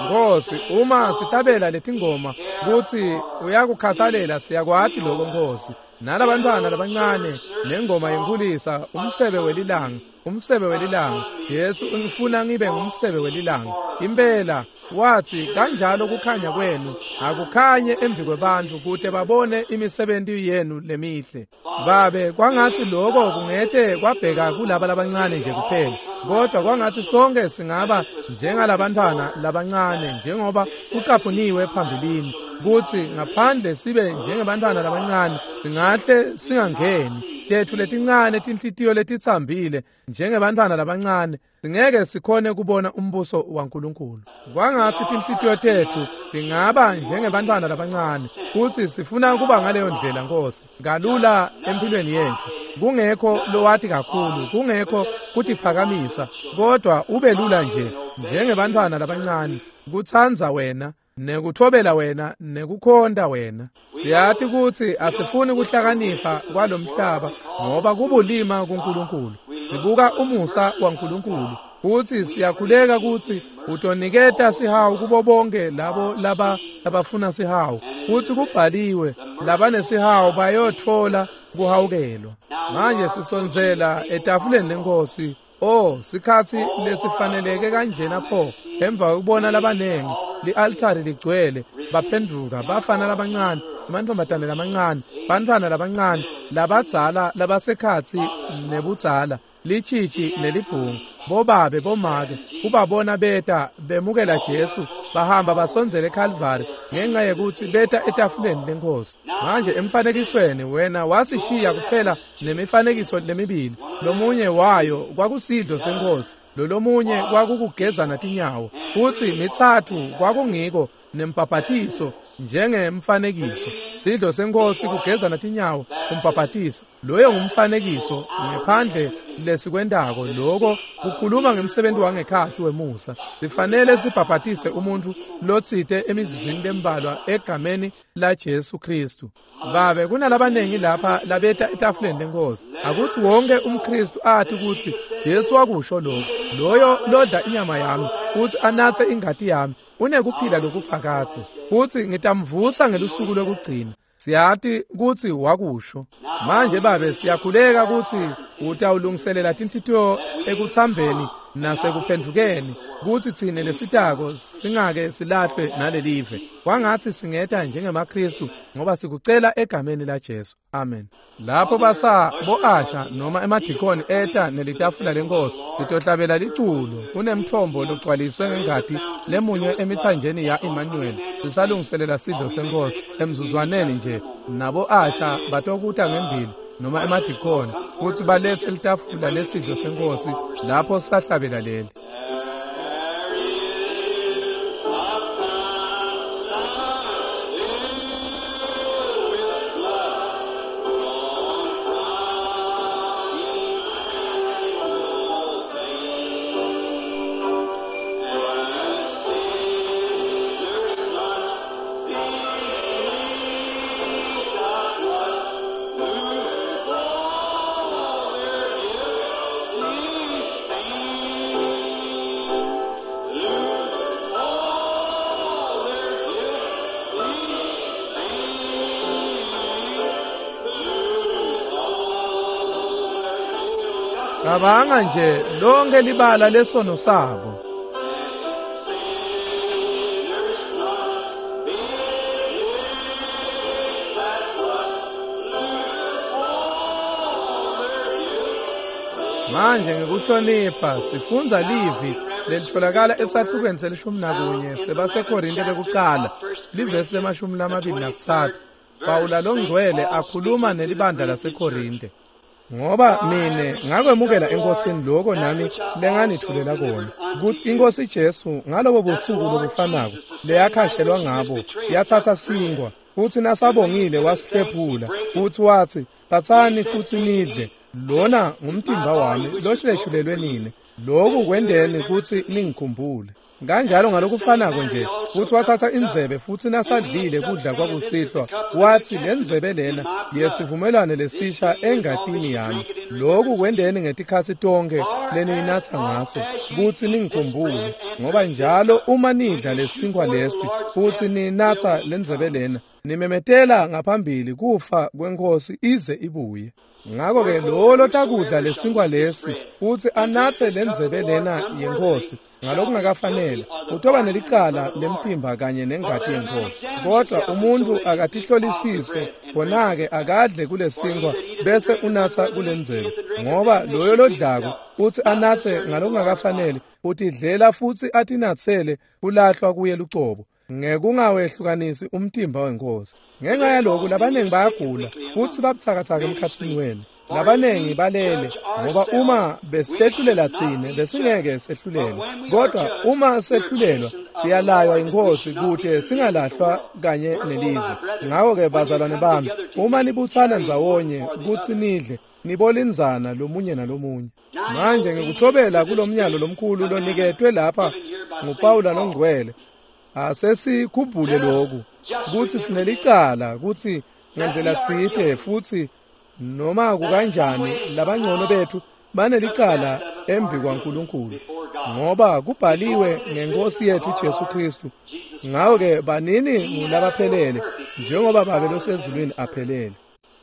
Nkosi, uma sihlabela letingoma kutsi uyakukhathalela, siyakwati lokho Nkosi. Nalabantwana labancane nengoma yenkulisa, umsebe welilanga, umsebe welilanga. Yesu ungifuna ngibe ngumsebe welilanga. Impela wathi kanjalo kukhanya kwenu akukhanye embi kwebantfu kute babone imisebenti yenu lemihle. Babe, kwangathi lokho kungete kwabheka kulaba labancane nje kuphela, kodwa kwangathi sonke singaba njengalabantwana labancane njengoba kucaphuniwe phambilini, kutsi ngaphandle sibe njengebantwana labancane singahle singangeni. Tethu letincane tinhlitiyo letitsambile njengebantwana labancane singeke sikhone kubona umbuso waNkulunkulu. Kwangathi tinhlitiyo tethu tingaba njengebantwana labancane, kutsi sifuna kuba ngaleyo ndlela Nkosi, kalula empilweni yethu, kungekho lowati kakhulu, kungekho kutiphakamisa, kodwa ube lula nje njengebantwana labancane, kutsandza wena nekuthobela wena nekukhonta wena. Siyati kutsi asifuni kuhlakanipha kwalomhlaba ngoba kubulima kuNkulunkulu. Sibuka umusa waNkulunkulu futsi siyakhuleka kutsi utoniketa sihawu kubo bonke labo laba labafuna sihawu, kutsi kubhaliwe labanesihawu bayotfola kuhawukelwa. Manje sisondzela etafuleni lenkosi. Oh, sikhatsi lesifaneleke kanjena pho, emva kokubona labanengi li-altari ligcwele, baphendvuka bafana labancane, amantombazane lamancane, bantfwana labancane, labadzala labasekhatsi nebudzala, lichichi nelibhungu, bobabe bomake, ubabona beta bemukela Jesu, bahamba basondzele eKalvari ngenxa yekutsi beta etafuleni lenkosi. Manje emfanekisweni wena wasishiya kuphela nemifanekiso lemibili, lomunye wayo kwakusidlo senkosi, lolomunye kwakukugezana tinyawo, futsi mitsatfu kwakungiko nempapatiso njengemfanekiso. Sidlo senkosi, kugezana tinyawo, umpapatiso, loyo ngumfanekiso ngephandle lesikwentako. Lokho kukhuluma ngemsebenzi wangekhatsi wemusa. Sifanele sibhabhatise umuntu lotsite emizuzwini lembalwa egameni la Jesu Kristu. Babe, kunalabanengi lapha labeta etafuleni lenkosi. Akuthi wonke umKristu athi kutsi Jesu wakusho lokho, loyo lodla inyama yami futhi anatse ingati yami unekuphila lokuphakadze, futsi ngitamvusa ngelusuku lokugcina. Siyati kutsi wakusho. Manje Babe, siyakhuleka kutsi utawulungiselela tinhlitiyo ekutsambeni nasekuphendvukeni kutsi tsine lesitako singake silahlwe nalelive. Kwangatsi singeta njengemaKhristu ngoba sikucela egameni laJesu. Amen. Lapho basa bo-asha noma emadikoni eta nelitafula lenkosi litohlabela liculo kunemthombo logcwaliswe ngengati lemunywe emithanjeni ya Emmanuel. Sisalungiselela sidlo senkosi emzuzwaneni nje nabo-asha batokuta ngembili noma emadikoni kutsi baletse litafula lesidlo senkosi lapho sahlabela leli. Cabanga nje lonke libala lesono sabo. Manje ngekuhlonipha sifundza livi lelitholakala esahlukweni selishumi nakunye sebaseKorinte bekucala livesi lemashumi lamabili nakutsatfu. Pawula longcwele akhuluma nelibandla laseKorinte. Ngoba mine ngakwemukela enkosini lokho nami lenganithulela kona kutsi inkosi Jesu ngalobo busuku lobufanako leyakhashelwa ngabo yathatha sinkwa futsi nasabongile wasihlephula futsi watsi tsatsani futsi nidle, lona ngumtimba wami lohleshulelwe nine, lokhu kwendeni kutsi ningikhumbule. Kanjalo ngalokufanako nje futsi wathatha indzebe futsi nasadlile kudla kwakusihlwa watsi lendzebe lena yesivumelwano lesisha engatini yami, lokhu kwendeni ngetikhatsi tonke leniyinatsa ngaso kutsi ningikhumbule. Ngoba njalo uma nidla lesinkwa lesi futsi ninatsa lendzebe lena nimemetela ngaphambili kufa kwenkosi ize ibuye. Ngakho-ke lowo lotakudla lesinkwa lesi futsi anatse lendzebe lena yenkosi ngalokungakafanele utoba nelicala lemtimba kanye nengati yenkosi. Kodwa umuntu akatihlolisise khona-ke akadle kulesinkwa bese unatsa kulendzebe, ngoba loyo lodlako utsi anatse ngalokungakafanele utidlela futsi atinatsele kulahlwa kuye lucobo ngekungawehlukanisi umtimba wenkosi. Ngenxa yaloku labaningi bayagula futsi babutsakatsaka emkhatsini wenu, labaningi balele, ngoba uma besihlulela tsine besingeke sehlulelwe, kodwa uma sehlulelwa siyalaywa inkosi kute singalahlwa kanye nelive. Ngakho-ke bazalwane bami, uma nibutsana ndzawonye kutsi nidle nibolindzana lomunye nalomunye. Manje ngikuthobela kulomnyalo lomkhulu loniketwe lapha nguPawula longcwele, asesikhumbule lokhu kutsi sinelicala kutsi ngendlela tsite futsi noma kukanjani labangcono bethu banelicala embi kwaNkulunkulu, ngoba kubhaliwe ngenkosi yethu Jesu Kristu. Ngakho-ke banini ngulabaphelele njengoba Babe losezulwini aphelele.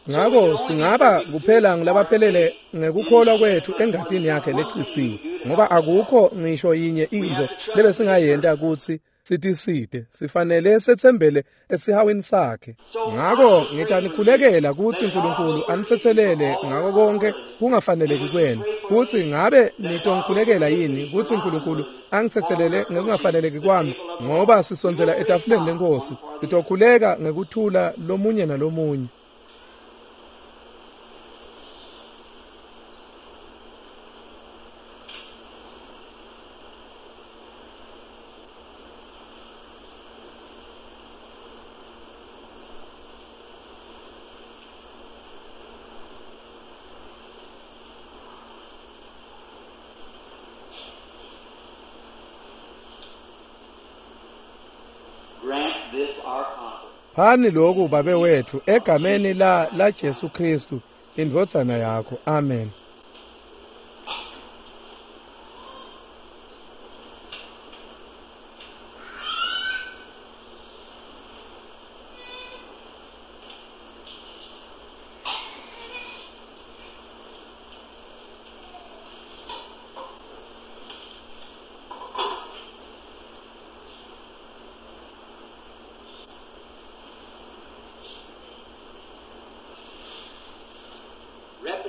Ngakho singaba kuphela ngulabaphelele ngekukholwa kwethu engatini yakhe lecitsiwe, ngoba akukho ngisho yinye intfo lebesingayenta kutsi sitiside, sifanele setsembele esihawini sakhe. Ngakho ngitanikhulekela kutsi uNkulunkulu anitsetselele ngako konke kungafaneleki kwenu, kutsi ngabe nitongikhulekela yini kutsi uNkulunkulu angitsetselele ngekungafaneleki kwami, ngoba sisondzela etafuleni lenkosi sitokhuleka ngekuthula lomunye nalomunye. Phani lokhu Babe wethu egameni la la Jesu Kristu indvodzana yakho. Amen.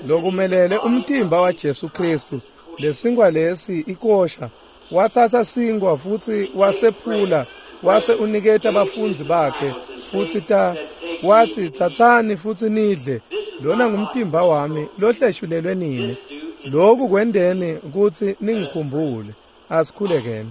Lokumelele umtimba waJesu Kristu, lesinkwa lesi ikosha. Watsatsa sinkwa futsi wasephula, wase uniketa bafundzi bakhe futsi ta watsi, tsatsani futsi nidle, lona ngumtimba wami lohleshulelwe nini. Lokhu kwendeni kutsi ningikhumbule. Asikhulekeni.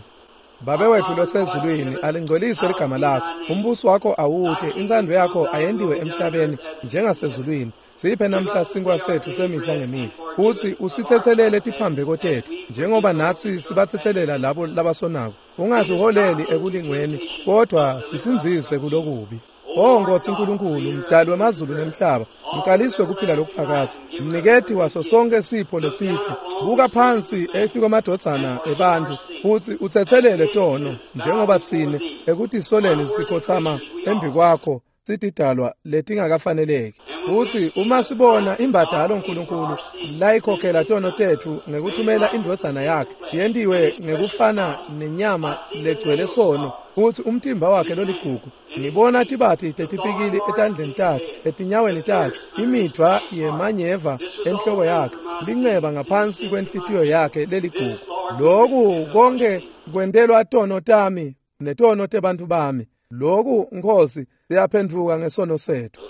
Babe wethu losezulwini, alingcweliswe ligama lakho, umbuso wakho awute, intsandvo yakho ayentiwe emhlabeni njengasezulwini. Siphe namhla sinkwa sethu semihla ngemihla, futsi usitsetselele tiphambeko tetfu njengoba natsi sibatsetselela labo labasonako. Ungasiholeli ekulingweni, kodwa sisindzise kulokubi. O Nkosi Nkulunkulu, mdali wemazulu nemhlaba, mqaliswe kuphila lokuphakadze, mniketi waso sonke sipho lesihle, buka phansi etikwemadvodzana ebantfu futsi utsetselele tono, njengoba tsine ekutisoleni sikhotsama embi kwakho sitidalwa letingakafaneleki. Futsi uma sibona imbadalo Nkulunkulu layikhokhela tono tetfu ngekuthumela indvodzana yakhe yentiwe ngekufana nenyama legcwele sono, futsi umtimba wakhe loligugu, ngibona tibati tetipikili etandleni takhe, etinyaweni takhe, imidvwa yemanyeva enhloko yakhe, linceba ngaphansi kwenhlitiyo yakhe leligugu. Loku konke kwentelwa tono tami netono tebantfu bami. Loku Nkosi siyaphendvuka ngesono setfu.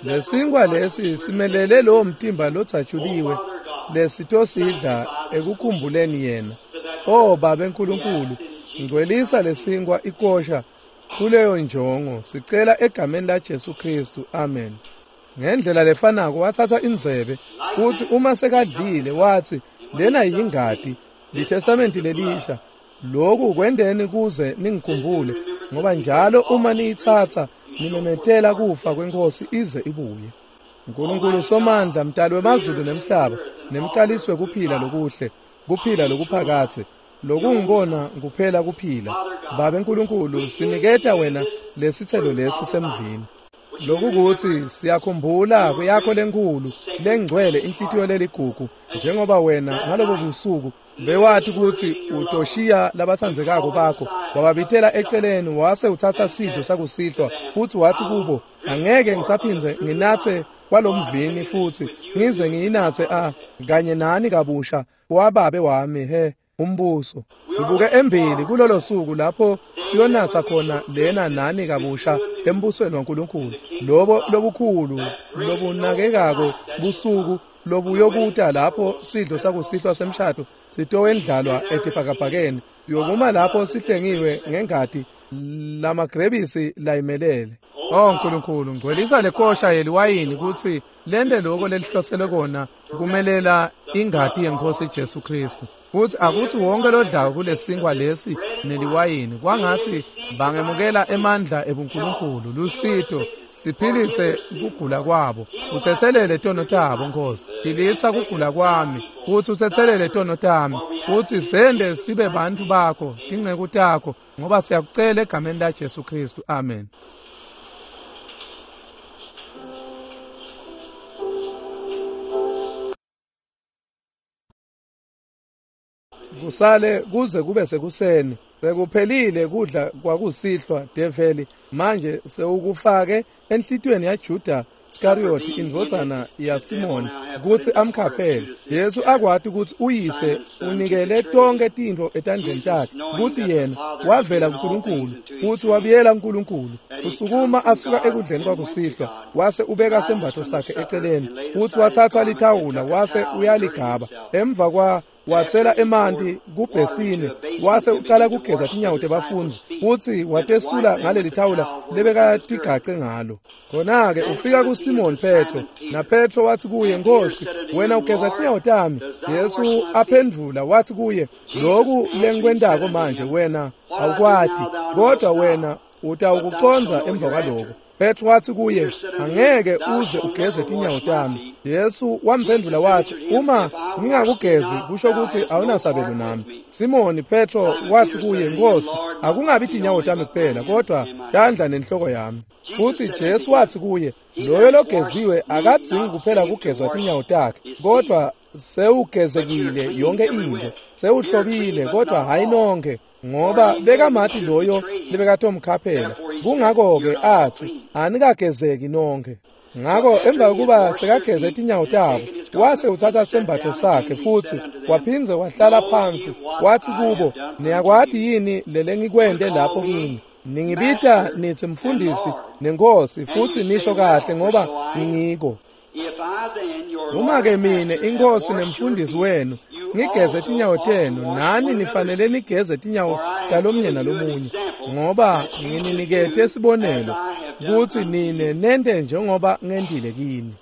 Lesinkwa lesi simelele lowo mtimba lotsatshuliwe lesitosidla ekukhumbuleni yena. O Babe Nkulunkulu, ngcwelisa lesinkwa ikosha kuleyo njongo, sicela egameni la Jesu Kristu, amen. Ngendlela lefanako watsatsa indzebe, futsi uma sekadlile watsi, lena yingati litestamenti lelisha. Lokhu kwendeni kuze ningikhumbule, ngoba njalo uma niyitsatsa nimemetela kufa kwenkosi ize ibuye. Nkulunkulu Somandla, mdali wemazulu nemhlaba, nemqalisi wekuphila lokuhle, kuphila lokuphakadze, lokungibona kuphela kuphila. Babe Nkulunkulu, siniketa wena lesitselo lesi semvini. Lokukuthi siyakhumbula kuyakho lenkulu lengcwele inhlitiyo leligugu, njengoba wena ngalobo busuku bewati kutsi utoshiya labatsandzekako bakho, wababitela eceleni, wase utsatsa sidlo sakusihlwa, futsi watsi kubo, angeke ngisaphindze nginatse kwalomvini futsi ngize ngiyinatse a kanye nani kabusha wababe wami he umbuso. Sibuke embili kulolo suku lapho siyonatsa khona lena nani kabusha embusweni waNkulunkulu, lobo lobukhulu lobunakekako busuku lobuyokuta lapho sidlo sakusihlwa semshado sitowendlalwa etibhakabhakeni, yokuma lapho sihlengiwe ngengati lamagrebisi layimelele. Oh Nkulunkulu, ngcwelisa lekosha yeliwayini kutsi lente loko lelihlosele kona kumelela ingati yenkosi Jesu Kristu. Kutsi akutsi wonke lodlako kulesinkwa lesi neliwayini kwangatsi bangemukela emandla ebuNkulunkulu, lusito, siphilise kugula kwabo, utsetselele tono tabo Nkosi. Philisa kugula kwami, utsi utsetselele tono tami, utsi sende sibe bantfu bakho, tinceku takho, ngoba siyakucela egameni la Jesu Kristu, amen. Kusale kuze kube sekuseni, sekuphelile kudla kwakusihlwa develi manje sewukufake enhlitiyweni yaJuda Iskarioti indvodzana yaSimoni kutsi amkhaphele. Yesu akwati kutsi uyise unikele tonkhe tintfo etandleni takhe, kutsi yena wavela kuNkulunkulu futsi wabuyela kuNkulunkulu. Usukuma asuka ekudleni kwakusihlwa, wase ubeka sembatfo sakhe eceleni, futsi watsatsa lithawula wase uyaligaba. Emva kwa watsela emanti kubhesini, wase ucala kugeza tinyawo tebafundzi, futsi watesula ngaleli thawula lebekatigace ngalo. Khona-ke ufika kuSimon Petro, naPetro wathi kuye, Nkosi, wena ugeza tinyawo tami. Yesu aphendvula wathi kuye, loku lengikwentako manje wena awukwati, kodwa wena utawukucondza emva kwaloko. Petro wathi kuye, angeke uze ugeze tinyawo tami. Yesu wamphendvula wathi, uma ngingakugezi kusho ukuthi awunasabelo nami. Simoni Petro wathi kuye, Nkosi, akungabi tinyawo tami kuphela, kodwa tandla nenhloko yami. Futhi Jesu wathi kuye, loyo logeziwe akadzingi kuphela kugezwa tinyawo takhe, kodwa sewugezekile yonke into, sewuhlobile, kodwa hayi nonke, ngoba bekamati loyo lebekatomkhaphela. Kungako-ke athi anikagezeki nonke. Ngako emva kokuba sekageze tinyawo tabo, wase utsatsa sembatfo sakhe futsi waphindze wahlala phansi, wathi kubo, niyakwati yini lelengikwente lapho kini? Ningibita nitsi mfundisi nenkosi, futsi nisho kahle ngoba ngingiko. Uma-ke mine inkosi nemfundisi wenu ngigeze tinyawo tenu, nani nifanele nigeze tinyawo talomnye nalomunye, ngoba ngininikete sibonelo kutsi nine nente njengoba ngentile kini.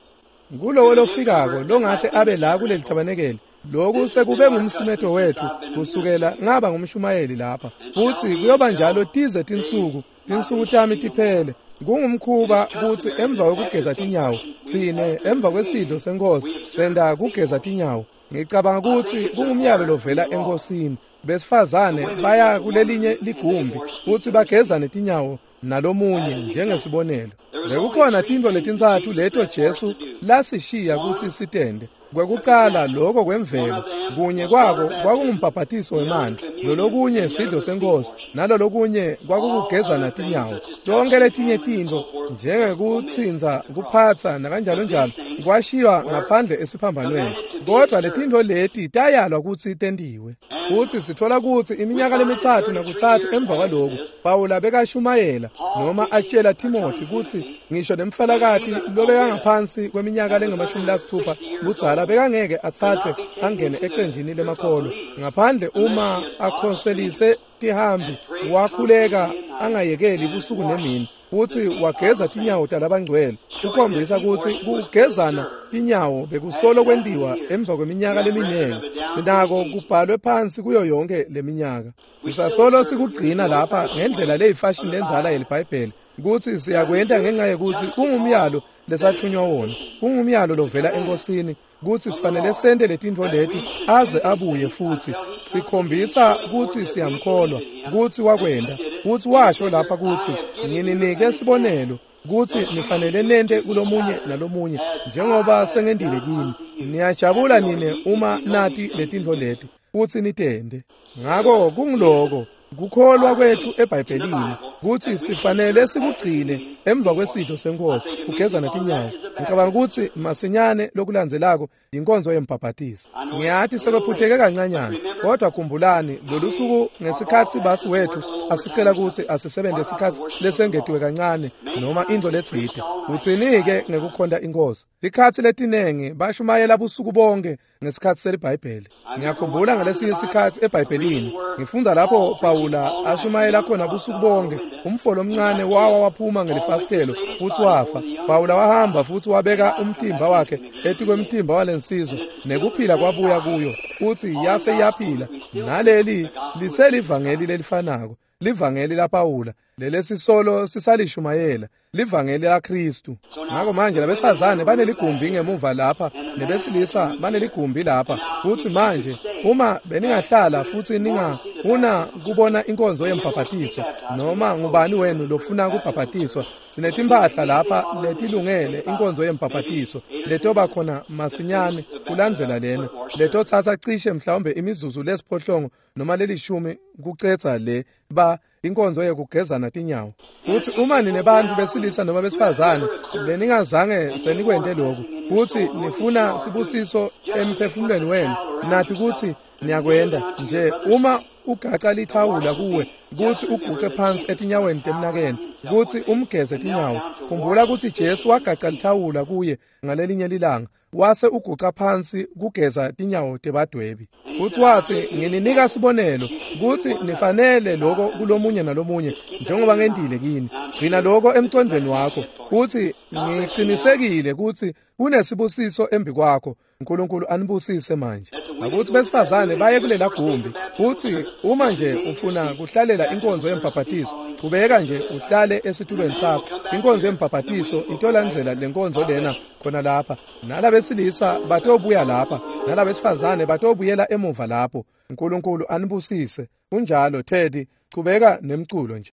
Kulowo lofikako longahle abe la kuleli tabanekeli, lokhu sekube ngumsimeto wethu kusukela ngaba ngumshumayeli lapha, futsi kuyoba njalo tize tinsuku tinsuku tami tiphele. Kungumkhuba kutsi emva kwekugeza tinyawo tsine emva kwesidlo senkosi senta kugeza tinyawo. Ngicabanga kutsi kungumyalo lovela enkosini. Besifazane baya kulelinye ligumbi kutsi bagezane tinyawo nalomunye njengesibonelo. Bekukhona tintfo letintsatfu leto Jesu lasishiya kutsi sitente. Kwekucala lokho kwemvelo, kunye kwako kwakungumbhabhatiso wemanti, lolokunye sidlo senkosi, nalolokunye kwakukugezana tinyawo. Tonke letinye tintfo njengekutsintsa, kuphatsa nakanjalo njalo kwashiywa ngaphandle esiphambanweni, kodwa letintfo leti tayalwa kutsi tentiwe. Futsi sitfola kutsi iminyaka lemitsatfu nakutsatfu emva kwaloku, Pawula bekashumayela noma atshela Timothy kutsi ngisho nemfalakati lobekangaphansi kweminyaka lengamashumi lasitfupha budzala bekangeke atsatfwe angene ecenjini lemakholo ngaphandle uma akhoselise tihambi, wakhuleka angayekeli busuku nemini, futsi wageza tinyawo talabangcwele. Kukhombisa kutsi kugezana tinyawo bekusolo kwentiwa emva kweminyaka leminingi. Sinako kubhalwe phansi kuyo yonke leminyaka. Sisasolo sikugcina lapha ngendlela leyifashini lendzala yeliBhayibheli, kutsi siyakwenta ngenxa yekutsi kungumyalo lesathunywa wona, kungumyalo lovela enkosini kutsi sifanele sente letintfo leti aze abuye, futsi sikhombisa kutsi siyamkholwa kutsi wakwenta, kutsi washo lapha kutsi ngininike sibonelo kutsi nifanele nente kulomunye nalomunye njengoba sengentile kini. Niyajabula nine uma nati letintfo leti futsi nitente. Ngako kungiloko kukholwa kwethu eBhayibhelini kutsi sifanele sikugcine emva kwesidlo senkosi kugezana tinyawo. Ngicabanga kutsi masinyane lokulandzelako inkonzo yembhabhatiso. Ngiyati sekwephuteke kancanyana, kodwa khumbulani lolusuku ngesikhatsi basi wethu asicela kutsi asisebente isikhatsi lesengetiwe kancane noma intfo letsite. Utsini-ke ngekukhonta inkosi? Tikhatsi letinengi bashumayela busuku bonke ngesikhatsi seliBhayibheli. Ngiyakhumbula ngalesinye isikhatsi eBhayibhelini ngifundza lapho Pawula ashumayela khona busuku bonke, umfo lomncane wawa waphuma ngelifasitelo futsi wafa. Pawula wahamba futsi wabeka umtimba wakhe etikwemtimba walensizwa, nekuphila kwabuya kuyo futsi yase iyaphila. Naleli liselivangeli lelifanako, livangeli laPawula lelesisolo sisalishumayela, livangeli laKristu. Ngako manje labesifazane baneligumbi ngemuva lapha, nebesilisa baneligumbi lapha. Futsi manje uma beningahlala futsi ningafuna kubona inkonzo yembhabhatiso, noma ngubani wenu lofuna kubhabhatiswa, sinetimphahla lapha letilungele inkonzo yembhabhatiso letoba khona masinyane kulandzela lena, letotsatsa cishe mhlawumbe imizuzu lesiphohlongo noma lelishumi kucedza le ba inkonzo yekugezana tinyawo. Futsi uma ninebantfu besilisa noma besifazane leningazange senikwente lokhu, futsi nifuna sibusiso emphefumulweni wenu, nati kutsi niyakwenta nje uma ugaca lithawula kuwe kutsi uguce phansi etinyaweni temnakenu kutsi umgeze tinyawo. Khumbula kutsi Jesu wagaca lithawula kuye ngalelinye lilanga, wase uguca phansi kugeza tinyawo tebadwebi. Futsi watsi, ngininika sibonelo kutsi nifanele lokho kulomunye nalomunye njengoba ngentile kini. Gcina lokho emcondvweni wakho, kutsi ngicinisekile kutsi kunesibusiso embi kwakho. uNkulunkulu anibusise manje. Akuthi besifazane baye kulela gumbi, futhi uma nje ufuna kuhlalela inkonzo yembhabhatiso, chubeka nje uhlale esitulweni sakho. Inkonzo yembhabhatiso itolandzela lenkonzo lena khona lapha. Nalabesilisa batobuya lapha, nalabesifazane batobuyela emuva lapho. uNkulunkulu anibusise. Kunjalo Teddy, chubeka nemculo nje.